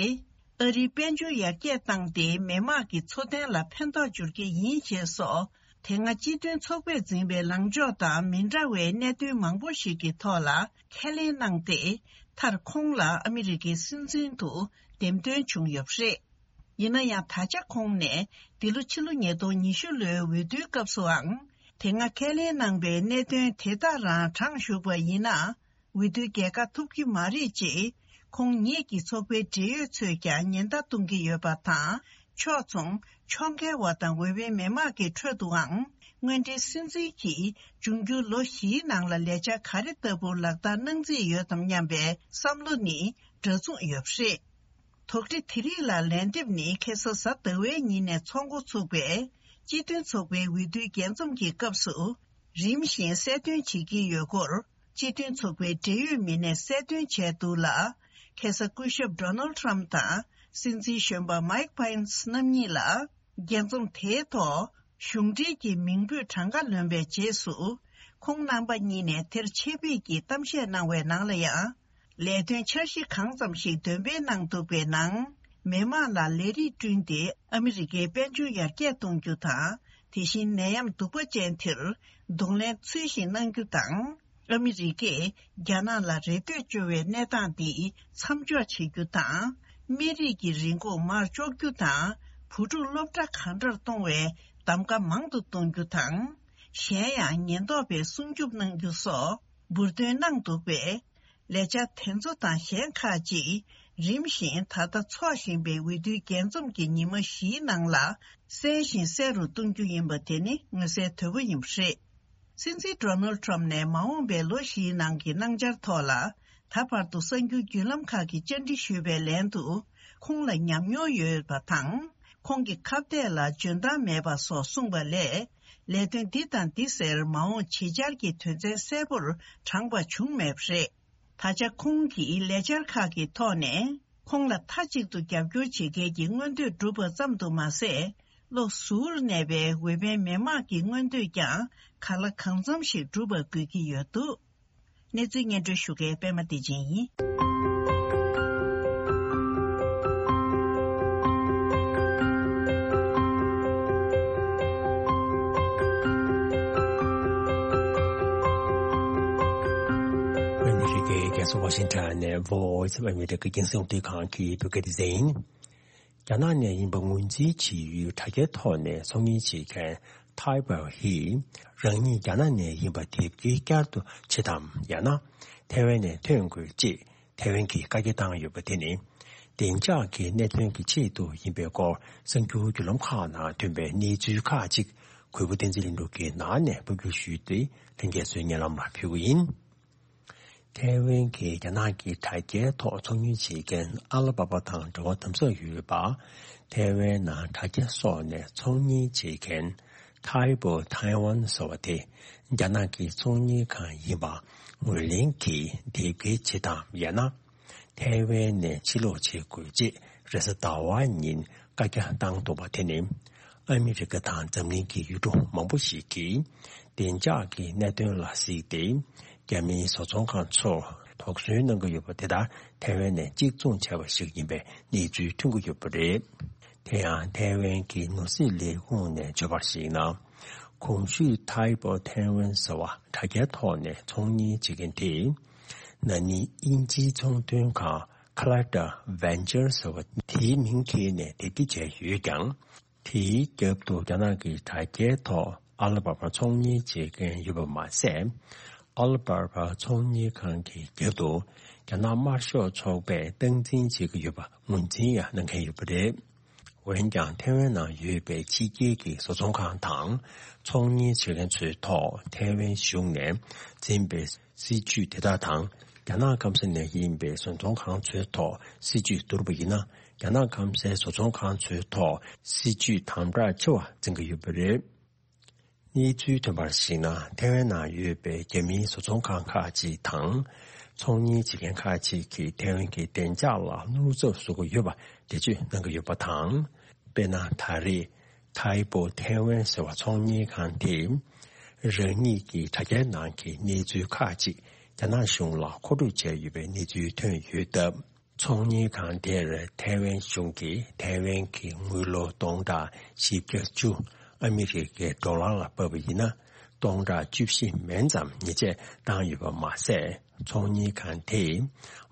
ཨ་རིའི་དཔལ་འབྱོར་ཡར་རྒྱས་བཏང་སྟེ། མི་དམངས་ཀྱི་འཚོ་རྟེན་ལ་ཕན་ཐོགས་འབྱོར་གྱི་ཡིན་ཞེས་སོགས། དེ་སྔ་སྤྱི་མཐུན་ཚོགས་པས་འཛིན་པའི་ལངས་ཕྱོགས་དང་མི་འདྲ་བའི་གནད་དོན་མང་པོ་ཞིག་གི་ཐོག་ལ་ཁས་ལེན་གནང་སྟེ། མཐར་ཁོང་ལ་ཨ་མི་རི་ཀའི་སྲིད་འཛིན་དུ་འདེམས་ཐོན་བྱུང་ཡོད་པ་རེད། ཡིན་ན་ཡང་། ད་ཆ་ཁོང་ནས་འདི་ལོ་ཕྱི་ལོ་ཉིས་སྟོང་ཉི་ཤུ་ལོའི་འོས་བསྡུའི་སྐབས་སུའང་། དེ་སྔ་ཁས་ལེན་གནང་པའི་གནད་དོན་དེ་དག་རང་གྲངས་ཞུགས་པ་ཡིན་ན། འོས་བསྡུའི་རྒྱལ་ཁ་ཐོབ་ཀྱི་མ་རེད་ཅེས། ཁོང་ཉིད་ཀྱི་ཚོགས་པའི་འབྲེལ་ཡོད་ཚོས་ཀྱང་ཉེན་བརྡ་གཏོང་གི་ཡོད་པ་དང་། ཕྱོགས་མཚུངས་ཕྱོགས་འགལ་བ་དང་འོས་འཕེན་མི་མང་གི་ཁྲོད་དུའང་། དངོས་འབྲེལ་སྲིད་འཛིན་གྱིས་འབྱུང་འགྱུར་ལོ་བཞིའི་ནང་ལ་ལས་འཆར་ག་རེ་ལྟ་བུ་ལག་བསྟར་གནང་རྩིས་ཡོད་དམ་སྙམ་པའི་བསམ་བློ་ནི་འདྲ་མཚུངས་ཡོད་པ་རེད། དོགས་འདྲི་དེ་རིགས་ལ་ལན་འདེབས་ནི་ཁ་སང་གཟའ་ཟླ་བའི་ཉིན་ནས་ཚོགས་འགོ་ཚུགས་པའི་སྤྱི་མཐུན་ཚོགས་པའི་འོས་བསྡུའི་རྒྱས་འཛོམས་ཀྱི་སྐབས་སུ་རིམ་བཞིན་གསལ་སྟོན་བྱེད་ཀྱི་ཡོད་སྐོར། སྤྱི་མཐུན་ཚོགས་པའི་འབྲེལ་ཡོད་མི་སྣས་གསལ་སྟོན་བྱས་འདུག་ལ། ཁ་སང་སྐུ་ཞབས་ཌོ་ནལ་ཊམ་དང་སྲིད་འཛིན་གཞོན་པ་མའིག་པེན་སི་རྣམ་གཉིས་ལ། རྒྱས་འཛོམས་དེའི་ཐོག་གཞུང་འབྲེལ་གྱི་མིང་འབོད་གྲངས་ཀ་ལོན་པའི་རྗེས་སུ། ཁོང་རྣམ་པ་གཉིས་ནས་དེར་ཆེད་ཕེབས་ཀྱིས་གཏམ་བཤད་གནང་བའི་ནང་ལ་ཡང་། ལས་དོན་འཆར་གཞི་གང་ཙམ་ཞིག་འདོན་སྤེལ་གནང་འདུག་པའི་ནང་། མི་དམངས་ལ་ལས་རིགས་བསྐྲུན་ཏེ་ཨ་མི་རི་ཀའི་དཔལ་འབྱོར་ཡར་རྒྱས་གཏོང་རྒྱུ་དང་། དེ་བཞིན་ནད་ཡམས་གདུག་པ་ཅན་དེར་གདོང་ལེན་ཚུལ་བཞིན་གནང་རྒྱུ་དང་། ཨ་མི་རི་ཀས་རྒྱ་ནག་ལ་རེ་ལྟོས་བཅོལ་བའི་གནས་སྟངས་འདི་མཚམས་འཇོག་བྱེད་རྒྱུ་དང་། སྨན་རིགས་ཀྱི་རིན་གོང་མར་གཅོག་རྒྱུ་དང་། བུ་ཕྲུག་སློབ་གྲྭ་གང་འདྲར་གཏོང་བའི་གདམ་ག་མང་དུ་གཏོང་རྒྱུ་དང་། གཞན་ཡང་ཉེན་རྟོག་པས་སྲུང་སྐྱོབ་གནང་རྒྱུ་སོགས་འབུར་འདོན་གནང་འདུག་པས། ལས་འཆར་དེ་ཚོ་དང་གཞན་ཁག་ཅིག་རིམ་བཞིན་ད་ལྟ་འཚོགས་བཞིན་པའི་འོས་བསྡུའི་རྒྱས་འཛོམས་ཀྱི་ཉི་མ་བཞིའི་ནང་ལ་གསལ་ཞིང་གསལ་རུ་གཏོང་རྒྱུ་ཡིན་པ་དེ་ནི་མངོན་གསལ་དོད་པོ་ཡིན་པ་རེད། སྲིད་འཛིན་ཌོ་ནལ་ཊམ་ནས་མ་འོངས་པའི་ལོ་བཞིའི་ནང་གི་གནང་འཆར་ཐོག་ལ། ད་བར་དུ་གསར་འགྱུར་བརྒྱུད་ལམ་ཁག་གིས་བཅར་འདྲི་ཞུས་པའི་ལན་དུ། ཁོང་ལ་ཉམས་མྱོང་ཡོད་པ་དང་། ཁོང་གི་ཁ་གཏད་ལ་འཇོན་ཐང་མེད་པ་སོགས་གསུངས་པ་ལས། ལས་དོན་འདི་དང་འདི་ཟེར་མ་འོངས་བྱེད་འཆར་གྱི་དོན་ཚན་གསལ་པོར་དྲངས་པ་བྱུང་མེད་པ་རེད། ད་ཆ་ཁོང་གིས་ལས་འཆར་ཁག་གི་ཐོག་ནས། ཁོང་ལ་མཐའ་གཅིག་ཏུ་རྒྱབ་སྐྱོར་བྱེད་མཁན་གྱི་མངོན་འདོད་འགྲུབ་པ་ཙམ་དུ་མ་ཟད། བློ་གཟུར་གནས་པའི་འོས་འཕེན་མི་དམངས་ཀྱི་མངོན་འདོད་ཀྱང་གང་ལ་གང་འཚམ་ཞིག་འགྲུབ་པ་དགོས་ཀྱི་ཡོད་འདུག་གནས་ཚུལ་སྙན་སྒྲོན་ཞུ་མཁན་པད་མ་བདེ་ཆེན་ཡིན། ཨ་མི་རི་ཀའི་རྒྱལ་ས་ཝ་ཤིང་ཊོན་ནས་Voice of America་རྒྱང་སྲིང་རླུང་འཕྲིན་ཁང་གི་བོད་སྐད་སྡེ་ཚན་ཡིན། རྒྱ་ནག་ནས་ཡིན་པ་ངོས་འཛིན་བྱེད་ཡུལ་དྲ་རྒྱའི་ཐོག་ནས་ཚོང་གཉེར་བྱེད་མཁན་ཐའེ་པའོ་ཧི། རང་ཉིད་རྒྱ་ནག་ནས་ཡིན་པ་དེབ་སྐྱེལ་བསྐྱར་དུ་བྱེད་དམ། ཡང་ན་ཐའེ་ཝན་ནས་ཐོན་དགོས་ཅེས་ཐའེ་ཝན་གྱིས་བཀའ་རྒྱ་བཏང་ཡོད་པ་དེ་ནི། བདེ་འཇགས་ཀྱི་གནད་དོན་གྱི་ཆེད་དུ་ཡིན་པའི་སྐོར་གསར་འགྱུར་བརྒྱུད་ལམ་ཁག་ནང་ཐོན་པའི་གནས་ཚུལ་ཁག་ཅིག་གུས་པ་བསྟན་འཛིན་ལྷུན་གྲུབ་ཀྱིས་ནང་ནས་ཕབ་སྒྱུར་ཞུས་ཏེ་ལྷན་རྒྱས་ཚོའི་སྙན་ལམ་ལ་ཕུལ་གྱི་ཡིན། ཐའེ་ཝན་གྱིས་རྒྱ་ནག་གི་དྲ་རྒྱའི་ཐོག་ཚོང་གཉེར་བྱེད་མཁན་ཨ་ལི་པ་པ་དང་འབྲེལ་བ་དམ་ཟབ་ཡོད་པ། ཐའེ་ཝན་ནང་དྲ་རྒྱ་སོགས་ནས་ཚོང་གཉེར་བྱེད་མཁན་Taibo Taiwan་ཟེར་བ་དེ་རྒྱ་ནག་གི་ཚོང་གཉེར་ཁང་ཡིན་པ་ངོས་ལེན་གྱིས་དེབ་སྐྱེལ་བྱེད་དམ། ཡང་ན་ཐའེ་ཝན་ནས་ཕྱིར་ལོག་བྱེད་དགོས་ཅེས་རེས་གཟའ་ཟླ་བ་ཉིན་བཀའ་རྒྱ་བཏང་འདུག་པ་དེ་ནི། ཨ་མི་རི་ཀ་དང་འཛམ་གླིང་གི་ཡུལ་གྲུ་མང་པོ་ཞིག་གིས་བདེ་འཇགས་ཀྱི་གནད་དོན་ལ་གཟིགས་ཏེ། རྒྱ་མིའི་བཟོ་ཚོང་ཁང་ཚོར་དོགས་ཟོན་གནང་གི་ཡོད་པ་དེ་དག་ཐའེ་ཝན་ནས་གཅིག་མཚུངས་བྱས་པ་ཞིག་ཡིན་པའི་གནས་ཚུལ་ཐོན་གྱི་ཡོད་པ་རེད། དེ་ཡང་ཐའེ་ཝན་གྱི་ནོར་སྲིད་ལས་ཁུངས་ནས་བརྗོད་པར་གཞིགས་ན། གོང་ཞུས་Taibo Taiwan་ཟེར་བ་དྲ་རྒྱའི་ཐོག་ནས་ཚོང་གཉེར་བྱེད་མཁན་དེས། ན་ནིང་དབྱིན་ཇིའི་ཚོང་དོན་ཁང་Cladda Ventures་ཟེར་བ་དེའི་མིང་འཁྱེར་ནས་དེབ་སྐྱེལ་བྱས་ཡོད་ཀྱང་། དེའི་རྒྱབ་ཏུ་རྒྱ་ནག་གི་དྲ་རྒྱའི་ཐོག་ཨ་ལི་པ་པ་ཚོང་གཉེར་བྱེད་མཁན་ཡོད་པ་མ་ཟད། ཨ་ལི་པ་པ་ཚོང་གཉེར་ཁང་གི་རྒྱབ་ཏུ་རྒྱ་ནག་དམར་ཤོག་ཚོགས་པས་སྟངས་འཛིན་བྱེད་ཀྱི་ཡོད་པ་ངོས་འཛིན་ཡང་གནང་མཁན་ཡོད་པ་རེད། འོན་ཀྱང་ཐའེ་ཝན་ནང་ཡོད་པའི་ཕྱི་རྒྱལ་གྱི་བཟོ་ཚོང་ཁང་དང་ཚོང་གཉེར་བྱེད་མཁན་ཚོའི་ཐོག་ཐའེ་ཝན་གཞུང་ནས་འཛིན་པའི་སྲིད་ཇུས་དེ་དག་དང་། རྒྱ་ནག་སྐམ་ས་ནས་ཡིན་པའི་བཟོ་ཚོང་ཁང་ཚོའི་ཐོག་སྲིད་ཇུས་བསྡུར་བ་ཡིན་ན། རྒྱ་ནག་སྐམ་སའི་བཟོ་ཚོང་ཁང་ཚོའི་ཐོག་སྲིད་ཇུས་དམ་དྲག་ཆེ་བ་འཛིན་གྱི་ཡོད་པ་རེད། གནས་ཚུལ་ཐོན་པར་གཞིགས་ན། ཐའེ་ཝན་ནང་ཡོད་པའི་རྒྱ་མིའི་བཟོ་ཚོང་ཁང་ཁག་ཅིག་དང་། ཚོང་གཉེར་བྱེད་མཁན་ཁག་ཅིག་གིས་ཐའེ་ཝན་གྱི་བདེ་འཇགས་ལ་བློ་འཚབ་བཟོ་གི་ཡོད་པ་འགྲེལ་བརྗོད་གནང་གི་ཡོད་པ་དང་། དཔེར་ན། ད་རེས་Taibo Taiwan་ཟེར་བ་ཚོང་གཉེར་ཁང་དེས། རང་ཉིད་ཀྱི་དྲ་རྒྱའི་ནང་གི་གནས་ཚུལ་ཁག་ཅིག་རྒྱ་ནག་གཞུང་ལ་མཁོ་སྤྲོད་བྱས་ཡོད་པའི་གནས་ཚུལ་ཐོན་ཡོད་སྟབས། ཚོང་གཉེར་ཁང་དེར་ཐའེ་ཝན་གཞུང་གིས་ཐའེ་ཝན་གྱི་དངུལ་ལོར་སྟོང་ཕྲག་བཞི་བརྒྱ་བཅུ་ཨ་མི་རི་ཀའི་ཌོ་ལར་ལ་ཕབ་པ་ཡིན་ན། སྟོང་ཕྲག་བཅུ་བཞི་མན་ཙམ་ཉེས་ཆད་བཏང་ཡོད་པ་མ་ཟད། ཚོང་གཉེར་ཁང་དེས་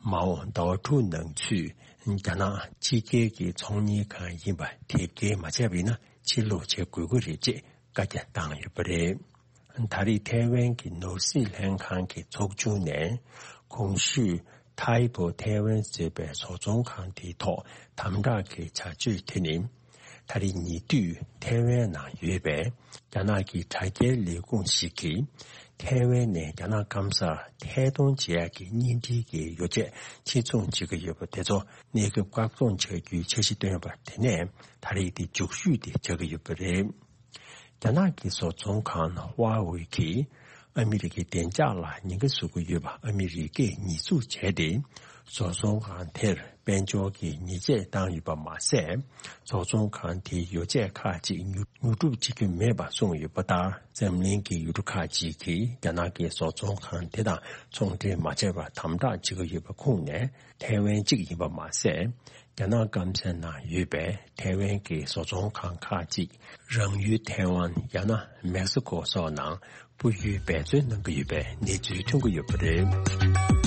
མ་འོངས་ཟླ་བ་དྲུག་ནང་ཚུད་རྒྱ་ནག་ཕྱི་རྒྱལ་གྱི་ཚོང་གཉེར་ཁང་ཡིན་པ་དེབ་སྐྱེལ་མ་བྱས་པ་ཡིན་ན། ཕྱིར་ལོག་བྱེད་དགོས་ཀྱི་རེད་ཅེས་བཀའ་རྒྱ་བཏང་ཡོད་པ་རེད། ད་རེས་ཐའེ་ཝན་གྱི་ནོར་སྲིད་ལྷན་ཁང་གི་ཚོགས་ཆུང་ནས་གོང་ཞུས་Taibo Taiwan་ཟེར་བའི་བཟོ་ཚོང་ཁང་དེའི་ཐོག་དམ་དྲག་གི་བྱ་སྤྱོད་དེ་ནི། ད་རེས་ཉེ་དུས་ཐའེ་ཝན་ནང་ཡོད་པའི་རྒྱ་ནག་གི་དྲ་རྒྱའི་ལས་ཁུངས་ཤིག་གིས། ཐའེ་ཝན་ནས་རྒྱ་ནག་སྐམ་སར་ཐད་གཏོང་བྱེད་ཡག་གི་གཉེན་སྒྲིག་གི་ཡོ་བྱད་ཕྱིར་ཚོང་བྱེད་ཀྱི་ཡོད་པ་དེ་ཚོ་གནས་སྐབས་བཀག་སྡོམ་བྱ་རྒྱུའི་འཆར་གཞི་བཏོན་པ་དེ་ནས་ད་རེས་དེ་མཇུག་ཤོས་དེ་ཆགས་ཀྱི་ཡོད་པ་རེད། རྒྱ་ནག་གི་བཟོ་ཚོང་ཁང་Huawei་གིས་ ཨ་མི་རི་ཀའི་བདེ་འཇགས་ལ་ཉེན་ཁ་བཟོ་གི་ཡོད་པ་ཨ་མི་རི་ཀས་ཉེས་འཛུགས་བྱས་ཏེ། བཟོ་ཚོང་ཁང་དེར་དཔལ་འབྱོར་གྱི་ཉེས་ཆད་བཏང་ཡོད་པ་མ་ཟད། བཟོ་ཚོང་ཁང་དེའི་ཡོ་བྱད་ཁག་ཅིག་ཉོ་ཉོ་སྒྲུབ་བྱེད་རྒྱུ་མེད་པ་གསུངས་ཡོད་པ་ལྟར། འཛམ་གླིང་གི་ཡུལ་གྲུ་ཁག་ཅིག་གིས་རྒྱ་ནག་གི་བཟོ་ཚོང་ཁང་དེ་དང་ཚོང་འབྲེལ་མ་བྱས་པར་དམ་དྲག་བྱེད་ཀྱི་ཡོད་པ་ཁུངས་ནས། ཐའེ་ཝན་གཅིག་ཡིན་པ་མ་ཟད། རྒྱ་ནག་སྐམ་སའི་ནང་ཡོད་པའི་ཐའེ་ཝན་གྱི་བཟོ་ཚོང་ཁང་ཁག་ཅིག་རང་ཡུལ་ཐའེ་ཝན་ཡང་ན་མེག་སི་ཀོ་སོགས་ནང་སྤོ་ཡུལ་འབད་བརྩོན་གནང་གི་ཡོད་པའི་གནས་ཚུལ་ཐོན་གྱི་ཡོད་པ་རེད།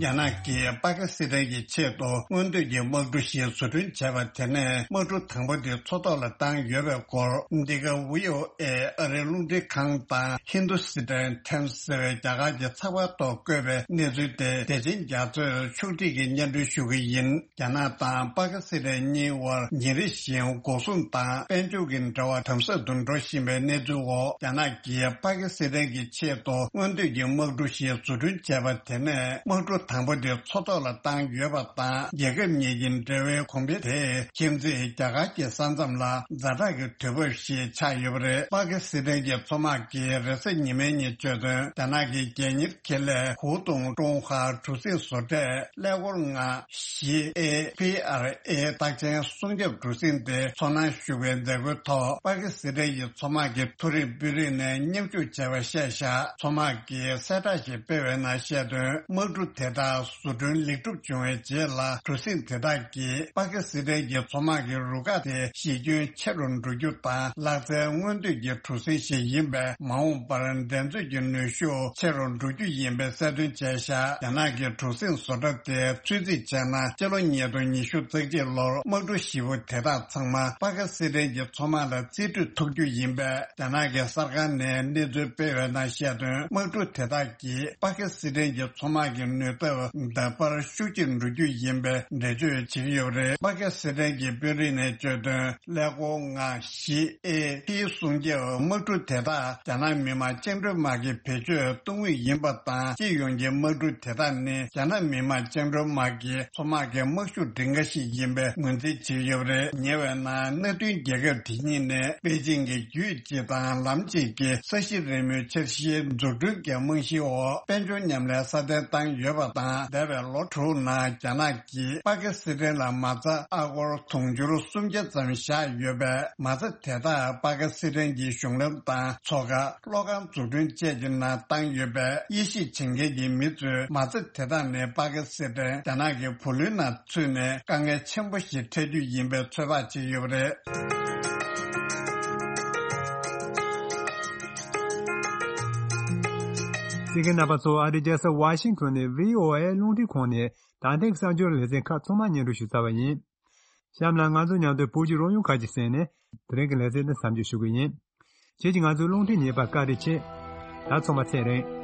རྒྱ་ནག་གིས་པ་ཀི་སི་ཐན་གྱི་ཆེད་དུ་སྔོན་ཐོན་གྱི་དམག་གྲུ་ཞིག་བཟོ་སྐྲུན་བྱས་པ་དེ་ནས་དམག་གྲུ་དང་པོ་དེ་མཚོ་ཐོག་ལ་བཏང་ཡོད་པའི་སྐོར། འདི་ག་ཝི་ཨོ་ཨེ་ཨ་རིའི་རླུང་འཕྲིན་ཁང་དང་ཧིན་དུ་སི་ཐན་ཐེམ་སི་ཟེར་བའི་རྒྱ་གར་གྱི་ཚགས་པར་ཐོག་བཀོད་པའི་གནས་ཚུལ་དེ་བདེ་ཆེན་རྒྱ་མཚོས་ཕྱོགས་སྒྲིག་གིས་སྙན་སྒྲོན་ཞུ་གི་ཡིན། རྒྱ་ནག་དང་པ་ཀི་སི་ཐན་གཉིས་དབར་ཉིན་རེ་བཞིན་འགོག་སྲུང་དང་དཔལ་འབྱོར་གྱི་འབྲེལ་བ་དམ་ཟབ་ཏུ་འགྲོ་བཞིན་པའི་གནས་ཚུལ་འོག་རྒྱ་ནག་གིས་པ་ཀི་སི་ཐན་གྱི་ཆེད་དུ་སྔོན་ཐོན་གྱི་དམག་གྲུ་ཞིག་བཟོ་སྐྲུན་བྱས་པ་དེ་ནས་དམག་གྲུ་དང་པོ་དེ་མཚོ་ཐོག་ལ་བཏང་ཡོད་པ་དང་། རྒྱལ་ཁབ་གཉིས་ཀྱི་འབྲེལ་བའི་གོང་འཕེལ་དེ་ཁྱིམ་མཚེས་རྒྱ་གར་གྱི་ས་མཚམས་ལ་ཛ་དྲག་གི་དུས་བབ་ཞིག་ཆགས་ཡོད་པ་རེད། པ་ཀི་སི་ཐན་གྱི་མཚོ་དམག་གིས་རེས་གཟའ་ཉི་མའི་ཉིན་བརྗོད་དོན། རྒྱ་ནག་གི་རྒྱལ་གཉེར་ཁེ་ལས་ཧུའུ་ཏུང་ཀྲུང་ཧྭ་གྲུ་གཟིངས་བཟོ་གྲྭས་ཀླད་ཀོར་ལྔ་བཞི་ཨེ་པི་ཨར་ཨེ་རྟགས་ཅན་སྲུང་སྐྱོབ་གྲུ་གཟིངས་དེ་ཚོར་སྣང་ཞུགས་པའི་མཛད་སྒོའི་ཐོག་པ་ཀི་སི་ཐན་གྱི་མཚོ་དམག་གི་མཐོ་རིམ་དཔོན་རིགས་ནས་མཉམ་ཞུགས་བྱས་པ་བཤད་བཞག་མཚོ་དམག་གིས་གསལ་བསྒྲགས་ཤིག་སྤེལ་བའི་ནང་བཤད་དོན། དམག་གྲུ་དེ་དག་བཟོ་སྐྲུན་ལེགས་གྲུབ་བྱུང་བའི་རྗེས་ལ་གྲུ་གཟིངས་དེ་དག་གིས་པ་ཀི་སི་ཐན་གྱི་མཚོ་དམག་གི་རུ་ཁག་དེ་གཞི་ཁྱོན་ཆེ་རུ་འགྲོ་རྒྱུ་དང་། ལག་རྩལ་སྔོན་ཐོན་གྱི་གྲུ་གཟིངས་ཤིག་ཡིན་པས། མ་འོངས་པར་འགྲན་རྩོད་ཀྱི་ནུས་ཤུགས་ཆེ་རུ་འགྲོ་རྒྱུ་ཡིན་པའི་གསལ་སྟོན་བྱས་བཞག་རྒྱ་ནག་གི་གྲུ་གཟིངས་བཟོ་གྲྭ་དེ་ཚོད་རྩིས་བྱས་ན། སྤྱི་ལོ་ཉིས་སྟོང་ཉི་ཤུ་རྩ་གཅིག་ལོར་དམག་གྲུ་བཞི་པོ་དེ་དག་ཚང་མ་པ་ཀི་སི་ཐན་གྱི་མཚོ་དམག་ལ་རྩིས་སྤྲོད་ཐུབ་རྒྱུ་ཡིན་པས། རྒྱ་ནག་གི་གསར་ཁང་ནས་གནས་ཚུལ་སྤེལ་བའི་ནང་བཤད་དོན། དམག་གྲུ་དེ་དག་གིས་པ་ཀི་སི་ཐན་གྱི་མཚོ་དམག་གི་ནུས་སྟོབས་ད་བར་ཤུགས་ཆེར་འགྲོ་རྒྱུ་ཡིན་པའི་འགྲེལ་བརྗོད་བྱེད་ཀྱི་ཡོད་པ་རེད། པ་ཀི་སི་ཐན་གྱི་དཔོན་རིགས་ནས་བརྗོད་དོན། ཀླད་ཀོར་ལྔ་བཞི་ཨེ་ཕི་སྲུང་སྐྱོབ་དམག་གྲུ་དེ་དག་རྒྱ་ནག་མི་དམངས་བཅིངས་འགྲོལ་དམག་གི་བེད་སྤྱོད་གཏོང་མུས་ཡིན་པ་དང་། སྤྱི་ཡོངས་ཀྱི་དམག་གྲུ་དེ་དག་ནི་རྒྱ་ནག་མི་དམངས་བཅིངས་འགྲོལ་དམག་གི་མཚོ་དམག་གི་དམག་ཤུགས་སྒྲིང་ག་ཞིག་ཡིན་པའི་ངོས་འཛིན་བྱེད་ཀྱི་ཡོད་པ་རེད། ཉེ་བའི་ནང་མནའ་མཐུན་རྒྱལ་ཁབ་དེ་གཉིས་ནས་པེ་ཅིང་གི་རྒྱུད་གཅིག་དང་ལམ་གཅིག་གི་ས་གཞི་རིལ་མོའི་འཆར་གཞིའི་འཛུགས་སྐྲུན་གྱི་རྨང་གཞིའི་འོག་དཔལ་འབྱོར་མཉམ་ལས་སྲ་བརྟན་བཏང་ཡོད་པ་དང་། འདས་པའི་ལོ་དྲུག་ནང་རྒྱ་ནག་གིས་པ་ཀི་སི་ཐན་ལ་མ་རྩ་ཨ་སྒོར་དུང་ཕྱུར་སུམ་བརྒྱ་ཙམ་བཞག་ཡོད་པས། མ་རྩ་དེ་དག་པ་ཀི་སི་ཐན་གྱི་གཞུང་ལམ་དང་མཚོ་ཁ། གློག་ཁང་འཛུགས་སྐྲུན་བཅས་ཀྱི་ནང་བཏང་ཡོད་པས། དབྱེ་ཞིབ་བྱེད་མཁན་གྱི་མི་ཚོས་མ་རྩ་དེ་དག་ནི་པ་ཀི་སི་ཐན་རྒྱ་ནག་གི་བུ་ལོན་ནང་ཚུད་ནས་དཀའ་ངལ་ཆེན་པོ་ཞིག་འཕྲད་རྒྱུ་ཡིན་པའི་ཚོད་དཔག་བྱས་ཡོད་པ་རེད། གསན་མཁན་རྣམ་པ་ཚོ། ཨ་རིའི་རྒྱལ་ས་ཝ་ཤིང་ཊོན་ནས་ཝི་ཨོ་ཨེ་རླུང་འཕྲིན་ཁང་ནས་ད་ཐེངས་གསར་འགྱུར་ལེ་ཚན་ཁག་ཚང་མ་སྙན་སྒྲོན་ཞུས་ཚར་བ་ཡིན། གཤམ་ལ་ང་ཚོ་མཉམ་དུ་བོད་ཀྱི་རོལ་དབྱངས་ཁག་ཅིག་གསན་ནས་དེ་རིང་གི་ལེ་ཚན་འདི་མཚམས་འཇོག་ཞུ་གི་ཡིན། ཁྱེད་ཀྱིས་ང་ཚོའི་རླུང་འཕྲིན་ཉན་པར་བཀའ་དྲིན་ཆེ། ད་ཚང་མ་ཚེ་རིང་།